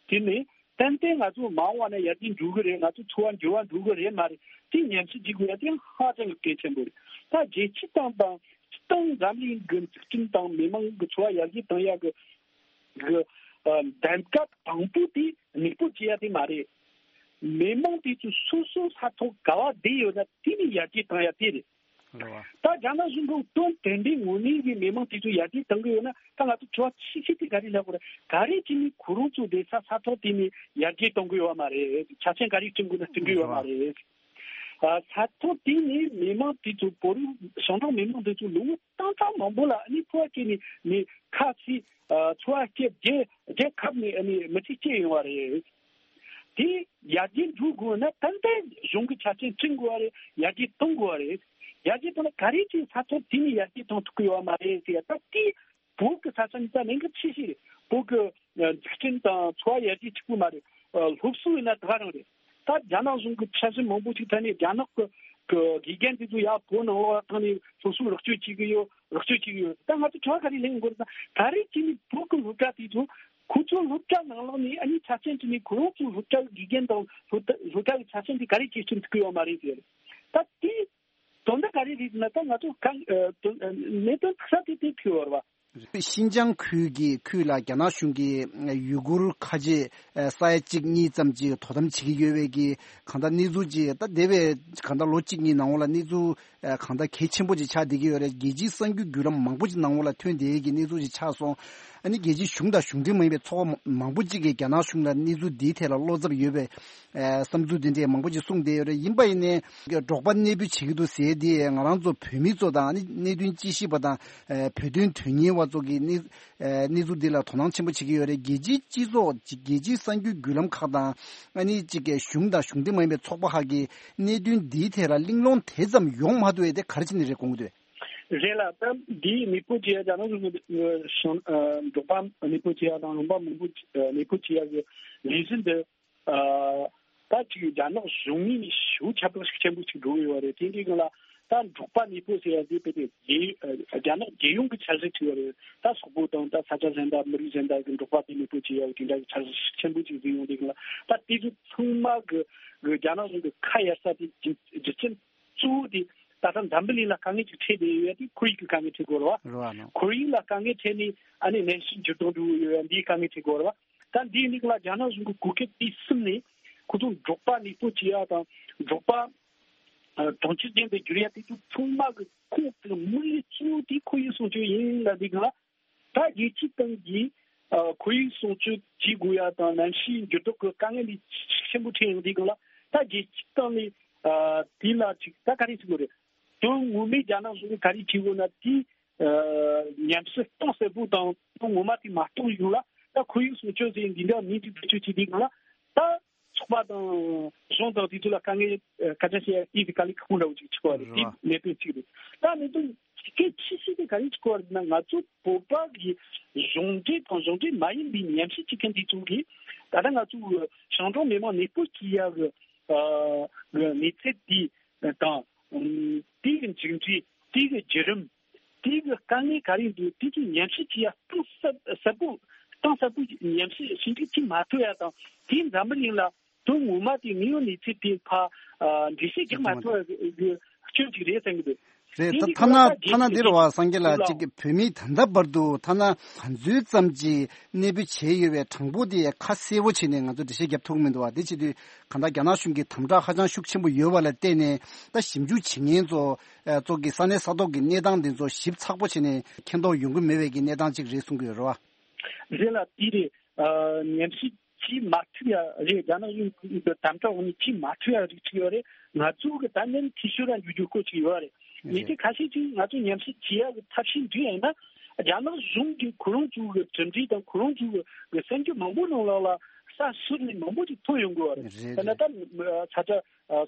དེ་ནས་ཏན་ཏན་ང་ཚོ་མ་འོངས་པ་ན་ཡར་རྒྱས་འགྲོ་གི་རེད། ང་ཚོ་འཚོ་བ་འགྱུར་བ་འགྲོ་གི་རེད་མ་རེད། དེ་ཉམས་ཞིབ་བྱེད་དགོས་ཡ་དེ་ཧ་ཅང་གི་གལ་ཆེན་པོ་རེད། ད་རྒྱལ་སྤྱི་དང་དང་སྤྱི་བཏང་འཛམ་གླིང་གི་འཛུགས་སྐྲུན་དང་མི་མང་གི་འཚོ་བ་ཡར་རྒྱས་གཏོང་ཡ་གི་གི་ཨ་གདམ་ག་དང་པོ་དེ་མེས་པོ་བྱེད་ཡ་དེ་མ་རེད། མི་མང་དེ་ཚོ་སོ་སོ་ས་ཐོག་ག་བ་བསྡད་ཡོད་ན་དེ་ནས་ཡར་རྒྱས་གཏོང་ཡ་དེ་རེད། རེད་བ། ད་རྒྱ་ནག་གཞུང་གིས་དོན་དེ་འདྲའི་ངོས་ནས་ཀྱི་མི་མང་དེ་ཚོ་ཡར་རྒྱས་གཏོང་གི་ཡོད་ན་ད་ང་ཚོ་དྲི་བ་ཆེ་ཤོས་དེ་ག་རེ་ལབ་དགོས་རེད། ག་རེ་བྱས་ནས་ཁོ་རང་ཚོ་བསྡད་ས་ས་ཐོག་དེ་ནས་ཡར་རྒྱས་གཏོང་གི་ཡོད་མ་རེད། ཆ་རྐྱེན་ག་རེ་བསྐྲུན་དགོས་ན་བསྐྲུན་གི་ཡོད་མ་རེད། ཨ་ས་ཐོག་དེ་ནས་མི་མང་དེ་ཚོ་བོད་རིགས་ཞང་ཞུང་མི་མང་དེ་ཚོ་ལོ་ངོ་སྟོང་ཕྲག་མང་པོ་ལ་ཨ་ནི་འཚོ་བ་སྐྱེལ་ནས་ནས་ཁ་ཚིག་ཨ་འཚོ་བ་སྐྱེལ་རྒྱལ་རྒྱལ་ཁབ་ནས་ཨ་ནི་མི་ཚེ་སྐྱེལ་ཡོང་བ་རེད། དེ་ཡར་རྒྱས་འགྲོ་དགོས་ན་ཏན་ཏན་གཞུང་གི་ཆ་རྐྱེན་བསྐྲུན་དགོས་པ་རེད། ཡར་རྒྱས་གཏོང་དགོས་པ་རེད། ཡར་རྒྱས་གཏོང་ན་ག་རེ་བྱས་ས་ཐོག་དེ་ནས་ཡར་རྒྱས་གཏོང་ཐུབ་ཀྱི་ཡོད་མ་རེད་ཟེར་ཡ། ད་དེ་བོད་ཀྱི་ས་ཆ་འདི་ད་གནད་འགག་ཆེ་ཤོས་རེད། བོད་ཀྱི་ཨ་འཛུགས་སྐྲུན་དང་འཚོ་བ་ཡར་རྒྱས་གཅིག་པུ་མ་རེད། ཨ་སློབ་གསོ་ཡིན་ན་ད་ག་རང་རེད། ད་རྒྱ་ནག་གཞུང་གི་འཆར་གཞི་མང་པོ་ཞིག་ཐད་ནས་རྒྱ་ནག་གི་གི་དགེ་རྒན་དེ་ཚོ་ཡར་བོད་ནང་ལོགས་ལ་བཏང་ནས་སློབ་གསོ་རོགས་སྐྱོར་བྱེད་ཀྱི་ཡོད། རོགས་སྐྱོར་བྱེད་ཀྱི་ཡོད། ད་ང་ཚོ་དྲི་བ་ག་རེ་ལེན་དགོས་རེད་ཟེར་ན། ག་རེ་བྱས་ནས་བོད་ཀྱི་སློབ་གྲྭ་དེ་ཚོ་ཁོ་ཚོ་སློབ་གྲྭ་ནང་ལོགས་ནས་ཨ་ནི་ཆ་རྐྱེན་བྱས་ནས་ཁོ་རང་ཚོའི་སློབ་གྲྭ་གི་དགེ་རྒན་དང་སློབ་གྲྭ་སློབ་གྲྭ་གི་ཆ་རྐྱེན་དེ་ག་རེ་བྱས་སྐྲུན་ཐུབ་ཀྱི་ཡོད་མ་རེད་ཟེར། ད་དེ་དོན་དག་ག་རེ་རེད་ཟེར་ན། ད་ང་ཚོ་གང་ཨ་དོན་ཨ་གནད་དོན་ཐུག་ས་དེ་དེ་ཐུག་ཡོད་རེད་བ། ཤིན་ཅང་ཁུལ་གྱི་ཁུལ་ལ་རྒྱ་ནག་གཞུང་གིས་ཡུ་གུར་ཁ་ཆེ་ས་ཡ་གཅིག་གཉིས་ཙམ་ཅིག་དོ་དམ་བྱེད་ཀྱི་ཡོད་པའི་གི་གང་ལྟར་གནས་ཚུལ་ཅིག་ད་འདས་པའི་གང་ལྟར་ལོ་གཅིག་གཉིས་ནང་ལོགས་ལ་གནས་ཚུལ་གང་ལྟར་གལ་ཆེན་པོ་ཅིག་ཆགས་བསྡད་ཀྱི་ཡོད་རེད། རྒྱལ་སྤྱིའི་གསར་འགྱུར་བརྒྱུད་ལམ་མང་པོ་ཅིག་ནང་ལོགས་ལ་ཐོན་བསྡད་ཀྱི་གནས་ཚུལ་ཅིག་ཆགས་སོང་། ཨ་ནི་རྒྱལ་སྤྱིའི་གཞུང་དང་གཞུང་འབྲེལ་མ་ཡིན་པའི་ཚོགས་པ་མང་པོ་ཅིག་གིས་རྒྱ་ནག་གཞུང་ལ་གནས་ཚུལ་འདིའི་ཐད་ལ་བློ་འཚབ་ཡོད་པའི་ཨ་བསམ་ཚུལ་འདི་འདྲས་མང་པོ་ཅིག་གསུངས་བསྡད་ཡོད་རེད། ཡིན་པ་ཡིན་ནའི་འབྲོག་པ་གནས་སྤོ་བྱེད་ཀྱི་འདུག་ཟེར་དེ་ང་རང་ཚོ་བོད་མི་ཚོ་དང་ཨ་ནི་གནད་དོན་དཔྱད་ཞིབ་པ་དང་ཨ་བོད་དོན་དོན་གཉེར་བ་ཚོ་གིས་གནས་ཨ་གནས་ཚུལ་འདི་ལ་དོ་སྣང་ཆེན་པོ་བྱེད་ཀྱི་ཡོད་རེད། རྒྱལ་སྤྱིའི་སྤྱི་ཚོགས་རྒྱལ་སྤྱིའི་གསར་འགྱུར་བརྒྱུད་ལམ་ཁག་དང་ཨ་ནི་གཅིག་གི་གཞུང་དང་གཞུང་འབྲེལ་མ་ཡིན་པའི་ཚོགས་པ་ཁག་གིས་གནད་དོན་འདིའི་ཐད་ལ་གླེང་སློང་དེ་ཙམ་ཡོང་མ་ཐུབ་པས་དེ་ག་རེ་བྱས་ནས་རེད་དགོངས་ཀྱི་འདུག་རེད་ལ། ད་འདིའི་མེས་པོ་བྱེད་ཡ་རྒྱ་ནག་གཞུང་གི་ཨ་འབྲོག་པ་མེས་པོ་བྱེད་ཡ་དང་ལུང་པ་མང་པོ་ཨ་མེས་པོ་བྱེད་ཡ་གི་ལས་གཞི་འདི་ཨ་ད་ཅིག་རྒྱ་ནག་གཞུང་ངོས་ནས་ཞེ་པོ་ཁྱབ་བསྒྲགས་ཤུགས་ཆེན་པོ་ཞིག་འགྲོ་གི་ཡོད་རེད། དེ་འདྲའི་སྒང་ལ་ད་འབྲོག་པ་མེས་པོ་ཟེར་ཡ་འདི་དཔེ་དེ་རྒྱལ་ཨ་རྒྱ་ནག་རྒྱལ་ཡོངས་ཀྱི་འཆར་གཞི་ཅིག་ཡོད་རེད། ད་སོག་པོ་དང་ད་ས་ཆ་གཞན་དག་མི་རིགས་གཞན་དག་གི་འབྲོག་པ་དེ་མེས་པོ་བྱེད་ཡ་གི་དེ་འདྲ་གི་འཆར་གཞི་ཤུགས་ཆེན་པོ་ཅིག་བཟོས་ཡོང་དུས་སྒང་ལ་ད་དེ་ཚོ་ཚང་མ་གི་གི་རྒྱ་ནག་གཞུང་གི་ཁ་གཡར་ས་དེ་རྒྱུ་རྒྱུ་རྐྱེན། གཙོ་བོ་དེ་ད་ལྟ་འཛམ་བུ་གླིང་ལ་དཀའ་ངལ་ཅིག་འཕྲད་བསྡད་ཡོད་ཡ་དེ་ཁོར་ཡུག་གི་དཀའ་ངལ་འཕྲད་དགོས་རེད་བ། རེད་བ་ནོ། ཁོར་ཡུག་ལ་དཀའ་ངལ་འཕྲད་ནས་ཨ་ནི་གནམ་གཤིས་འགྱུར་ལྡོག་འགྲོ་གི་ཡོད་ཡ་འདིའི་དཀའ་ངལ་འཕྲད་དགོས་རེད་བ། ད་འདིའི་ནང་ལ་རྒྱ་ནག་གཞུང་གི་གོ་སྐབས་དེ་བསམ་ནས་ཁོ་ཚོ་འབྲོག་པ་གནས་སྤོ་བྱེད་ཡ་དང་འབྲོག་པ་གྲོང་ཁྱེར་ཅན་དུ་བསྒྱུར་ཡ་དེ་ཚོ་ཚང་མ་གི་ཁོང་གི་དམིགས་ཡུལ་གཙོ་བོ་དེ་ཁོར་ཡུག་སྲུང་སྐྱོབ་ཡིན་ལབ་འདི་གི་ལ། ད་རྒྱལ་སྤྱིའི་སྟེང་གི་ཨ་ཁོར་ཡུག་སྲུང་སྐྱོབ་བྱེད་དགོས་ཡ་དང་གནམ་གཤིས་འགྱུར་ལྡོག་གི་དཀའ་ངལ་ལས་ཆེན་པོ་འཕྲད་ཡོང་དུས་སྒང་ལ། ད་རྒྱལ་སྤྱིའི་སྟེང་ནས་ཨ་དེ་ལ་ཅིག་ད་ག་རེ་བྱེད་དགོས་རེད། དོན་ངོ་མའི་རྒྱ་ནག་གཞུང་གིས་ག་རེ་བྱེད་དགོས་ན་དེ་ཨ་ཉམས་ཞིབ་གཏིང་ཟབ་པོ་དང་དོན་ངོ་མ་དེ་མ་རྟོགས་ཡོང་ལ། ད་ཁོར་ཡུག་སྲུང་སྐྱོབ་ཟེར་འདི་འདྲ་མིང་ཅིག་བེད་སྤྱོད་བྱེད་དུས་སྒང་ལ། ད་ཚོགས་པ་དང་གཞུང་དང་དེ་ཚོ་ལ་དཀའ་ངལ་ཨ་སྐད་ཆ་བཤད་ཡ་དེ་དཀའ་ལས་ཁག་པོ་འདྲ་བོ་ཅིག་ཆགས་པ་རེད། རེད་བ། དེ་གནད་དོན་གཅིག་རེད། ད་གནད་དོན་གལ་ཆེ་ཤོས་དེ་ག་རེ་ཆགས་པ་རེད་ན། ང་ཚོ་བོད་པ་གི་གཞུང་འབྲེལ་དང་གཞུང་འབྲེལ་མ་ཡིན་པའི་ཉམས་ཞིབ་བྱེད་མཁན་དེ་ཚོ་གིས་ད་ལྟ་ང་ཚོ་ཞིང་འབྲོག་མི་མང་གནས་སྤོ་བྱེད་ཡ་གི་ཨ་གི་གནས་ཚུལ་དེ་དང་དེ་གི་མཇུག་འབྲས། དེ་གི་བརྒྱུད་རིམ། དེ་གི་དཀའ་ངལ་ག་རེ་འདུག་དེ་ཚོ་ཉམས་ཞིབ་བྱེད་ཡ་གཏིང་ཟབ་ཟབ་པོ། གཏིང་ཟབ་པོ་ཉམས་ཞིབ་ཞིབ་འཇུག་བྱེད་མ་ཐུབ་ཡ་དང་། དེ་འཛམ་བུ་གླིང་ལ་དོན་ངོ་མ་དེ་དངོས་ཡོད་གནས་ཚུལ་དེ་ཕར་ཨ་འགྲེལ་བཤད་རྒྱག་མ་ཐུབ་ཡ་གི་སྐྱོན་ཅིག་རེད་བསམ་གི་འདུག་རེད། དེ་ད་འདི་ཐ་ན་གི་ཐ་ན་འདི་རེད་བ། སངས་རྒྱས་ལགས། ལ་གཅིག་གི་བོད་མིའི་ད་ལྟ་བར་དུ་ཐ་ན་ག་ཚོད་ཙམ་གྱི་གནས་སྤོ་བྱས་ཡོད་པའི་གྲངས་འབོར་དེ་ཁ་གསལ་པོ་བྱས་ནས་ང་ཚོ་འགྲེལ་བཤད་རྒྱབ་ཐུབ་ཀྱི་མི་འདུག་བ། དེ་བྱེད་དུས་གང་ལྟར་རྒྱ་ནག་གཞུང་གི་དམ་དྲག་ཧ་ཅང་ཤུགས་ཆེན་པོ་ཡོད་པ་ལ་བརྟེན་ནས། ད་ཞིབ་འཇུག་བྱེད་མཁན་ཚོ་ཨ་ཚོ་གི་ས་གནས་ས་ཐོག་གི་གནས་སྟངས་འདི་ཚོ་ཞིབ་ཚགས་པོ་བྱས་ནས་མཁྱེན་རྟོགས་ཡོང་གི་མེད་པའི་གི་གནས་སྟངས་ཅིག་རེད་གསུང་གི་ཡོད་རེད་བ། རེད་ལ། དེ་རེད། ཨ་ཉམས་ཞིབ་བྱེད་མ་ཐུབ་ཡ་རེད། རྒྱ་ནག་གཞུང་གི་དམ་དྲག་འོག་ནས་བྱེད་མ་ཐུབ་ཡ་རིགས་ཅིག་ཡོད་རེད། ང་ཚོ་གི་ད་ནི་འཐུས་ཤོར་ར་འགྱུར་རྒྱུ་སྐོར་ཅིག་ཡོད་རེད། ངས་རེད། དེ་ཁ་ཤས་ཅིག་ང་ཚོ་ཉམས་ཞིབ་བྱེད་ཡ་གི་ཐབས་ཤེས་འདི་ཡིན་ན། རྒྱ་ནག་གཞུང་གིས་ཁོ་རང་ཚོ་གི་གྲུབ་འབྲས་དང་ཁོ་རང་ཚོ་གི་གི་གསར་འགྱུར་མང་པོ་ནང་ལོགས་ལ་ས་ཟུར་ནས་མང་པོ་ཅིག་ཐོན་ཡོང་གི་ཡོད་རེད། རེད། དཔེར་ན་ད་ས་ཆ་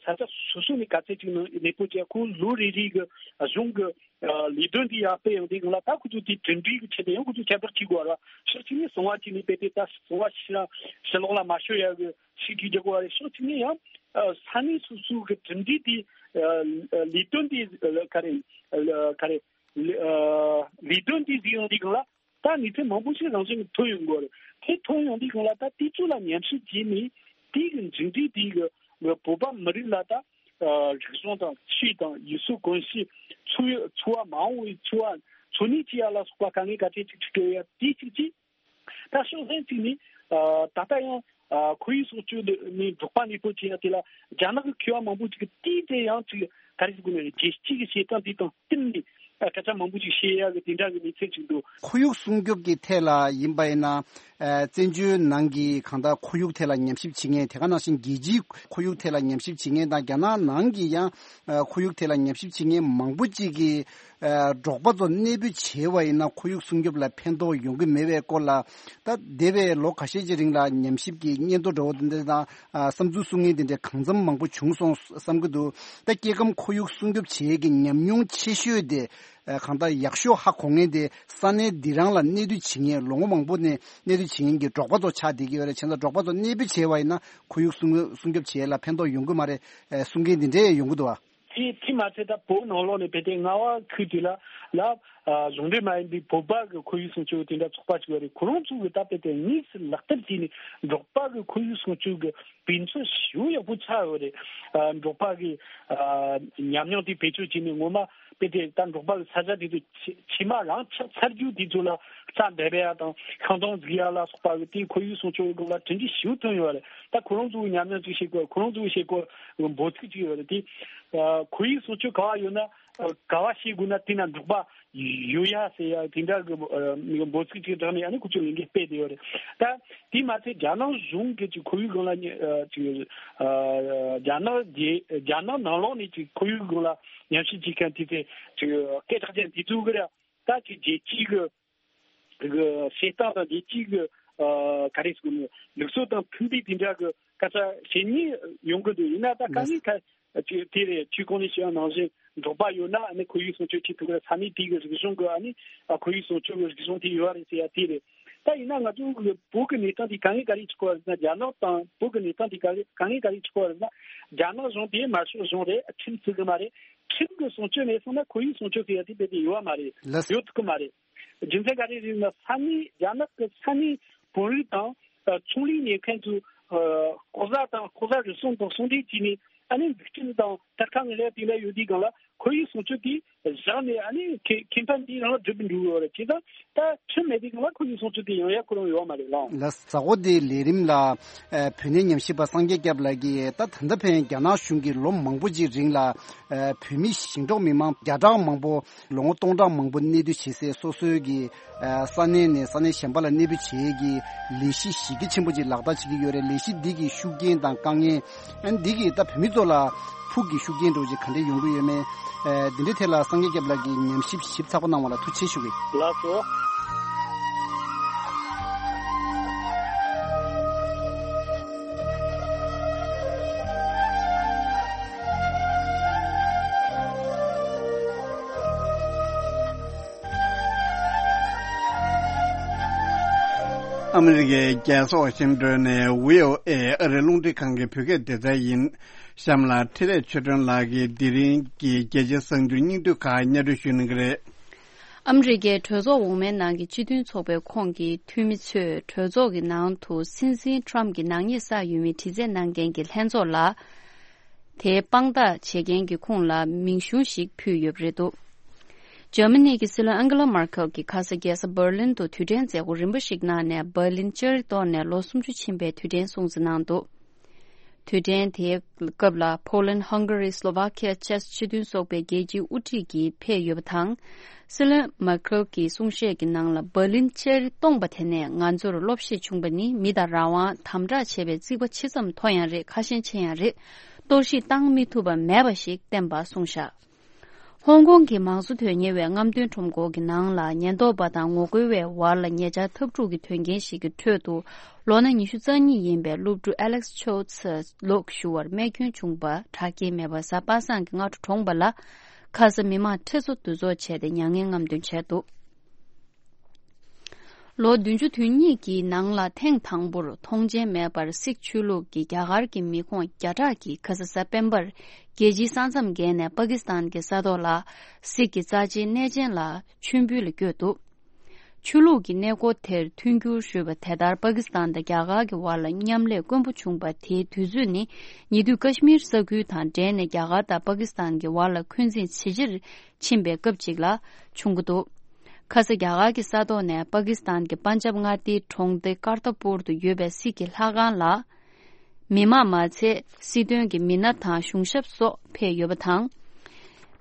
ས་ཆ་སོ་སོ་ནས་ག་ཚད་ཅིག་ནང་གནས་སྤོ་བྱས། ཁོ་ལོ་རེ་རེ་གི་གཞུང་གི་ལས་དོན་འདི་ཡར་སྤེལ་ཡོང་དུས་སྒང་ལ། ད་ཁོ་ཚོ་དེ་གྲུབ་འབྲས་ཀྱི་ཆེད་དུ་ཡང་ཁོ་ཚོ་ཁྱད་པར་གཅིག་དགོས་ར། ཕྱོགས་གཅིག་ནས་གསང་བ་གཅིག་ནས་དཔེ་དེ་ད་གསང་བ་ཕྱི་ཕྱི་ལོགས་ལ་མ་ཤོར་ཡ་གི་ཤིག་གིས་རྒྱག་དགོས་རེད། ཕྱོགས་གཅིག་ནས་ཡང་ས་གནས་སོ་སོ་གི་གྲུབ་འབྲས་དེ་ལས་དོན་དེ་ག་རེ་ག་རེ་ལས་དོན་དེ་ཟིག་ཡོང་དུས་སྒང་ལ། ད་ནི་ཚེ་མང་པོ་ཞིག་རང་བཞིན་ཐོན་ཡོང་གི་རེད། དེ་ཐོན་ཡོང་དུས་སྒང་ལ་ད་དེ་ཚོ་ལ་ཉམས་ཞིབ་བྱས་ནས་དེ་གི་མཇུག་འབྲས་དེ་གི་བོད་པ་མི་རིགས་ལ་ད་རིག་གཞུང་དང་ཆོས་དང་ཡུལ་སྲོལ་གོམས་གཤིས། འཚོ་འཚོ་བ་མ་འོངས་པའི་འཚོ་བ་འཚོ་གནས་བྱེད་ཡ་ལ་སོགས་པ་དཀའ་ངལ་ག་ཚད་ཅིག་འཕྲད་ཡ་དེ་གཅིག་གཅིག་ད་ཕྱོགས་གཞན་གཅིག་ནས་ད་ལྟ་ཡང་ཁོར་ཡུག་སྲུང་སྐྱོབ་ནས་འབྲོག་པ་གནས་སྤོ་བྱེད་ཡ་དེ་ལ་རྒྱ་ནག་གི་མཁས་པ་མང་པོ་ཅིག་གིས་དེའི་ཐད་ཡང་ཅིག་ག་རེ་ཟེར་དགོས་ན། རྒྱལ་སྤྱིའི་བྱེད་སྟངས་དེ་དང་བསྟུན་ནས་སྐད་ཆ་མང་པོ་ཅིག་བཤད་ཡ་གི་དེ་འདྲ་གི་གནས་ཚུལ་ཅིག་འདུག་ཁོར་ཡུག་སྲུང་སྐྱོབ་ཀྱི་ཐད་ལ་ཡིན་པ་ཡིན་ན། ཨ་བཙན་བྱོལ་ནང་གི་གང་ལྟར་ཁོར་ཡུག་ཐད་ལ་ཉམས་ཞིབ་བྱེད་མཁན། དེ་ག་ནང་བཞིན་རྒྱལ་སྤྱིའི་ཁོར་ཡུག་ཐད་ལ་ཉམས་ཞིབ་བྱེད་མཁན་དང་། རྒྱ་ནག་ནང་གི་ཡང་ཨ་ཁོར་ཡུག་ཐད་ལ་ཉམས་ཞིབ་བྱེད་མཁན་མང་པོ་ཅིག་གིས། ཨ་འབྲོག་པ་ཚོ་གནས་སྤོ་བྱས་པ་ཡིན་ན་ཁོར་ཡུག་སྲུང་སྐྱོབ་ལ་ཕན་ཐོགས་ཡོང་གི་མེད་པའི་སྐོར་ལ། ད་འདས་པའི་ལོ་ཁ་ཤས་ཀྱི་རིང་ལ་ཉམས་ཞིབ་ཀྱི་སྙན་ཐོ་འདྲ་བོ་དེ་འདྲ་དང་། ཨ་བསམ་ཚུལ་གསུང་མཁན་དེ་འདྲ་གང་འཚམ་མང་པོ་བྱུང་སོང་བསམ་གྱི་འདུག་ད་སྐྱེ་ཁམས་ཁོར་ཡུག་སྲུང་སྐྱོབ་བྱེད་ཡས་ཀྱི་ཉམས་མྱོང་ཆེ་ཤོས་དེ། ཨ་གང་ལྟར་ཡག་ཤོས་ཧ་གོ་མཁན་དེ་ས་གནས་འདི་རང་ལ་གནས་སྡོད་བྱེད་མཁན། ལོ་ངོ་མང་པོ་ནས་གནས་སྡོད་བྱེད་མཁན་གྱི་འབྲོག་པ་ཚོ་ཆགས་བསྡད་ཀྱི་ཡོད་རེད། བྱས་ཙང་འབྲོག་པ་ཚོ་གནས་སྤོ་བྱས་པ་ཡིན་ན་ཁོར་ཡུག་སྲུང་སྲུང་སྐྱོབ་བྱེད་ཡས་ལ་ཕན་ཐོགས་ཡོང་གི་མ་རེད། ཨ་གསུང་མཁན་དེ་འདྲས་ཡོང་གི་འདུག་བ། དེ་དེ་མ་ཚད་ད་བོད་ནང་ལོགས་ནས་དཔེ་དེ་རྔ་བ་ཁུལ་དེ་ལ་ལ་ཨ་གཞུང་འབྲེལ་མ་ཡིན་པའི་བོད་པ་གི་ཁོར་ཡུག་སྲུང་སྐྱོབ་དེ་འདྲ་ཚོགས་པ་ཅིག་ཡོད་རེད། ཁོ་རང་ཚོ་གི་ད་དཔེ་དེ་དངོས་སུ་ལག་བསྟར་བྱས་ནས་འབྲོག་པ་གི་ཁོར་ཡུག་སྲུང་སྐྱོབ་གི་དཔེ་མཚོན་ཞེ་པོ་ཡག་པོ་ཆགས་ཡོད་རེད། ཨ་འབྲོག་པ་གི་ཨ་ཉམས་མྱོང་དེ་བེད་སྤྱོད་བྱས་ནས་ངོ་མ་དཔེ་དེ་ད་འབྲོག་པ་གི་ས་ཆ་དེ་ཚོ་ཕྱེ་ཕྱེ་མ་རང་ཆགས་ཚར་རྒྱུ་དེ་ཚོ་ལ་རྩྭ་འབེབས་ཡ་དང་ཤིང་སྡོང་འཛུགས་ཡ་ལ་སོགས་པ་གི་དེ་ཁོར་ཡུག་སྲུང་སྐྱོབ་སྒང་ལ་གྲུབ་འབྲས་ཞེ་པོ་ཐོན་ཡོད་རེད། ད་ཁོ་རང་ཚོའི་ཉམས་མྱོང་ཅིག་བཤད་དགོས། ཁོ་རང་ཚོའི་བཤད་དགོས་འབོད་ཚིག་ཅིག་ཡོད་རེད། དེ་ཨ་ཁོར་ཡུག་སྲུང་སྐྱོབ་ག་བ་ཡོད་ན་ཨ་ག་བ་བཤད་དགོས་ན་དེ་ན་འབྲོག་པ་ཡོད་ཡ་ཟེར་ཡ་དེ་འདྲ་གི་ཨ་འབོད་ཚིག་ཅིག་བསྒྲགས་ནས་ཨ་ནི་ཁོ་ཚོས་ལས་འགུལ་སྤེལ་བསྡད་ཡོད་རེད། ད་དེ་མ་ཚད་རྒྱ་ནག་གཞུང་གི་ཅིག་ཁོར་ཡུག་སྒང་ལ་ཉེ་ཨ་ཅིག་ཨ་རྒྱ་ནག་རྒྱལ་རྒྱ་ནག་ནང་ལོགས་ནས་ཅིག་ཁོར་ཡུག་སྒང་ལ་ཉམས་ཞིབ་བྱེད་མཁན་དེ་ཚོས་ཅིག་སྐད་གྲགས་ཅན་དེ་ཚོ་གི་ར་ད་ཅིག་རྒྱལ་སྤྱིའི་གི་གི་བྱེད་སྟངས་དང་རྒྱལ་སྤྱིའི་གི་ཨ་ག་རེ་ཟེར་དགོས་ནི་ལུགས་སྲོལ་དང་མཐུན་པའི་དེ་འདྲ་གི་སྐད་ཆ་བཤད་མཁན་ཡོང་གི་འདུག་ཡིན་ན་ད་དཀའ་ངལ་ཁ་ཅིག་དེ་རེད། ཁྱོད་གོང་ནས་བཤད་པ་ནང་བཞིན་འབྲོག་པ་ཡོད་ན་ཨ་ནི་ཁོར་ཡུག་སྲུང་སྐྱོབ་བྱེད་ཐུབ་ཀྱི་རེད། ས་གནས་དེ་གི་རིག་གཞུང་གི་ཨ་ནི་ཨ་ཁོར་ཡུག་སྲུང་སྐྱོབ་ཀྱི་རིག་གཞུང་དེ་ཡོད་རེད་ཟེར་ཡ་དེ་རེད། ད་ཡིན་ན་ང་ཚོ་གི་བོད་ཀྱི་གནས་སྟངས་དེ་དཀའ་ངལ་ག་རེ་ཆགས་ཀྱི་ཡོད་རེད་ཟེར་ན། རྒྱ་ནག་དང་བོད་ཀྱི་གནས་སྟངས་དེ་ག་རེ་དཀའ་ངལ་ག་རེ་ཆགས་ཀྱི་ཡོད་རེད་ཟེར་ན། རྒྱ་ནག་གཞུང་དེ་དམར་ཤོག་གཞུང་རེད། ཁྲིམས་བརྩི་གི་མ་རེད། ཁྲིམས་ཀྱི་སྲུང་སྐྱོབ་མེད་སོང་ན་ཁོར་ཡུག་སྲུང་སྐྱོབ་ཟེར་ཡ་དེ་དཔེ་དེ་ཡོད་པ་མ་རེད། ལགས་སོ། ཡོད་ཐུབ་ཀྱི་མ་རེད། རྒྱུ་མཚན་ག་རེ་རེད་ན། ས་གནས་རྒྱ་ནག་གི་ས་གནས་བོད་རིགས་དང་ཨ་ཚོང་ལས་གཉེར་མཁན་ཚོས་ཨ་ལྐོག་ཟ་དང་ལྐོག་ཟ་རུལ་སུངས་དང་ཟུང་འབྲེལ་བྱས་ནས་ ཨ་ནི་འཛུགས་སྐྲུན་དང་དར་ཁ་ངན་ལས་དེ་འདྲ་ཡོད་དུས་སྒང་ལ་ཁོར་ཡུག་སྲུང་སྐྱོབ་དེ་བཞག་ནས་ཨ་ནི་ཁེ་ཁེ་ཕན་དེ་རང་ལ་སྒྲུབ་འགྲོ་གི་ཡོད་རེད། བྱས་ཙང་ད་ཁྲིམས་མེད་དུས་སྒང་ལ་ཁོར་ཡུག་སྲུང་སྐྱོབ་དེ་ཡོང་ཡ་ཁོ་རང་ཡོད་མ་རེད་ལགས། ལགས། གཟའ་འཁོར་འདིའི་ལས་རིམ་ལ་ཨ་བོད་གནས་ཉམས་ཞིབ་པ་སངས་རྒྱས་སྐྱབས་ལགས་ཀྱིས་ད་ད་ལྟ་ཕན་རྒྱ་ནག་གཞུང་གིས་ལོ་མང་པོ་ཅིག་རིང་ལ་ཨ་བོད་མི་ཞིང་འབྲོག་མི་མང་བརྒྱ་ཕྲག་མང་པོ་ལོ་ངོ་སྟོང་ཕྲག་མང་པོ་གནས་སྡོད་བྱེད་སའི་སོ་སོའི་གི་ཨ་ས་གནས་ནས་ས་གནས་གཞན་པ་ལ་གནས་སྤོས་བྱེད་ཡས་ཀྱི་ལས་གཞི་གཞི་རྒྱ་ཆེན་པོ་ཅིག་ལག་བསྟར་བྱེད་ཀྱི་ཡོད་རེད། ལས་གཞི་འདི་གི་ཤུགས་རྐྱེན་དང་དཀའ་ངལ་ཨ་འདི་གིས་ད་བོད་མི་ཚོ་ལ་ཕུགས་ཀྱི་ཤུགས་རྐྱེན་འདྲ་བོ་ཅིག་ག་འདྲས་ཡོང་གི་ཡོད་མེད། ཨ་འདི་འདྲའི་ཐད་ལ་སངས་རྒྱས་སྐྱབས་ལགས་ཀྱིས་ཉམས་ཞིབ་ཞིབ་ཚགས་པོ་གནང་བ་ལ་ཐུགས་རྗེ་ཆེ་ཞུ་གི། ལགས་སོ། ཨ་མི་རི་ཀའི་རྒྱལ་ས་ཝ་ཤིང་ཏོན་ནས་བྷི་ཨོ་ཨེ་ཨ་རིའི་རླུང་འཕྲིན་ཁང་གི་བོད་སྐད་སྡེ་ཚན་ཡིན། གཤམ་ལ་འཕྲིན་ལས་ཆོས་སྒྲོན་ལགས་ཀྱིས་དེ་རིང་གི་རྒྱལ་སྤྱིའི་གསར་འགྱུར་སྙིང་བསྡུས་ཁག་སྙན་སྒྲོན་ཞུ་གནང་གི་རེད། ཨ་མི་རི་ཀའི་གྲོས་ཚོགས་འོག་མའི་ནང་གི་སྤྱི་མཐུན་ཚོགས་པའི་ཁོངས་ཀྱི་འཐུས་མི་ཚོས་གྲོས་ཚོགས་ཀྱི་ནང་དུ་སྲིད་འཛིན་ཊམ་གྱི་ནག་ཉེས་བསགས་ཡོད་མེད་དྲི་རྩད་གནང་མཁན་གྱི་ལྷན་ཚོགས་ལ། དེའི་དཔང་རྟགས་བྱེད་མཁན་གྱི་ཁོངས་ལ་མིང་གཞུང་ཞིག་ཕུལ་ཡོད་པ་རེད་འདུག་འཇར་མ་ནི་གི་སྲིད་བློན་ཨན་གྷི་ལ་མར་ཁེལ་གྱིས་ཁ་ས་རྒྱལ་ས་འབར་ལིན་དུ་དུས་དྲན་མཛད་སྒོ་རིམ་པ་ཞིག་གནང་ནས། འབར་ལིན་ལྕགས་རི་གཏོར་ནས་ལོ་སུམ་ཅུ་ཕྱིན་པའི་དུས་དྲན་སྲུང་བརྩི་གནང་འདུག་དུས་དྲན་དེའི་སྐབས་ལ་ཕོ་ལན། ཧང་ག་རི། སློ་ཝ་ཁི་ཡ་བཅས་སྤྱི་མཐུན་ཚོགས་པའི་རྒྱལ་སྤྱིའི་དབུ་ཁྲིད་ཀྱིས་ཕེབས་ཡོད་པ་དང་། སྲིད་བློན་མར་ཁེལ་གྱི་གསུང་བཤད་ཀྱི་ནང་ལ། འབར་ལིན་ལྕགས་རི་སྟོངས་པ་དེ་ནས་ང་ཚོར་སློབ་གཞི་བྱུང་བ་ནི་མི་དང་རང་དབང་དམ་དྲག་བྱེད་པའི་རྩིག་པ་ཇི་ཙམ་མཐོ་ཡང་རེད། ཁ་ཞེང་ཆེ་ཡང་རེད། གཏོར་བཤིག་བཏང་མི་ཐུབ་པ་མེད་པ་ཞིག་བསྟན་པ་གསུངས་བཞག་ཧོང་ཀོང་གི་མང་གཙོ་དོན་གཉེར་བའི་རྔམ་སྟོན་ཁྲོམ་སྐོར་གྱི་ནང་ལ་ཉེན་རྟོག་པ་དང་ངོ་རྒོལ་བའི་བར་ལ་ཉེ་ཆར་འཐབ་འཁྲུག་གི་དོན་རྐྱེན་ཞིག་གི་ཁྲོད་དུ་ལོ་ན་ཉི་ཤུ་རྩ་གཉིས་ཡིན་པའི་སློབ་ཕྲུག་ཨ་ལེག་སི་ཆོའུ་ཙི་ལོག་ཞུ་བར་རྨས་སྐྱོན་བྱུང་བ་དྲག་སྐྱེད་མེད་པ་གཟའ་པ་སངས་ཀྱི་སྔ་དྲོ་གྲོངས་པ་ལ། ཁ་ས་མི་མང་ཁྲི་ཚོ་འདུ་ཚོགས་བྱས་ཏེ་མྱ་ངན་རྔམ་སྟོན་བྱས་འདུག་ལོ་བདུན་ཅུ་དོན་གཉིས་ཀྱི་ནང་ལ་ཐེངས་དང་པོར་མཐོང་མཆན་མེད་པར་སིག་ཆོས་ལུགས་ཀྱི་རྒྱ་གར་གྱི་མི་ཁོངས་བརྒྱ་ཕྲག་གིས་ཁ་ས་གཟའ་སྤེན་པར་རྒྱལ་སྤྱིའི་ས་མཚམས་བརྒལ་ནས་པ་ཀི་སི་ཐན་གྱི་ས་ཐོག་ལ་སིག་གི་རྩ་ཆེའི་གནས་ཆེན་ལ་མཆོད་འབུལ་ལ་བསྐྱོད་འདུག་ཆོས་ལུགས་ཀྱི་གནས་སྐོར་དེར་མཐུན་འགྱུར་ཞུས་པ། དེ་ལྟར་པ་ཀི་སི་ཐན་དང་རྒྱ་གར་གྱི་བར་ལ་མཉམ་ལས་དཀོན་པོ་བྱུང་བ་དེའི་དུས་ཚོད་ནི་ཉེ་དུས་ཀ་ཤི་མིར་ས་ཁུལ་དང་འབྲེལ་ནས་རྒྱ་གར་དང་པ་ཀི་སི་ཐན་གྱི་བར་ལ་འཁོན་འཛིན་ཇེ་ཆེར་ཕྱིན་པའི་སྐབས་ཅིག་ལ་བྱུང་གི་འདུག་ཁ་ས་རྒྱ་གར་གྱི་ས་ཐོག་ནས་པ་ཀི་སི་ཐན་གྱི་པན་ཇབ་མངའ་སྡེའི་གྲོང་སྡེ་ཀར་ཏ་པུར་དུ་ཡོད་པའི་སིག་གི་ལྷ་ཁང་ལ། མི་མང་མ་ཚད་སྲིད་དོན་གྱི་མི་སྣ་དང་གཞུང་ཞབས་སོགས་ཕེབས་ཡོད་པ་དང་།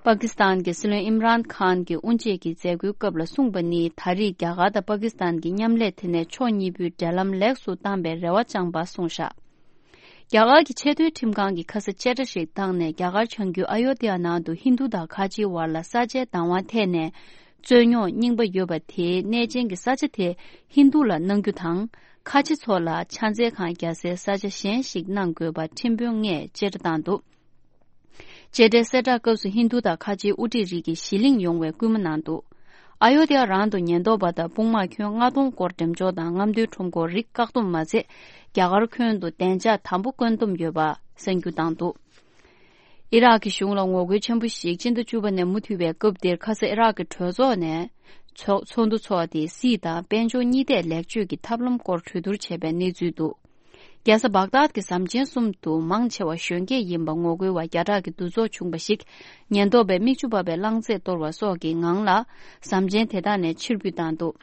པ་ཀི་སི་ཐན་གྱི་སྲིད་བློན་ཨིམ་རཱན་ཁཱན་གྱིས་དབུ་འབྱེད་ཀྱི་མཛད་སྒོའི་སྐབས་ལ་གསུངས་པ་ནི། ད་རེས་རྒྱ་གར་དང་པ་ཀི་སི་ཐན་གྱི་མཉམ་ལས་དེ་ནས་ཕྱོགས་གཉིས་པོའི་འབྲེལ་ལམ་ལེགས་སུ་བཏང་པའི་རེ་བ་བཅངས་པ་གསུངས་བཞག་རྒྱ་གར་གྱི་ཆེས་མཐོའི་ཁྲིམས་ཁང་གིས་ཁ་ས་བཅད་ཁྲ་ཞིག་བཏང་ནས། རྒྱ་གར་བྱང་རྒྱུད་ཨ་ཡོ་དྷ་ཡ་ནང་དུ་ཧིན་རྡུ་དང་ཁ་ཆེའི་བར་ལ་ས་ཆའི་བདག་དབང་ཐད་ནས་རྩོད་རྙོག་རྙིང་པ་ཡོད་པ་དེའི་གནས་ཆེན་གྱི་ས་ཆ་དེ་ཧིན་རྡུ་ལ་གནང་རྒྱུ་དང་། ཁ་ཆེ་ཚོ་ལ་ཕྱག་འཚལ་ཁང་རྒྱག་སའི་ས་ཆ་གཞན་ཞིག་གནང་དགོས་པ་ཁྲིམས་དཔོན་ལྔས་བཅད་ཁྲ་བཏང་འདུག་བཅད་ཁྲའི་གསལ་བསྒྲགས་སྐབས་སུ་ཧིན་རྡུ་དང་ཁ་ཆེའི་དབུ་ཁྲིད་རིགས་ཀྱིས་གཞི་གླེང་ཡོང་བའི་སྐུལ་མ་གནང་འདུག་ཨ་ཡོ་དྷ་ཡ་རང་དུ་ཉེན་རྟོག་པ་དང་དཔུང་དམག་ཁྱོན་ལྔ་སྟོང་སྐོར་འགྲེམས་འཇོག་དང་རྔམ་སྟོན་ཁྲོམ་སྐོར་རིགས་བཀག་སྡོམ་མ་ཚད། རྒྱ་གར་ཁྱོན་དུ་བདེ་འཇགས་དམ་པོ་བཀོད་འདོམས་ཡོད་པ་གསར་འགྱུར་བཏང་འདུག་ཨི་རག་གི་གཞུང་ལ་ངོ་རྒོལ་ཆེན་པོ་ཞིག་སྤྱི་ཟླ་བཅུ་པ་ནས་མུ་མཐུད་པའི་སྐབས་འདིར་ཁ་ས་ཨི་རག་གི་གྲོས་ཚོགས་ནས་ཚོགས་ཚོགས་འདུ་འཚོགས་ཏེ། སྲིད་དང་དཔལ་འབྱོར་གཉིས་ཐད་ལེགས་བཅོས་ཀྱི་ཐབས་ལམ་སྐོར་གྲོས་བསྡུར་བྱས་པའི་གནས་ཚུལ་འདུག་རྒྱལ་ས་བག་དཱད་ཀྱི་ཟམ་ཆེན་གསུམ་དུ་མང་ཆེ་བ་གཞོན་སྐྱེས་ཡིན་པ་ངོ་རྒོལ་བ་བརྒྱ་ཕྲག་གི་འདུ་ཚོགས་བྱུང་བ་ཞིག་ཉེན་རྟོག་པས་མིག་ཆུ་འབབ་པའི་རླངས་རྫས་གཏོར་བ་སོགས་ཀྱི་ངང་ལ་ཟམ་ཆེན་དེ་དག་ནས་ཕྱིར་འབུད་བཏང་འདུག་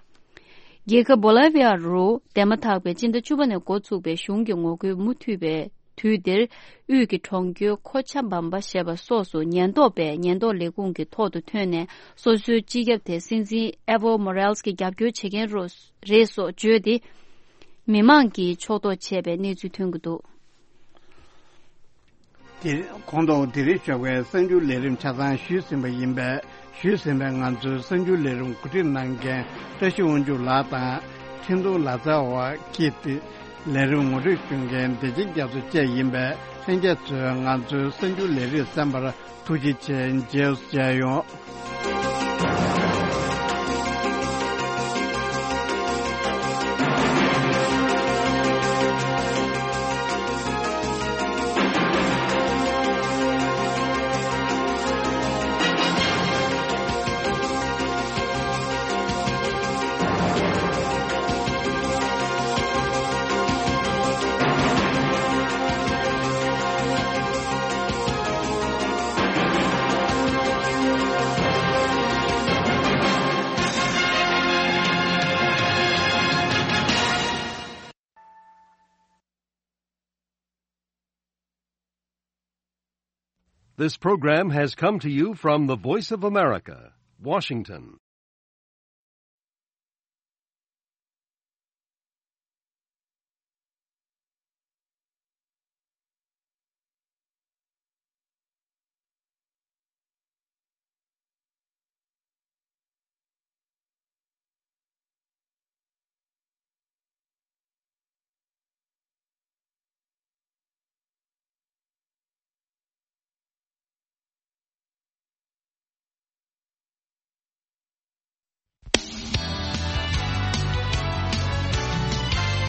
རྒྱལ་ཁབ་བོ་ལི་བི་ཡ་རུ་འདས་མ་ཐག་པའི་སྤྱི་ཟླ་བཅུ་པ་ནས་འགོ་བཙུགས་པའི་གཞུང་གི་ངོ་རྒོལ་མུ་མཐུད་པའི་དུས་འདིར། དབུས་ཀྱི་གྲོང་ཁྱེར་ཁོ་ཆ་བམ་པ་ཞེས་པ་སོགས་སུ་ཉེན་རྟོག་པས་ཉེན་རྟོག་ལས་ཁུངས་ཀྱི་ཐོག་ཏུ་ཐོན་ནས། སོ་སོའི་སྤྱི་ཁྱབ་དེ་སྲིད་འཛིན་ཨེ་ཝོ་མོ་རེལ་སི་ཀྱི་རྒྱབ་སྐྱོར་བྱེད་མཁན་རོ་རེད་སོགས་བརྗོད་དེ། མི་མང་གིས་ཕྱོགས་གཏོགས་བྱས་པའི་གནས་ཚུལ་ཐོན་གྱི་འདུག་དེ་གོང་དུ་དེ་རིང་ཞོགས་པའི་གསར་འགྱུར་ལས་རིམ་ཆ་ཚང་ཞུས་ཟིན་པ་ཡིན་པས། ཞུས་ཟིན་པའི་ང་ཚོའི་གསར་འགྱུར་ལས་རིམ་གོ་སྒྲིག་གནང་མཁན་བཀྲ་ཤིས་དབང་ཕྱུག་ལགས་དང་། འཕྲིན་གཏོང་ལག་རྩལ་བ་ཀིརྟི། ལས་རིམ་ངོ་སྤྲོད་ཞུ་མཁན་བདེ་ཆེན་རྒྱ་མཚོ་བཅས་ཡིན་པས། ལྷན་རྒྱས་ཚོས་ང་ཚོའི་གསར་འགྱུར་ལས་རིམ་གསན་པར་ཐུགས་རྗེ་ཆེ། མཇལ་མཇལ་ཡོང་། This program has come to you from the Voice of America, Washington.